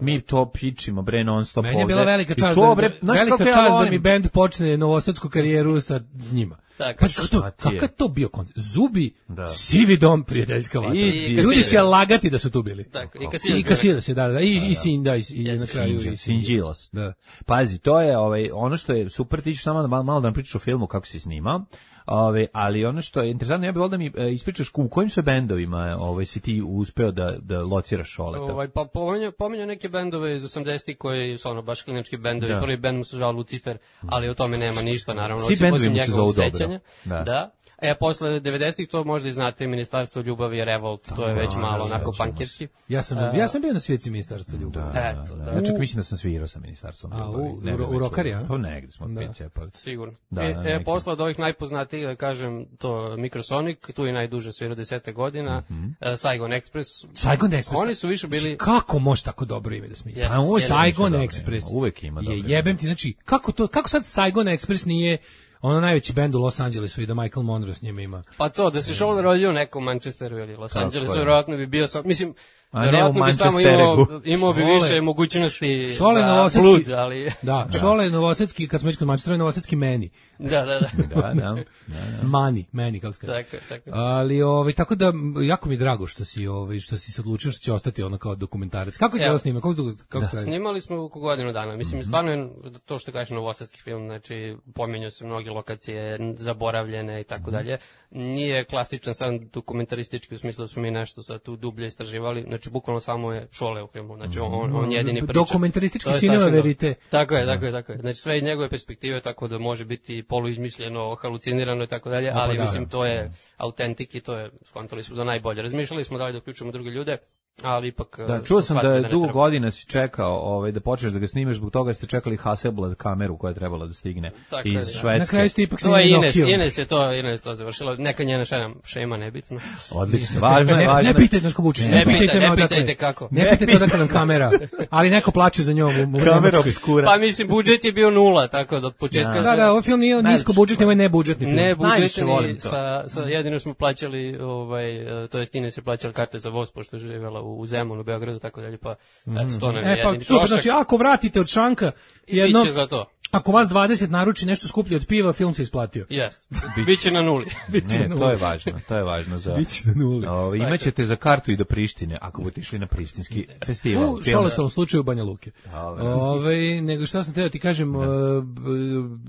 Mi to pičimo bre non stop ovde. Meni je bila velika čast, to, bre, da, velika čast da mi bend počne novosadsku karijeru sa s njima. Tako, pa što, kakav to bio koncert? Zubi, da. Sivi dom, prijateljska vatra. I, ljudi će lagati da su tu bili. Tako, i Kasiras je, da, da, i, i Sin, da, i, i na kraju i Sinđilos. Da. Pazi, to je ovaj, ono što je super, ti ćeš samo malo, malo da nam pričaš o filmu kako si snimao. Ove, ali ono što je interesantno, ja bih volio da mi e, ispričaš u kojim sve bendovima ovaj, si ti uspeo da, da lociraš Šoleta. Ovaj, pa pominjao pominja neke bendove iz osamdesetih koji su ono baš klinički bendovi, da. Prvi bend mu se zvao Lucifer, ali o tome nema ništa, naravno. Svi bendovi mu se zovu dobro. Da. da. E, posle devedesetih to možda i znate, Ministarstvo ljubavi je Revolt, to je već da, malo onako pankirski. Ja sam, uh, ja sam bio na svijetci Ministarstva ljubavi. Da, da, da. Ja čak mislim da sam svirao sa Ministarstvom ljubavi. A, u, u, u Rokari, a? Pa negdje smo da. Pice, pa. Sigurno. Da, e, e posle od ovih najpoznatijih, da kažem, to Microsonic, tu je najduže svirao desete godina, mm -hmm. uh, Saigon Express. Saigon Express. Oni su više bili... Kako može tako dobro ime da smisli? Yes, ovo Saigon Express. Uvek ima dobro. Je jebem ti, znači, kako to, kako sad Saigon Express nije ono najveći bend u Los Angelesu i da Michael Monroe s njima ima. Pa to, da se Šole rodio u nekom Manchesteru ili Los Angelesu, vjerojatno bi bio sam, mislim, vjerojatno bi samo imao, imao bi više mogućnosti Šole za blud, ali... Da, da. Šole Novosadski, kad smo već kod Manchestera, Novosadski meni. Da, da, da. da, da, da, da. Mani, meni, kako se kaže. Tako, tako. Ali, ovaj, tako da, jako mi je drago što si, ovaj, što si se odlučio što će ostati ono kao dokumentarac. Kako je to snima? Kako, kako da. Snimali smo oko godinu dana. Mislim, stvarno je to što kažeš novosadski film, znači, pominjaju se mnoge lokacije, zaboravljene i tako dalje. Nije klasičan sam dokumentaristički u smislu da smo mi nešto sad tu dublje istraživali, znači bukvalno samo je Šole u filmu, znači on, on jedini priča. Dokumentaristički sinema verite. Tako je, tako je, tako je. Znači sve iz njegove perspektive, tako da može biti poluizmišljeno, halucinirano i tako dalje, ali mislim to je autentik i to je, skontali smo da najbolje. Razmišljali smo da li da uključimo druge ljude, ali ipak... Da, čuo sam da, da dugo godina si čekao ovaj, da počneš da ga snimeš, zbog toga ste čekali Hasselblad kameru koja je trebala da stigne tako iz je, Švedske. Na kraju ste ipak snimali Ines, Ines je to, Ines to završilo, neka njena šema, šema nebitno. Odlično, važno je, važno je. Ne pitajte Naško Vučić, ne pitajte me odakle. Kako. Ne pitajte odakle nam kamera, ali neko plače za njom. Kamera obskura. Pa mislim, budžet je bio nula, tako da od početka... Da, da, ovaj film nije nisko budžetni, ovo je nebudžetni film. Ne budžetni, sa, sa jedino smo plaćali, ovaj, to jest Ines je plaćala karte za voz, pošto je živjela u Zemunu, u Beogradu, tako dalje, pa eto, to nam je e, pa, jedini super, trošak. Znači, ako vratite od šanka jedno... Biće za to. Ako vas dvadeset naruči nešto skuplje od piva, film se isplatio. Jest. Biće na nuli. Biće ne, na nuli. To je važno, to je važno za... Biće na nuli. O, imaćete za kartu i do Prištine, ako budete išli na prištinski festival. U Šoletovom slučaju Banja Luke. Ove, nego šta sam teo ti kažem... Uh,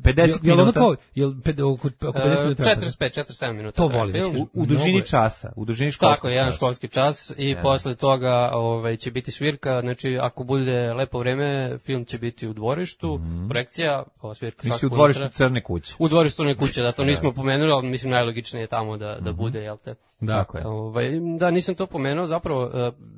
pedeset minuta? Jel oko pedeset minuta? četrdeset pet, četrdeset sedam minuta. To volim. U, u dužini časa, u dužini školskog časa. Tako, jedan školski čas i yeah. posle toga ovaj, će biti svirka, znači ako bude lepo vreme, film će biti u dvorištu, mm-hmm. projekcija, ova svirka svakako. Ti si u dvorištu Crne kuće. U dvorištu Crne kuće, da to nismo pomenuli, ali mislim najlogičnije je tamo da, da bude, jel te? Dakle. Ovaj, da, nisam to pomenuo, zapravo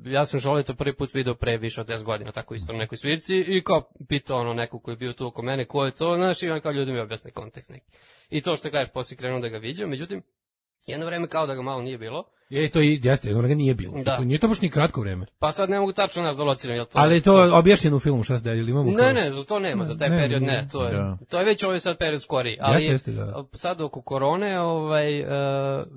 ja sam Šoleta prvi put video pre više od deset godina, tako isto na nekoj svirci i kao pitao ono neko koji je bio tu oko mene, ko je to, znaš, i on kao ljudi mi objasne kontekst neki. I to što kažeš, poslije krenuo da ga viđam, međutim, jedno vreme kao da ga malo nije bilo. Je, to i jeste, jedno vreme nije bilo. Da. To nije to baš ni kratko vreme. Pa sad ne mogu tačno nas dolociram, jel to? Ali je to objašnjeno u filmu, šta se da, ili imamo? Ne, ne, za to nema, za taj ne, period ne, to je, da. To je već ovaj sad period skoriji. Ali jeste, jeste, da. Sad oko korone, ovaj, uh,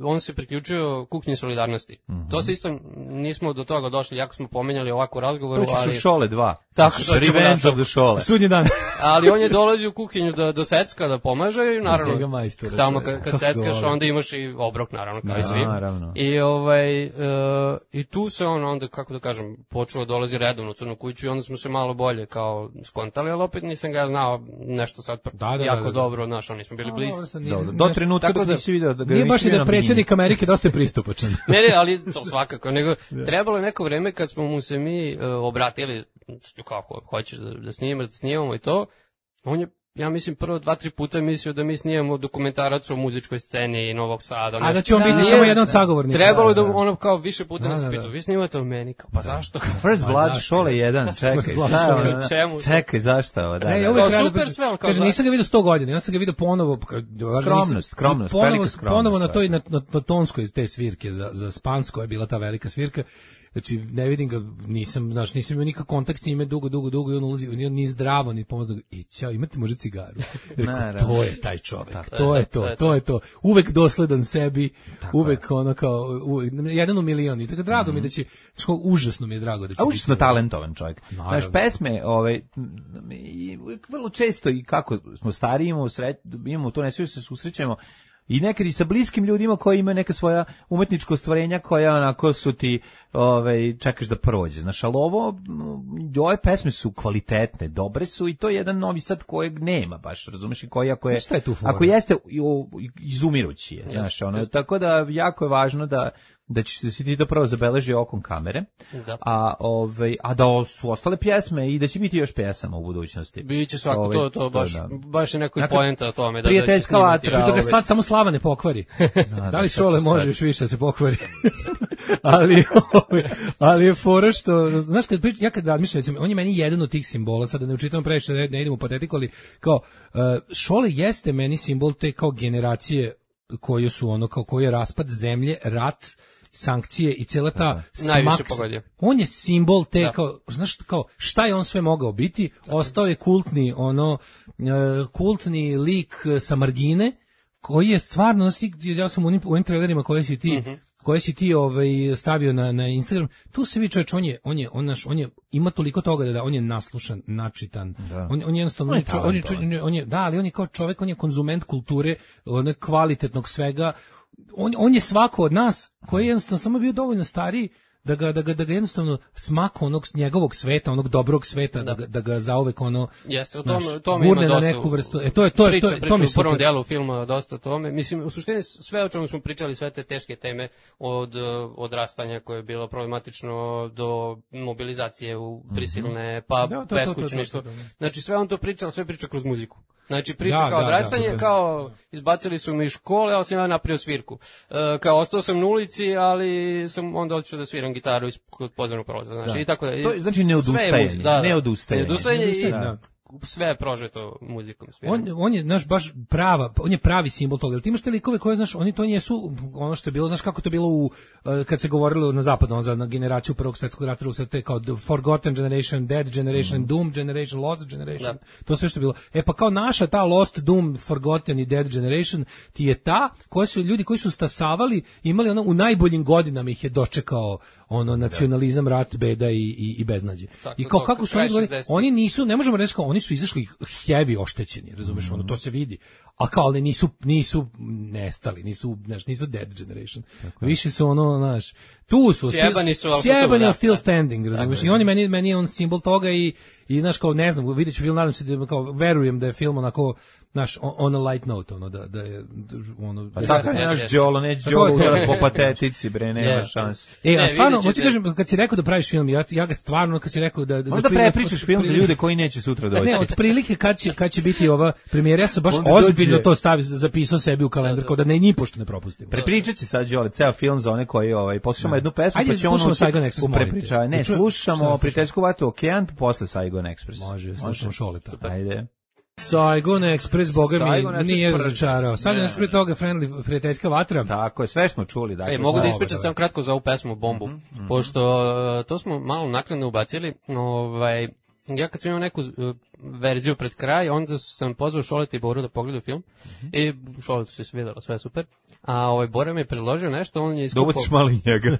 on se priključio kuhinji solidarnosti. Mm-hmm. To se isto, nismo do toga došli, jako smo pomenjali ovako u razgovoru, ali... To ćeš u Šole dva. Tako, to Revenge of the Šole. Sudnji dan. Ali on je dolazio u kuhinju da, do secka, da pomaže i naravno, majstora, tamo kad, kad seckaš, onda imaš i obrok, naravno, kao i svi. Naravno. I ovaj, uh, i tu se on onda, kako da kažem, počeo dolazi redovno u Crnu kuću i onda smo se malo bolje kao skontali, ali opet nisam ga znao nešto sad da, da, jako da, da, da. dobro, znaš, oni smo bili bliski. Do, do trenutka dok nisi vidio da ga nije baš i da predsjednik Amerike dosta je pristupačan. Ne, ne, ali to svakako, nego trebalo je neko vreme kad smo mu se mi uh, obratili, kako hoćeš da, da snimamo, da snimamo i to, on je, ja mislim, prvo dva, tri puta mislio da mi snijemo dokumentarac o muzičkoj sceni Novog Sada. A da će on biti da, samo jedan od sagovornika. Trebalo je da, da ono kao više puta da, nas pitao, vi snimate o meni, kao, pa zašto? First Blood, pa Šole jedan, čekaj, šta, čemu? Čekaj, zašto ovo, da, ne, da. Kao super sve, on kao kaže, nisam ga vidio sto godina, ja sam ga vidio ponovo, skromnost, skromnost, ponovo, ponovo na toj, na, na, na tonskoj te svirke, za, za Spansko je bila ta velika svirka. Znači, ne vidim ga, nisam, znaš, nisam imao nikakav kontakt s njime dugo, dugo, dugo i on ulazi, ni, ni zdravo, ni pomozno. I ćao, imate možda cigaru? Rekao, to je taj čovek, tako, to je to, to je to. Uvek dosledan sebi, tako uvek je. Ono kao, uvek, jedan u milion. I tako drago mm. mi da će, što, užasno mi je drago da će. A užasno talentovan čovjek. Znaš, pesme, ovaj, vrlo često i kako smo stariji, imamo, sret, imamo to, ne sve se susrećemo, i nekad i sa bliskim ljudima koji imaju neka svoja umetnička ostvarenja koja onako su ti, ovaj, čekaš da prođe. Znaš, ali ovo, ove pesme su kvalitetne, dobre su i to je jedan Novi Sad kojeg nema baš, razumeš, i koji ako je, je ako jeste, izumirući je, znaš, ono, yes. Tako da jako je važno da da će se ti to prvo zabeleži okom kamere, da. a ovaj a da su ostale pjesme i da će biti još pjesama u budućnosti. Biće svako ovaj, to to baš to, da. baš je neko dakle, poenta o tome da prijateljska da vatra. Da ga sad samo Slava ne pokvari. Da, da li Šole može još više da se pokvari? ali ali je fora što, znaš, kad pričam, ja kad razmišljam, recimo, on je meni jedan od tih simbola, sad da ne učitam previše, ne, ne idemo u patetiku, ali kao uh, Šole jeste meni simbol te kao generacije koje su ono kao koji je raspad zemlje, rat, sankcije i cijela ta smak. On je simbol te da. kao, znaš, kao šta je on sve mogao biti? Ostao je kultni ono uh, kultni lik sa margine koji je stvarno, ja sam u onim, u onim trailerima koje si ti mm-hmm. koje si ti ovaj stavio na na Instagram, tu se vidi čovjek, on je on je on naš on je ima toliko toga da, da on je naslušan, načitan. Da. On on je jednostavno on je, čo, on, je, on, je, on je da, ali on je kao čovjek, on je konzument kulture, one kvalitetnog svega. On on je svako od nas koji je jednostavno samo bio dovoljno stariji da ga, da ga, da ga jednostavno smaka onog njegovog sveta, onog dobrog sveta, da, da ga, da ga zauvek ono jeste, o tome, tome ima dosta neku vrstu. E, to je, to je, priča, to je, to mi u prvom delu filma dosta o tome. Mislim, u suštini sve o čemu smo pričali, sve te teške teme od odrastanja koje je bilo problematično do mobilizacije u prisilne, pa da, beskućništvo. Znači, sve on to pričao, sve priča kroz muziku. Znači, priča da, kao da, odrastanje, da, da, da. kao izbacili su me iz škole, ali sam ja napravio svirku. E, kao ostao sam na ulici, ali sam onda odšao da sviram gitaru iz pozornog prolaza. Znači, da. I tako da. To je, znači, ne odustajanje. Da, ne odustajanje. Ne odustajanje i da. Sve je prožeto muzikom. On, on je, znaš, baš prava, on je pravi simbol toga. Ti imaš te likove koje, znaš, oni to nisu, ono što je bilo, znaš kako to bilo u, kad se govorilo na zapadu, za na generaciju prvog svjetskog rata, to je kao the forgotten generation, dead generation, mm. doomed generation, lost generation, da. To sve što je bilo. E pa kao naša ta lost, doomed, forgotten i dead generation ti je ta, koji su ljudi koji su stasavali, imali ono, u najboljim godinama ih je dočekao ono nacionalizam, rat, beda i, i, i beznađe. Tako, I kao to, kako su oni govorili, oni nisu, ne možemo reći kao, oni su izašli heavy oštećeni, razumeš, mm. ono, to se vidi. A kao, ali nisu, nisu nestali, nisu, znaš, nisu dead generation. Tako. Više su ono, znaš, tu su, sjebani su, sjebani, ali still standing, razumeš. I oni meni, meni je on simbol toga i, i, znaš, kao, ne znam, vidjet ću film, nadam se da, kao, verujem da je film onako, znaš, on a light note, ono, da, da je, ono... Pa tako je naš Đolo, ne Đolo po patetici, bre, nema šans. E, a stvarno, hoću kažem, kad si rekao da praviš film, ja, ja ga stvarno, kad si rekao da... Možda prepričaš film za ljude koji neće sutra doći. Ne, od prilike kad će, kad će biti ova premijera, ja sam baš ozbiljno to stavio, zapisao sebi u kalendar, kao da ne, ni pošto ne propustim. Prepričat će sad Đole, ceo film za one koji, ovaj, poslušamo jednu pesmu, pa će ono u prepričavaju. Ne, slušamo Prijateljsku vatru Okean, posle Saigon Express. Može, slušamo Šoleta. Ajde. Saigon Express, boga mi, nije razočarao. Sad je nas prije toga Friendly, Prijateljska vatra. Tako je, sve smo čuli. Dakle, e, mogu da ispričam samo kratko za ovu pesmu Bombu, mm -hmm. pošto to smo malo naknadno ubacili. Ovaj, ja kad sam imao neku uh, verziju pred kraj, onda sam pozvao Šoleta i Boru da pogledaju film. Mm -hmm. I Šoletu se svidjelo, sve super. A ovaj Bora mi je predložio nešto, on je iskupao... Da ubaciš malo i njega.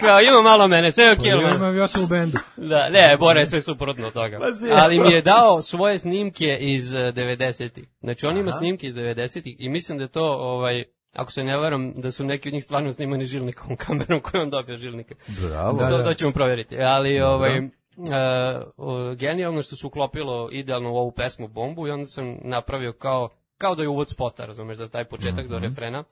Kao, ima malo mene, sve je okej. Okay, ja imam, ja sam u bendu. Da, ne, Bora je sve suprotno od toga. Ali mi je dao svoje snimke iz devedesetih. Znači, on ima snimke iz devedesetih i mislim da je to, ovaj, ako se ne varam, da su neki od njih stvarno snimani žilnikom kamerom koju on dobio žilnike. Bravo. To, to ćemo provjeriti. Ali, ovaj, uh, uh, genijalno što su uklopilo idealno u ovu pesmu Bombu i onda sam napravio kao, kao da je uvod spota, razumeš, za taj početak mm-hmm. do refrena.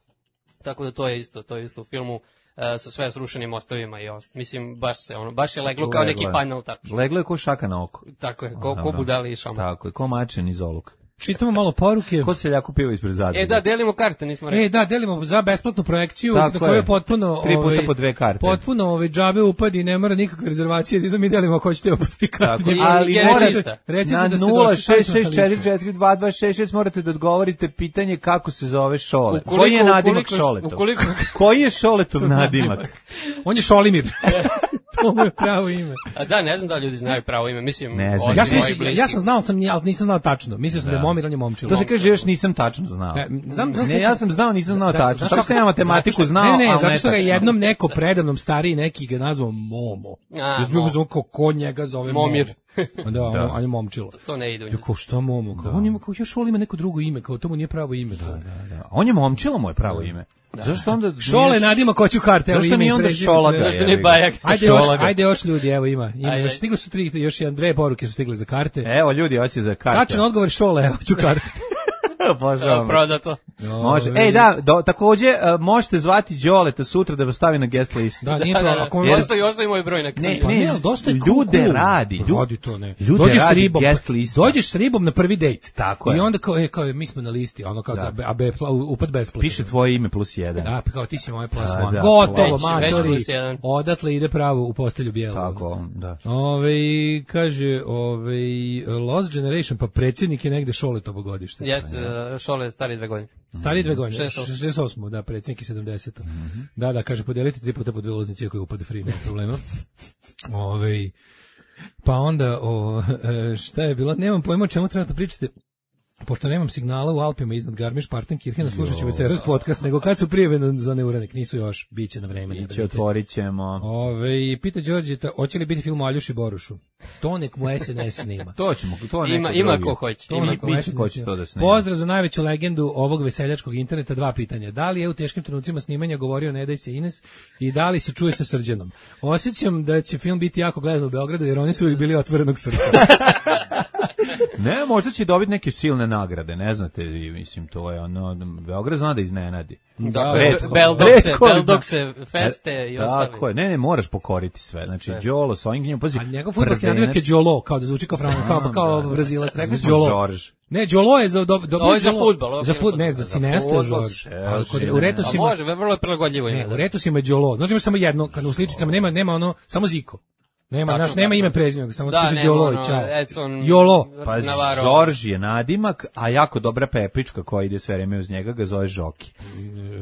Tako da to je isto, to je isto u filmu. Uh, sa sve srušenim mostovima i ost. Mislim, baš se ono, baš je leglo kao neki final touch. Leglo je ko šaka na oko. Tako je, ko, ko budali i šaman. Tako je, ko mačen iz oluk. Čitamo malo poruke. Ko seljaku piva ispred zadnje. E da, delimo karte, nismo rekli. E da, delimo za besplatnu projekciju na kojoj je potpuno tri puta ovaj, po dve karte. Potpuno ovaj džabe upadi, ne mora nikakve rezervacije, da mi delimo ako hoćete po tri karte. Tako, ali morate na nula šest šest četiri četiri dva dva šest šest morate da odgovorite pitanje kako se zove Šole. Ukoliko, Koji je nadimak ukoliko, Šoletov? Ukoliko... Koji je Šoletov nadimak? On je Šolimir. To mu je pravo ime. A da, ne znam da ljudi znaju pravo ime, mislim, ne znam. Ja sam, ja sam znao, sam, ali nisam znao tačno. Mislio sam da, da je Momir, on je Momčilo. To se kaže, još nisam tačno znao. Ne, znam, znam ne ja sam znao, nisam znao tačno. Tako sam ja matematiku znao, ne, ne, ali zato što ga tačno. jednom neko predavnom stariji neki ga nazvao Momo. Ja sam bio ko, ko njega zove Momir. Momo. Da, on, on je Momčilo. To ne ide u njih. Kao što Momo? Kao, on ima, kao, još Šol ima neko drugo ime, kao to mu nije pravo ime. Da, da, da. On je Momčilo, moje pravo ime. Da. Zašto onda Šole nadima ko ću karte, evo ime. Zašto nije onda Šolaga? Zašto nije Bajak? Ajde još, ajde još ljudi, evo ima. Ima još stiglo su tri, još jedan dve poruke su stigle za karte. Evo ljudi, hoće za karte. Tačan odgovor Šole, evo ću karte. Božao. Prodato. Može. Ej da, do, takođe uh, možete zvati Đoleta sutra da vas stavi na guest listu. Da, nije problem. Ako mi ostavi, ostavi moj broj na ne, pa ne, ne, dosta je ljude cool. radi, ljude radi to ne. Ljude dođeš radi s ribom, guest lista. Dođeš s ribom na prvi dejt. Tako je. I onda kao, e, kao mi smo na listi, ono kao da. A be upad besplatno. Piše tvoje ime plus jedan. Da, kao ti si moje plus da, one. Da, gotovo, već, matori. Već odatle ide pravo u postelju bijelu. Tako, da. Ove, kaže, ove, Lost Generation, pa predsjednik je negde Šoletovo godište. Jeste, Šole je stari dve godine. Stari dve godine, šezdeset osam, da, predsjednik je sedamdeset. Mm-hmm. Da, da, kaže, podelite tri puta po dve ulaznice, ako je upade free, nema problema. Ove, pa onda, o, šta je bilo, nemam pojma o čemu trebate pričate, pošto nemam signala u Alpima iznad Garmisch-Partenkirchena, slušat ću večeras podcast, nego kad su prijeve za neuranik, nisu još, bit će na vreme. Biće, otvorit ćemo. Ove, pita Đorđeta, hoće li biti film o Aljoši Borušu? To nek mu S N S snima. To ćemo, to ima, ima ko hoće. To ima ko će to da snima. Pozdrav za najveću legendu ovog veseljačkog interneta, dva pitanja. Da li je u teškim trenucima snimanja govorio Ne daj se Ines i da li se čuje sa Srđanom? Osjećam da će film biti jako gledan u Beogradu jer oni su uvijek bili otvorenog srca. Ne, možda će dobiti neke silne nagrade, ne znate, mislim, to je ono, Beograd zna da iznenadi. Da, Beldokse, Beldokse, feste i ostali. Tako je, ne, ne, moraš pokoriti sve, znači, Đolo, s ovim knjima, pazi. A njegov fudbalski nadimak je Đolo, kao da zvuči kao Franko, kao, kao Brazilac, rekao si Đolo. Ne, Đolo je za dobro. Ovo je za fudbal. Za fudbal, ne, za Sinesta je Žorž. U Retosima. A može, vrlo je prilagodljivo ime. Ne, u Retosima je Đolo. Znači ima samo jedno, kad u sličicama nema, nema ono, samo Ziko. Nema, naš, nema ime prezime, samo da, kaže Đolo i ono, čao. Edson Jolo. Pa Žorž je nadimak, a jako dobra peprička koja ide sve vreme uz njega ga zove Žoki.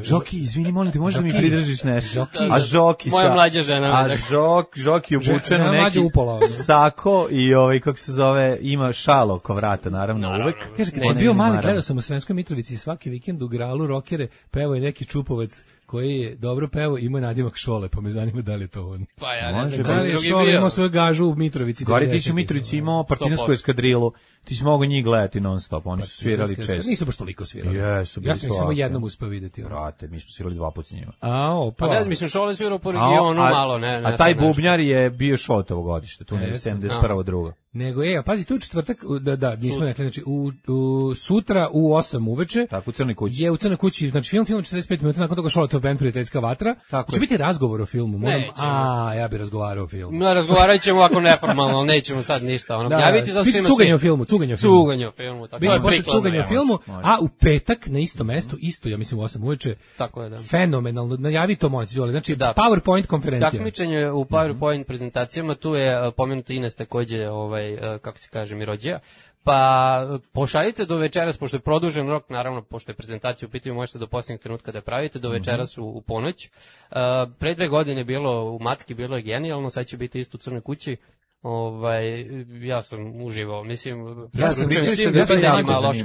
Žoki, izvini, molim te, možeš da mi pridržiš nešto? Žoki. A Žoki sa... Moja mlađa žena. A Žok, Žoki obučen u neki upola, sako i ovaj, kako se zove, ima šalo oko vrata, naravno, naravno. uvek. Kaže, kad sam bio mali, gledao sam u Sremskoj Mitrovici svaki vikend u Gralu rokere, pevao je neki Čupovac koji je dobro pevao, ima nadimak Šole, pa me zanima da li je to on. Pa ja ne znam, da li je Šole imao svoju gažu u Mitrovici. Gori, ti si u Mitrovici imao partizansku eskadrilu, ti si mogao njih gledati non stop, oni su svirali često. Nisu baš toliko svirali. Jesu, ja sam ih samo jednom uspeo vidjeti. Brate, mi smo svirali dva puta s njima. A, pa. Pa ne znam, mislim, Šole svirao po regionu malo, ne. A taj bubnjar je bio Šoletovo godište, tu ne, sedamdeset prva druga. Nego, ej, pazi, tu četvrtak, da, da, nismo rekli, znači, u, u, sutra u osam uveče. Tako, u Crnoj kući. Je u Crnoj kući, znači, film, film četrdeset pet minuta, nakon toga Šoletov band Prijateljska vatra. Tako će biti razgovor o filmu, moram, a, ja bih razgovarao o filmu. No, razgovarat ćemo ovako neformalno, ali nećemo sad ništa, ono, da, javiti za svima. Cuganje o filmu, cuganje o filmu. Cuganje o filmu, tako je. Biće cuganje o filmu, a u petak, na istom mestu, isto, ja mislim, u osam uveče, tako je, da. Fenomenalno, najavi to moć, znači, da. PowerPoint konferencija. Takmičenje u PowerPoint prezentacijama, tu je pomenuto Ines takođe, ovaj, kako se kaže, Mirođija, pa pošaljite do večeras, pošto je produžen rok, naravno, pošto je prezentacija u pitanju, možete do posljednjeg trenutka da pravite, do večeras u, u ponoć. Uh, pre dve godine bilo u Matki, bilo je genijalno, sad će biti isto u Crnoj kući. Ovaj, ja sam uživao, mislim, ja sam, ja sam, ja sam,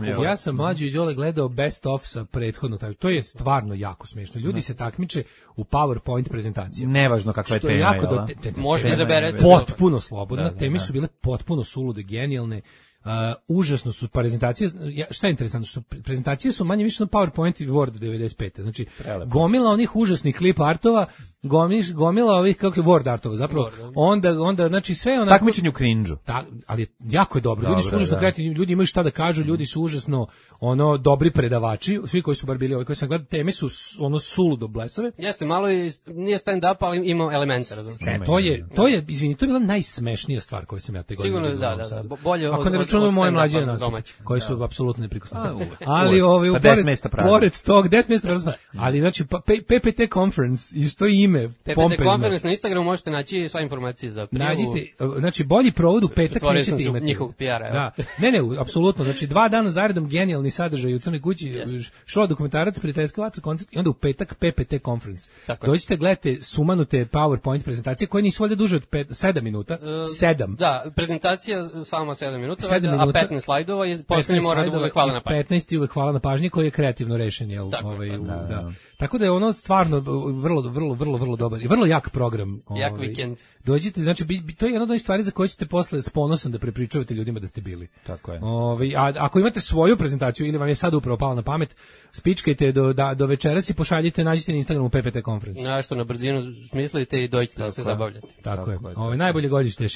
ja, ja sam mlađi i Đole gledao best of sa prethodno, to je stvarno jako smiješno. Ljudi se takmiče u PowerPoint prezentacijama. Nevažno kakva je tema, jako jel? Možete izaberete. Potpuno slobodno, teme su bile potpuno sulude, genijalne. Uh, užasno su prezentacije, ja, šta je interesantno, što prezentacije su manje više na PowerPoint i Word devedeset pete. Znači, Prelepo. gomila onih užasnih klip artova, gomiš, gomila ovih kako Word artova, zapravo. Word, onda onda znači sve onako takmičenje u cringe-u. Ta, ali jako je dobro. Ljudi su užasno kreativni, ljudi imaju šta da kažu, ljudi su užasno ono dobri predavači, svi koji su bar bili ovi koji sam gledao, teme su ono suludo blesave. Jeste, malo i nije stand up, ali ima elemente, razumiješ. To je to je izvini, to je bila najsmešnija stvar koju sam ja te godine. Sigurno da, da, da. Bolje ako ne računamo moje mlađe nas, koji su apsolutno neprikosnoveni. Ali ovaj pa pored, pored tog deset mjesta prazno. Ali znači P P T conference i što ime pompezno. Conference na Instagramu možete naći sva informacije za prijavu. Nađite, znači bolji provod u petak nećete imati. Njihovog P R-a. Da. Ne, ne, apsolutno. Znači dva dana zaredom genijalni sadržaj u Crnoj kući, yes. Show dokumentarac, prijateljski vatr, koncert i onda u petak P P T conference. Dođite, gledajte sumanute PowerPoint prezentacije koje nisu valjda duže od sedam minuta. sedam. Da, prezentacija sama sedam minuta, a petnaest slajdova i poslednji mora da bude hvala na pažnji. petnaest i uvek hvala na pažnji koji je kreativno rešen, jel? Ovaj, da. Tako da je ono stvarno vrlo, vrlo, vrlo, vrlo dobar i vrlo jak program. Jak ovaj, vikend. Dođite, znači, to je jedna od onih stvari za koje ćete posle s ponosom da prepričavate ljudima da ste bili. Tako je. Ovaj, a ako imate svoju prezentaciju ili vam je sad upravo pala na pamet, spičkajte do, da, do večeras i pošaljite, nađite na Instagramu P P T conference. Nešto na brzinu smislite i dođite da se zabavljate. Tako, Tako je. je. Ovaj, najbolje godište je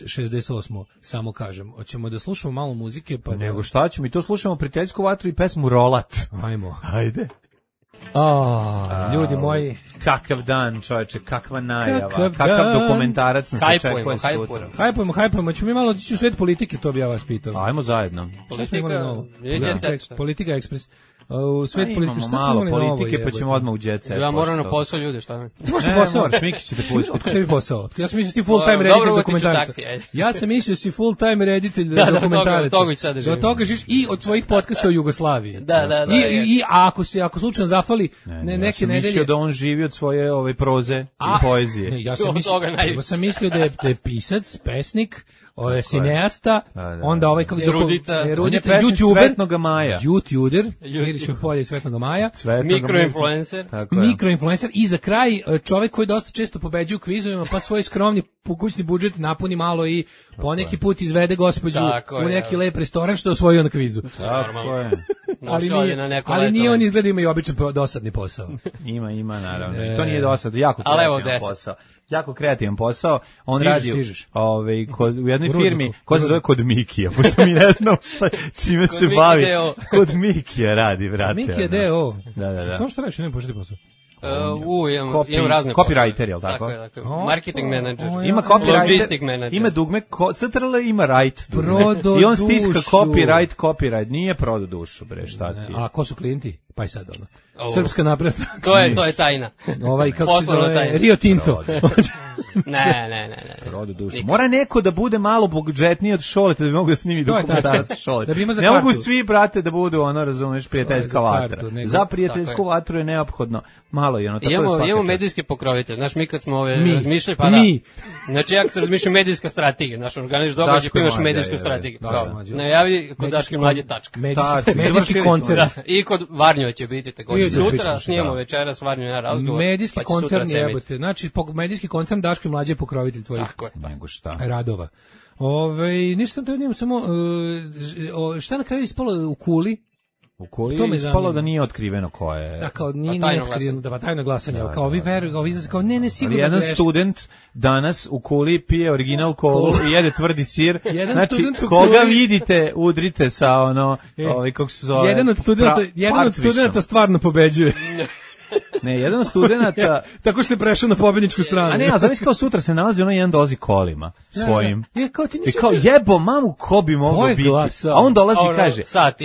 šezdeset osmo samo kažem. Hoćemo da slušamo malo muzike, pa nego da... šta ćemo, i to slušamo prijateljsku vatru i pesmu Rolat. Ajmo. Ajde. Oh, ljudi moji, kakav dan, čoveče, kakva najava, kakav, kakav dokumentarac nas očekuje sutra. Hajpujemo, hajpujemo, ćemo mi malo otići u svet politike, to bi ja vas pitao. Ajmo zajedno. Politika, politika, politika ekspres. U svet pa politike, što malo politike, novo, pa ćemo odmah u jet set. Ja moram na posao, ljudi, šta ne? Možeš na posao, Miki će te pustiti. Otkud tebi posao? Ja sam mislio ti full time reditelj dokumentaraca. Ja sam mislio si full time reditelj dokumentaraca. Do toga žiš i od svojih podcasta u Jugoslaviji. Da, da, da. I a ako se ako slučajno zafali ne neke nedelje. Ja sam mislio da on živi od svoje ove proze i poezije. Ne, ja sam mislio, ja sam mislio da je da je pisac, pesnik, ovaj cineasta, onda ovaj kako Erudita, Erudita, YouTuber, Svetnoga Maja. YouTuber, Mirić polje Svetnoga Maja. Mikroinfluencer. Mikroinfluencer i za kraj čovjek koji dosta često pobeđuje u kvizovima, pa svoj skromni kućni budžet napuni malo i poneki put izvede gospođu u neki lep restoran što je osvojio na kvizu. Tako je. Ali nije, ali nije on izgleda ima i običan dosadni posao. Ima, ima naravno. I to nije dosadno, jako kreativan posao. Jako kreativan posao. On stižeš, radi stižeš. Ovaj kod u jednoj firmi koja se zove Kod Mikija, pošto mi ne znamo šta čime se bavi. Kod Mikija radi, brate. Mikija D O. Da, da, da. Što što reći, ne početi posao. Uh, u, imam, Copy, imam razne copywriter, je li tako? Tako je, tako je. Marketing manager. O, ima logistic manager. Ima dugme, C T R L ima right dugme. I on stiska copyright, copyright. Nije prodo dušu, bre, šta ti? A ko su klijenti? Pa i sad ono. Oh. Srpska napredna stranka. To je, to je tajna. Ovaj, kako se zove, Rio Tinto. ne, ne, ne, ne. Prodo dušu. Mora neko da bude malo budžetniji od Šoleta da bi mogu da snimi dokumentarac Šoleta. Da ne mogu svi, brate, da budu, ono, razumeš, prijateljska vatra. Za prijateljsku vatru je neophodno malo i ono, tako imamo, je svaka imamo čast. Medijski pokrovitelj. Znaš, mi kad smo ove mi. razmišljali, pa mi. da. Znači, ja kad se razmišljam medijska strategija, znaš, organiš događaj, pa imaš medijsku strategiju. Najavi kod Daške mlađe tačka. Medijski koncert. I kod Varnjeva će biti također. Sutra snijemo večeras Varnju na razgovor. Medijski koncern jebote. Znači, medijski koncern Daške mlađe pokrovitelj tvojih. Tako je. Nego šta. Radova. Ove, ništa te vidim, samo uh, šta na kraju ispalo u kuli? U koji je ispalo da nije otkriveno ko je. Da, kao nije, nije otkriveno, da pa tajno glasanje, da, kao vi veruju, kao vi kao ne, ne, sigurno. Ali jedan student danas u kuli pije original kolu i jede tvrdi sir. Znači, koga vidite, udrite sa ono, e, ovaj, kako se zove. Jedan od studenta, jedan od studenta stvarno pobeđuje. Ne, jedan od studenata tako što je prešao na pobedničku stranu. A ne, a zamisli kao sutra se nalazi ono jedan dolazi kolima svojim. Ja, ja, kao ti I kao jebo mamu ko bi mogao biti. A on dolazi i kaže,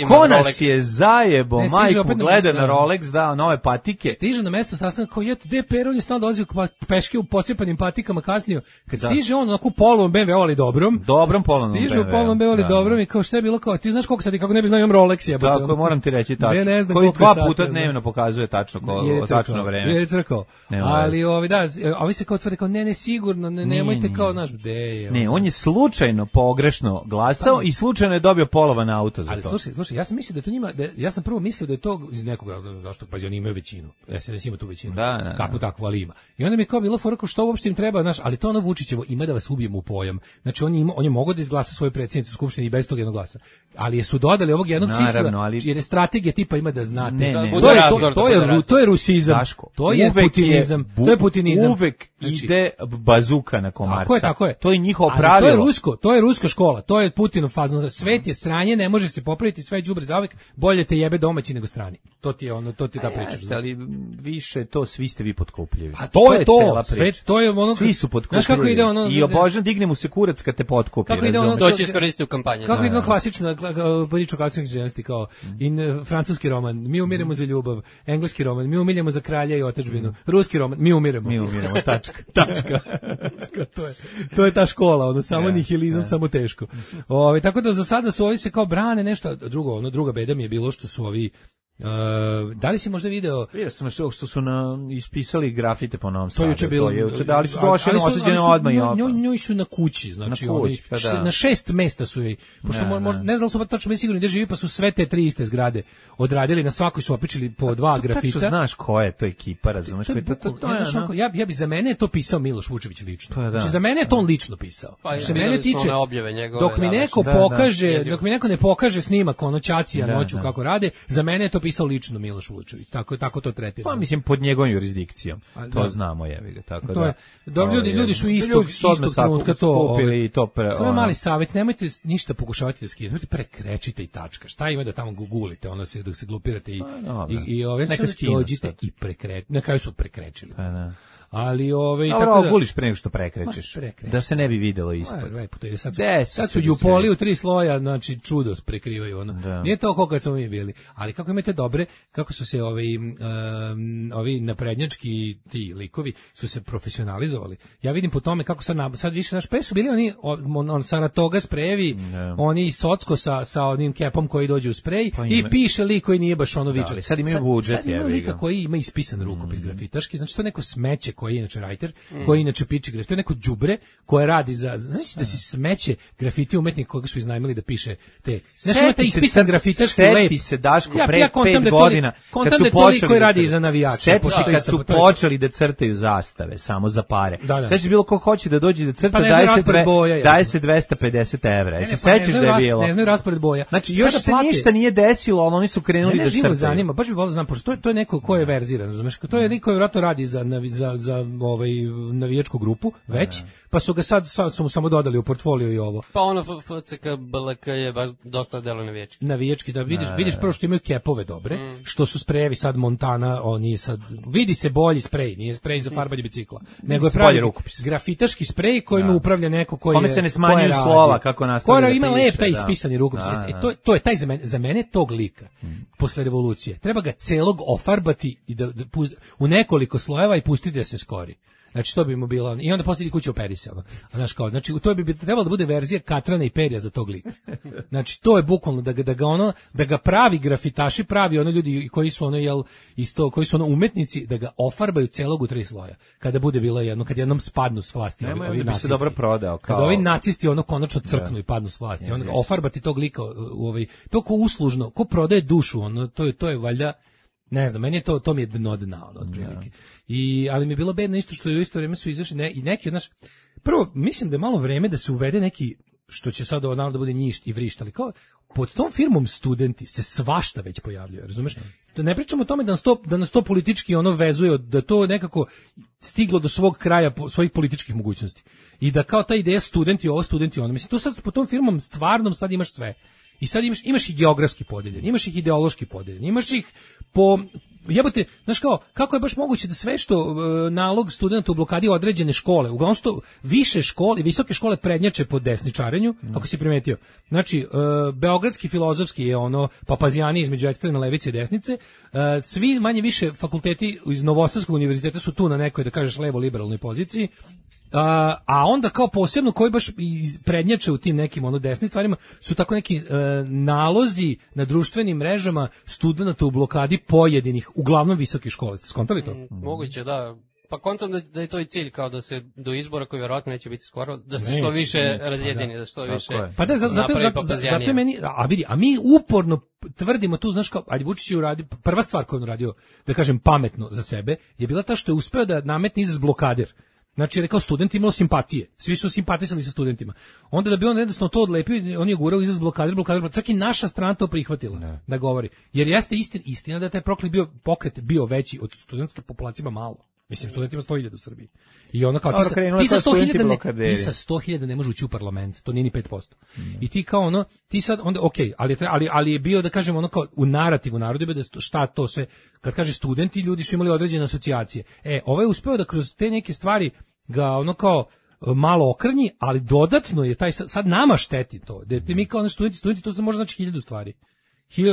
ko nas je zajebo, ne, majku gleda na Rolex, da, nove patike. Stiže na mesto sastanka kao je D P R, on je stalno dolazi peške u pocepanim patikama kasnio. Kad da. Stiže on onako polovom B M W, ali dobrom. Dobrom polovom B M W. Stiže u polovom B M W, ali da. Dobrom i kao šta je bilo kao, ti znaš koliko sad i kako ne bi znao imam Rolex jebote. Tako, moram ti reći tačno. Koji dva puta dnevno pokazuje tačno ko tačno vreme. Je crkao. Ali ovi da, ovi se kao tvrde kao ne, ne sigurno, ne, nemojte kao naš de. Ne, on je slučajno pogrešno glasao i slučajno je dobio polovan auto za ali, to. Ali slušaj, slušaj, ja sam mislio da to njima, da, ja sam prvo mislio da je to iz nekog razloga zašto, pa oni imaju većinu. S N S ima tu većinu. Da, da, kako takvu ali ima. I onda mi je kao bilo fora kao što uopšte im treba, znaš, ali to ono Vučićevo ima da vas ubijemo u pojam. Znači on ima, on je mogao da izglasa svoju predsjednicu skupštine i bez tog jednog glasa. Ali su dodali ovog jednog čistoga, ali jer je strategija tipa ima da znate. Ne, ne, to, je, to, to, je, to je rusizam. Daško, to je putinizam. Je, bu, to je putinizam. Uvek znači, ide bazuka na komarca. Tako je, tako je. To je njihovo pravilo. To je rusko, to je ruska škola. To je Putinov fazon. Svet je sranje, ne može se popraviti, sve je đubre zauvek. Bolje te jebe domaći nego strani. To ti je ono, to ti je ta priča. Jeste, ali više to svi ste vi potkupljivi. A to, to je to. Sve, to je ono. Svi su potkupljivi. Znaš kako ide ono? I obožan digne mu se kurac kad te potkupi. Kako ide ono? To će iskoristiti u kampanji. Kako ide klasična priča klasičnih ženski kao in francuski roman, mi umiremo za ljubav, engleski roman, mi umiremo za kralja i otadžbinu, ruski roman, mi umiremo. Mi umiremo, tačka. Tačka. to je to je ta škola, ono samo nihilizam, samo teško. Ovaj tako da za sada su ovi se kao brane nešto drugo, ono druga beda mi je bilo što su ovi Uh, da li si možda video? Vidio sam što, što su na, ispisali grafite po Novom Sadu. To juče bilo. Juče, da li su došli na osuđene odmah i odmah? Njoj su na kući, znači na, kući, oni, pa da. na šest mesta su joj, pošto ne, možda, ne. ne znam da li su tačno mi sigurni gdje živi, pa su sve te tri iste zgrade odradili, na svakoj su opičili po dva grafita. Tačno znaš ko je to ekipa, razumeš? To, to, to, to, to, ja, ono, ja, ja bi za mene to pisao Miloš Vučević lično. Pa da, znači za mene je to on lično pisao. Pa, što mene tiče, njegove, dok mi neko da, pokaže, da, dok mi neko ne pokaže snimak ono Ćacija da, noću da. kako rade, za mene je to pisao lično Miloš Vučević. Tako tako to tretira. Pa mislim pod njegovom jurisdikcijom. A, to da. znamo jebi ga, tako to da. Je, dobro ljudi, ljudi su istog istog trenutka to ovaj, to pre. Samo mali savjet, nemojte ništa pokušavati da skidate, nemojte prekrečite i tačka. Šta ima da tamo gugulite, ono se dok se glupirate i pa, i, i ove neka dođite i prekrečite. Na kraju su prekrečili. Pa da. Ali ove dobro, tako da guliš pre nego što prekrećeš. Da se ne bi videlo ispod. Lepo to je sad. Sad su jupoli u tri sloja, znači čudo prekrivaju ono. Da. Nije to kako kad smo mi bili, ali kako imate dobre, kako su se ovi um, ovi naprednjački ti likovi su se profesionalizovali. Ja vidim po tome kako sad sad više naš pre su bili oni on, on Saratoga sprejevi, da. Oni Socko sa sa onim kepom koji dođe u sprej pa i piše lik koji nije baš ono viče. Da, sad imaju budžet, sad imaju lika koji ima ispisan rukopis mm. grafitaški, znači to neko smeće koji je inače writer, mm. koji inače piče grafiti, to je neko đubre koje radi za, znači da si smeće grafiti umetnik koga su iznajmili da piše te, znači ima taj ispisan grafitarski lep. Seti se Daško ja, pre ja pet da godina, kad su počeli koji radi za navijače. Seti se kad su počeli da crtaju zastave, samo za pare. Da, da. Znači bilo ko hoće da dođe da crta, pa daje se boja, daje se dvesta pedeset evra. Jesi sećaš da je bilo? Ne znaju raspored boja. Znači još se ništa nije desilo, ali oni su krenuli da crtaju. Zanima, baš bih voleo da znam, pošto to je to je neko ko je verziran, razumeš? To je neko koji vjerojatno radi za za za ovaj navijačku grupu već, pa su ga sad, sad su mu samo dodali u portfolio i ovo. Pa ono F C K B L K je baš dosta delo navijački. Navijački, da vidiš, ne. vidiš prvo što imaju kepove dobre, mm. što su sprejevi sad Montana, oni sad, vidi se bolji sprej, nije sprej za farbanje bicikla, nego je pravi grafitaški sprej kojim da. upravlja neko koji Kome se ne smanjuju slova kako nastavlja da piše. Ima lepe ispisani rukopis. Da, da. E, to, to je taj za mene, za mene tog lika, mm. posle revolucije. Treba ga celog ofarbati i da, da, u nekoliko slojeva i pustiti da se skori. Znači to bi mu bilo i onda poslije kuće operi se. Znaš kao, znači to bi trebalo da bude verzija Katrana i Perija za tog lika. Znači to je bukvalno da ga da ga ono da ga pravi grafitaši, pravi ono ljudi koji su ono jel isto koji su ono umetnici da ga ofarbaju celog u tri sloja. Kada bude bilo jedno kad jednom spadnu s vlasti ovi, ovi bi se dobro prodao kao kada ovi nacisti ono konačno crknu da. i padnu s vlasti. Onda ofarbati tog lika u ovaj to ko uslužno, ko prodaje dušu, ono to je to je valjda ne znam, meni je to, to mi je dno dna, ono, otprilike. I, ali mi je bilo bedno isto što je u isto vrijeme su izašli ne, i neki od naš, prvo, mislim da je malo vreme da se uvede neki, što će sad ovo da bude njišt i vrišt, ali kao, pod tom firmom studenti se svašta već pojavljaju, razumeš? Da ne pričamo o tome da nas to, da nas to politički ono vezuje, da to nekako stiglo do svog kraja, svojih političkih mogućnosti. I da kao ta ideja studenti ovo, studenti ono, mislim, tu sad pod tom firmom stvarnom sad imaš sve. I sad imaš, imaš ih geografski podeljen, imaš ih ideološki podeljen, imaš ih po, jebote, znaš kao, kako je baš moguće da sve što e, nalog studenta u blokadi određene škole, uglavnom su više škole, visoke škole prednjače po desničarenju, mm. ako si primetio. Znači, e, beogradski filozofski je ono papazijani između ekstremne levice i desnice, e, svi manje više fakulteti iz Novosadskog univerziteta su tu na nekoj, da kažeš, levo liberalnoj poziciji, A, a onda kao posebno koji baš i prednjače u tim nekim ono desnim stvarima su tako neki e, nalozi na društvenim mrežama studenata u blokadi pojedinih, uglavnom visokih škola. Ste skontali to? Mm, moguće, da. Pa kontam da, da je to i cilj, kao da se do izbora koji vjerojatno neće biti skoro, da se što više razjedini, da. da što više pa da, zato, zato, zato, zato je meni, a vidi, a mi uporno tvrdimo tu, znaš kao, ajde Vučić je uradio, prva stvar koju on uradio, da kažem pametno za sebe, je bila ta što je uspeo da nametne izraz blokader. Znači, rekao, studenti imalo simpatije. Svi su simpatisali sa studentima. Onda da bi on jednostavno to odlepio, on je gurao izraz blokader, blokader, čak i naša strana to prihvatila ne. da govori. Jer jeste istina, istina da je taj proklet bio, pokret bio veći od studentske populacije malo. Mislim, studentima sto hiljada u Srbiji. I onda kao, ti sa, ti sa sto hiljada ne, ti sa sto hiljada ne može ući u parlament, to nije ni pet posto. Mm. I ti kao ono, ti sad, onda, okej, okay, ali, ali, ali je bio, da kažemo, ono kao, u narativu narodu, da šta to sve, kad kaže studenti, ljudi su imali određene asocijacije. E, ovo je uspeo da kroz te neke stvari ga ono kao malo okrnji, ali dodatno je taj, sad nama šteti to, da mi kao ono studenti, studenti, to se može znači hiljadu stvari.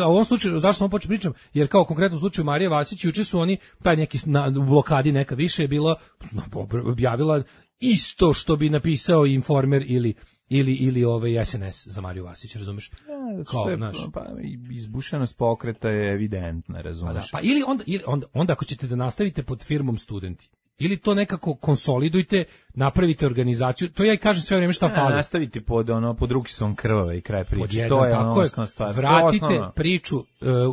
A u ovom slučaju, zašto sam počeo pričam, jer kao konkretno u slučaju Marije Vasić, juče su oni, taj neki na, u blokadi neka više je bila, objavila isto što bi napisao Informer ili ili ili ovaj S N S za Mariju Vasić, razumeš? Ja, kao, je, naš, pa izbušenost pokreta je evidentna, razumeš? Pa, da, pa ili onda, ili onda, onda ako ćete da nastavite pod firmom studenti, ili to nekako konsolidujte, napravite organizaciju, to ja i kažem sve vreme šta ja, fali. Nastaviti pod ono pod ruki su on krvave i kraj priče. Jedan, to je tako ono je, stvar. vratite priču uh,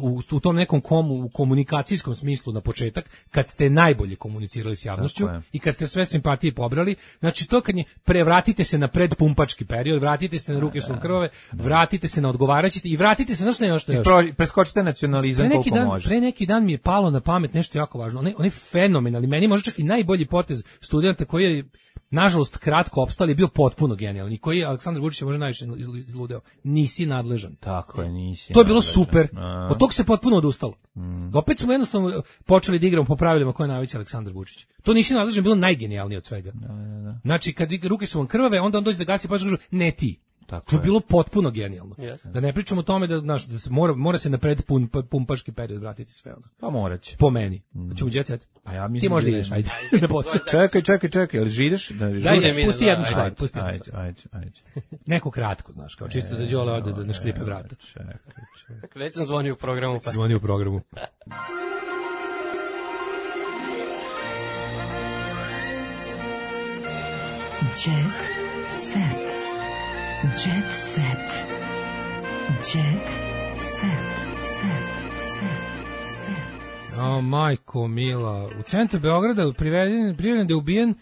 u, u tom nekom komu, u komunikacijskom smislu na početak, kad ste najbolje komunicirali s javnošću i kad ste sve simpatije pobrali, znači to kad je, prevratite se na predpumpački period, vratite se na ruke su krvave, vratite se na odgovaraćite i vratite se, znaš ne još, ne još. Pro, preskočite nacionalizam pre koliko dan, može. Pre neki dan mi je palo na pamet nešto jako važno, onaj, onaj fenomenalni, meni može čak i najbolji potez studenta koji je nažalost kratko opstao, ali je bio potpuno genijalni, koji je Aleksandar Vučić može najviše izludeo. Nisi nadležan. Tako je, nisi. To je bilo nadležan. super. A. Od tog se potpuno odustalo. Mm. Opet smo jednostavno počeli da igramo po pravilima koje je najveći Aleksandar Vučić. To nisi nadležan bilo najgenijalnije od svega. Da, da, da. Znači, kad ruke su vam krvave, onda on dođe da gasi pa kaže ne ti. Tako to je je bilo potpuno genijalno. Yes. Da ne pričamo o tome da, znaš, da se mora, mora se na pred pun, pumpaški period vratiti sve ono. Pa moraće. Po meni. Mm. Ćemo jet set. Pa ja mislim ti možda da ideš, ajde. čekaj, čekaj, čekaj, ali žideš? Da, Daj, pusti jednu stvar, pusti jednu stvar. Ajde, ajde, ajde. Neko kratko, znaš, kao čisto da Đole ode da naškripe vrata. Čekaj, čekaj. Već sam zvonio u programu. Pa. Zvonio u programu. Jet set. Jet set. Jet set. Set. Set. Set. O, majko mila. U centru Beograda priveden, priveden da je ubijen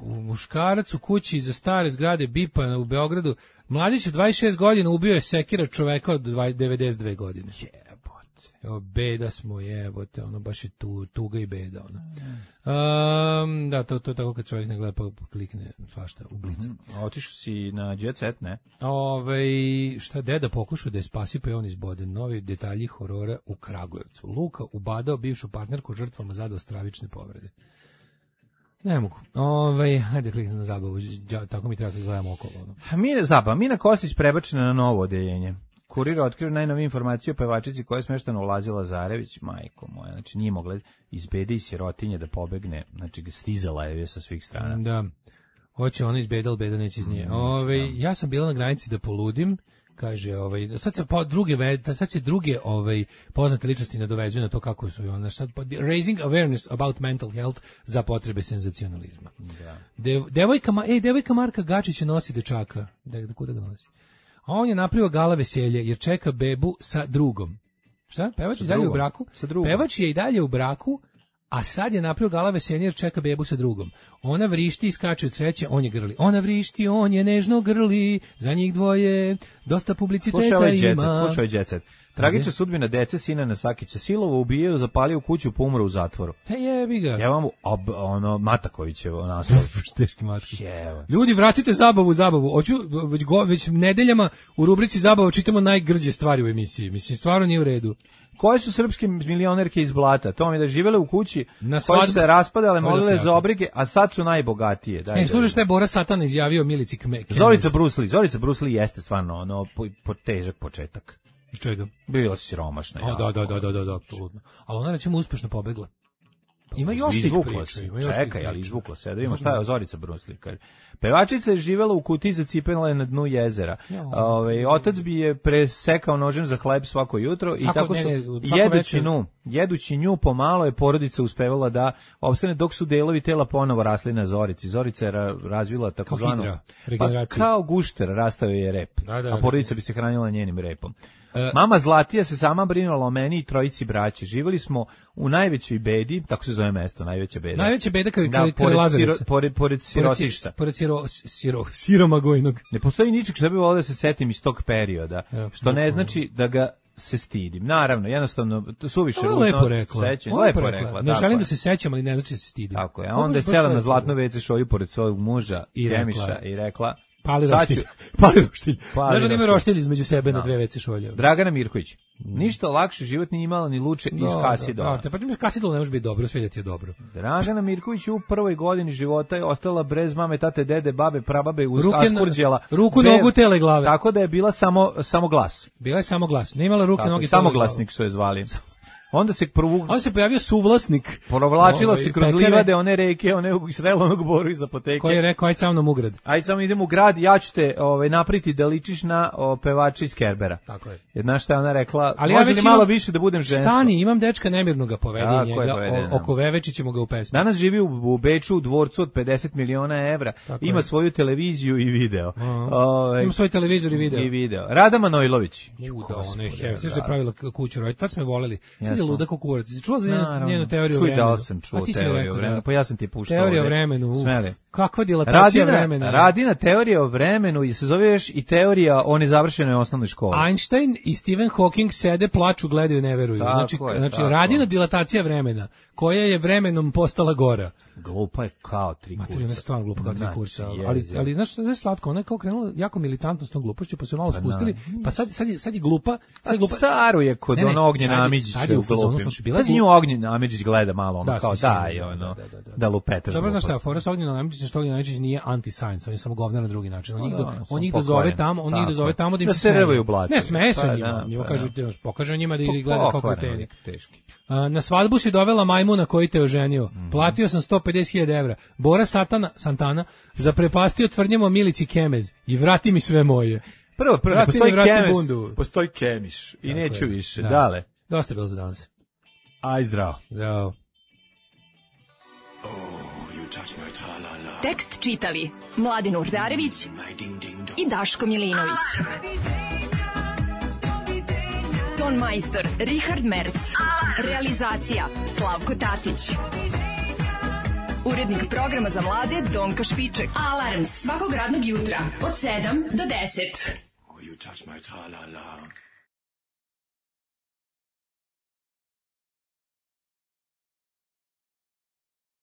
u muškarac u kući iza stare zgrade Bipa u Beogradu. Mladić od dvadeset šest godina ubio je sekira čoveka od devedeset dve godine. Jebote. O, beda smo, jebote, ono baš je tu, tuga i beda, ono. Um, da, to, to je tako kad čovjek ne gleda pa klikne svašta u blicu. Mm, otišao si na Jet Set, ne? Ove, šta deda pokušao da je spasi pa je on izboden. Novi detalji horora u Kragujevcu. Luka ubadao bivšu partnerku žrtvama zadao stravične povrede. Ne mogu. Ove, hajde kliknem na zabavu. Tako mi treba kad gledamo okolo. Ono. Mi je zabava. Mina Kostić prebačena na novo odeljenje. Kurir otkrio najnovije informacije o pevačici koja je smešteno u Lazi Lazarević, majko moja, znači nije mogla iz bede i sirotinje da pobegne, znači stizala je sa svih strana. Da, hoće ona iz beda, ali beda neće iz nje. Ove, ja sam bila na granici da poludim, kaže, ovaj, sad se pa druge, sad se druge ovaj, poznate ličnosti nadovezuju na to kako su ona, sad, raising awareness about mental health za potrebe senzacionalizma. Da. De, devojka, ej, devojka Marka Gačića nosi dečaka, da, da kuda ga nosi? A on je napravio gala veselje jer čeka bebu sa drugom. Šta? Pevač je dalje u braku? Pevač je i dalje u braku, a sad je napravio gala veselje jer čeka bebu sa drugom. Ona vrišti i skače od sreće, on je grli. Ona vrišti, on je nežno grli, za njih dvoje dosta publiciteta slušaj ovaj ima. Djecet, slušaj ovaj Djecet. Tragična sudbina dece Sinana Sakića. Silovo ubijaju, zapalio kuću, pa umro u zatvoru. Te jebi ga. Ja vam ob, ono Matakovićevo naslov. Teški Mataković. Ljudi, vratite zabavu, zabavu. Hoću već, go, već nedeljama u rubrici zabava čitamo najgrđe stvari u emisiji. Mislim, stvarno nije u redu. Koje su srpske milionerke iz Blata? To mi da živele u kući, koje su se raspadale, molile za obrige, a sad su najbogatije. Daj, e, slušaj šta je Bora Satana izjavio Milici Kme. Zorica Brusli, Zorica Brusli jeste stvarno ono po, po težak početak. Čega? Bila si siromašna. O, da, da, da, da, da, da, apsolutno. Ali ona recimo uspešno pobegla. Ima još tih Izvuklo priča. se. Ima još tih Čekaj, priča. ali izvuklo se. Da vidimo šta je Zorica Brusli. Kaže. Pevačica je živela u kutiji zacipela na dnu jezera. Ove, otac bi je presekao nožem za hleb svako jutro i Svako, tako su, ne, ne, svako jedući večer. nju, jedući nju pomalo je porodica uspevala da opstane dok su delovi tela ponovo rasli na Zorici. Zorica je ra- razvila takozvanu hidra, pa, regeneraciju. kao gušter, rastao je rep, Da, da, a porodica bi se hranila njenim repom. E, Mama Zlatija se sama brinula o meni i trojici braće. Živjeli smo u najvećoj bedi, tako se zove mesto, najveća beda. Najveća beda kraj Da, kraj pored, Lazarevca. siro, pored, pored sirotišta. Pored siro, siro, siromagojnog. Ne postoji ničeg što bi volio da se setim iz tog perioda, Evo, što ne znači da ga se stidim. Naravno, jednostavno, to suviše Ovo je ružno. lepo rekla. Sećam, Lepo lepo rekla. rekla. Ne tako želim je. da se sećam, ali ne znači da se stidim. Tako je. A Ovo onda je baš sela na lepo. zlatno ve ce šolju pored svog muža, I Kemiša, rekla. i rekla... Pali sad roštilj. ću- Pali roštilj. Pali Znaš da ima roštilj. roštilj između sebe na Da. dve ve ce šolje. Dragana Mirković. Ništa lakše život nije imala ni luče iz Kasidova. Da, pa ti Kasidol ne može biti dobro, sve da ti je dobro. Dragana Mirković u prvoj godini života je ostala bez mame, tate, dede, babe, prababe, uz Ruke na- Askurđela. ruku, Be- nogu, tele i glave. Tako da je bila samo, samo glas. Bila je samo glas. Ne imala ruke, Tako, noge, samoglasnik su je zvali. Onda se provu... On se pojavio suvlasnik. Provlačila Ovaj, se kroz pekare, livade, one reke, one srela onog boru iz apoteke. koji je rekao, ajde sa mnom u grad. Ajde samo idemo u grad, ja ću te ovaj, napriti da ličiš na o, pevača iz Kerbera. Tako je. Jer znaš šta je ona rekla, Ali ja može već li malo imam- više da budem žensko? Stani, imam dečka nemirnoga povedi Tako je, njega, povedi, o- da. oko Veveći ćemo ga u pesmi. Danas živi u, u Beču u dvorcu od pedeset miliona evra, Tako ima je. svoju televiziju i video. Aha. Ovaj, Ima svoj televizor i video. I video. Rada Manojlović. U, da, ona je Gospode, heavy. Sve što je da. pravila k- kuću roj. Tad smo je voleli. Sad je Jesmo. luda kao kurac. Si čula za njenu, Naravno. njenu teoriju o Čuj, vremenu? da li sam čuo A ti si mi teoriju rekao, o vremenu. da. Pa ja sam ti puštao Teorija o ovde. vremenu. uf. Smeli. Kakva dilatacija Radina, vremena. radina teorija o vremenu i se zove još i teorija o nezavršenoj osnovnoj školi. Einstein i Stephen Hawking sede, plaču, gledaju, ne veruju. Tako znači, je, znači tako. radina dilatacija vremena, koja je vremenom postala gora. Glupa je kao tri Mater, ona je kurca. stvarno glupa kao tri Znači, kurca. jezivo. Ali, ali znaš šta je slatko? Ona je kao krenula jako militantno s tom glupošću, pa su je malo Pa spustili. da. Pa sad, sad, je, sad je glupa. Sad je A glupa. caru je kod Ne, ne, ono Ognjen sad je- Amidžić sad je sve u u fazonu, glupim. slušaj, bila je Pazi glup- nju Ognjen Amidžić gleda malo, ono Da, kao smišljeno, daj, da, ono, da, da, da. da lupetaš Dobro, znaš šta, gluposti. fora sa Ognjenom Amidžićem, što Ognjen Amidžić nije anti-science, on je samo govnar na drugi način. On Pa njih, da, do, samo on njih pokvaren. dozove tamo, on njih Tako dozove je. tamo da im Da se se smeje. rvaju u blatu. Ne, smeje se Pa njima, da, njima pa kažu, da. pokaže njima da ih gleda kao Pokvaren kreteni. lik, teški. A, na svadbu si dovela majmuna koji te oženio. Mhm. Platio sam sto pedeset hiljada evra. Bora Satana, Santana zaprepastio tvrdnjama o Milici Kemez i vrati mi sve moje. Prvo, prvo, ne Vrati postoji mi, vrati kemis, bundu. postoji kemiš i Tako neću je. više. Da. Dale, Dosta je bilo za danas. aj zdravo. Zdravo. Tekst čitali Mladin Urdarević i Daško Milinović. Ton majstor Richard Merc. Realizacija Slavko Tatić. Urednik programa za mlade Donka Špiček. Alarms svakog radnog jutra od sedam do deset. You touch my tra-la-la.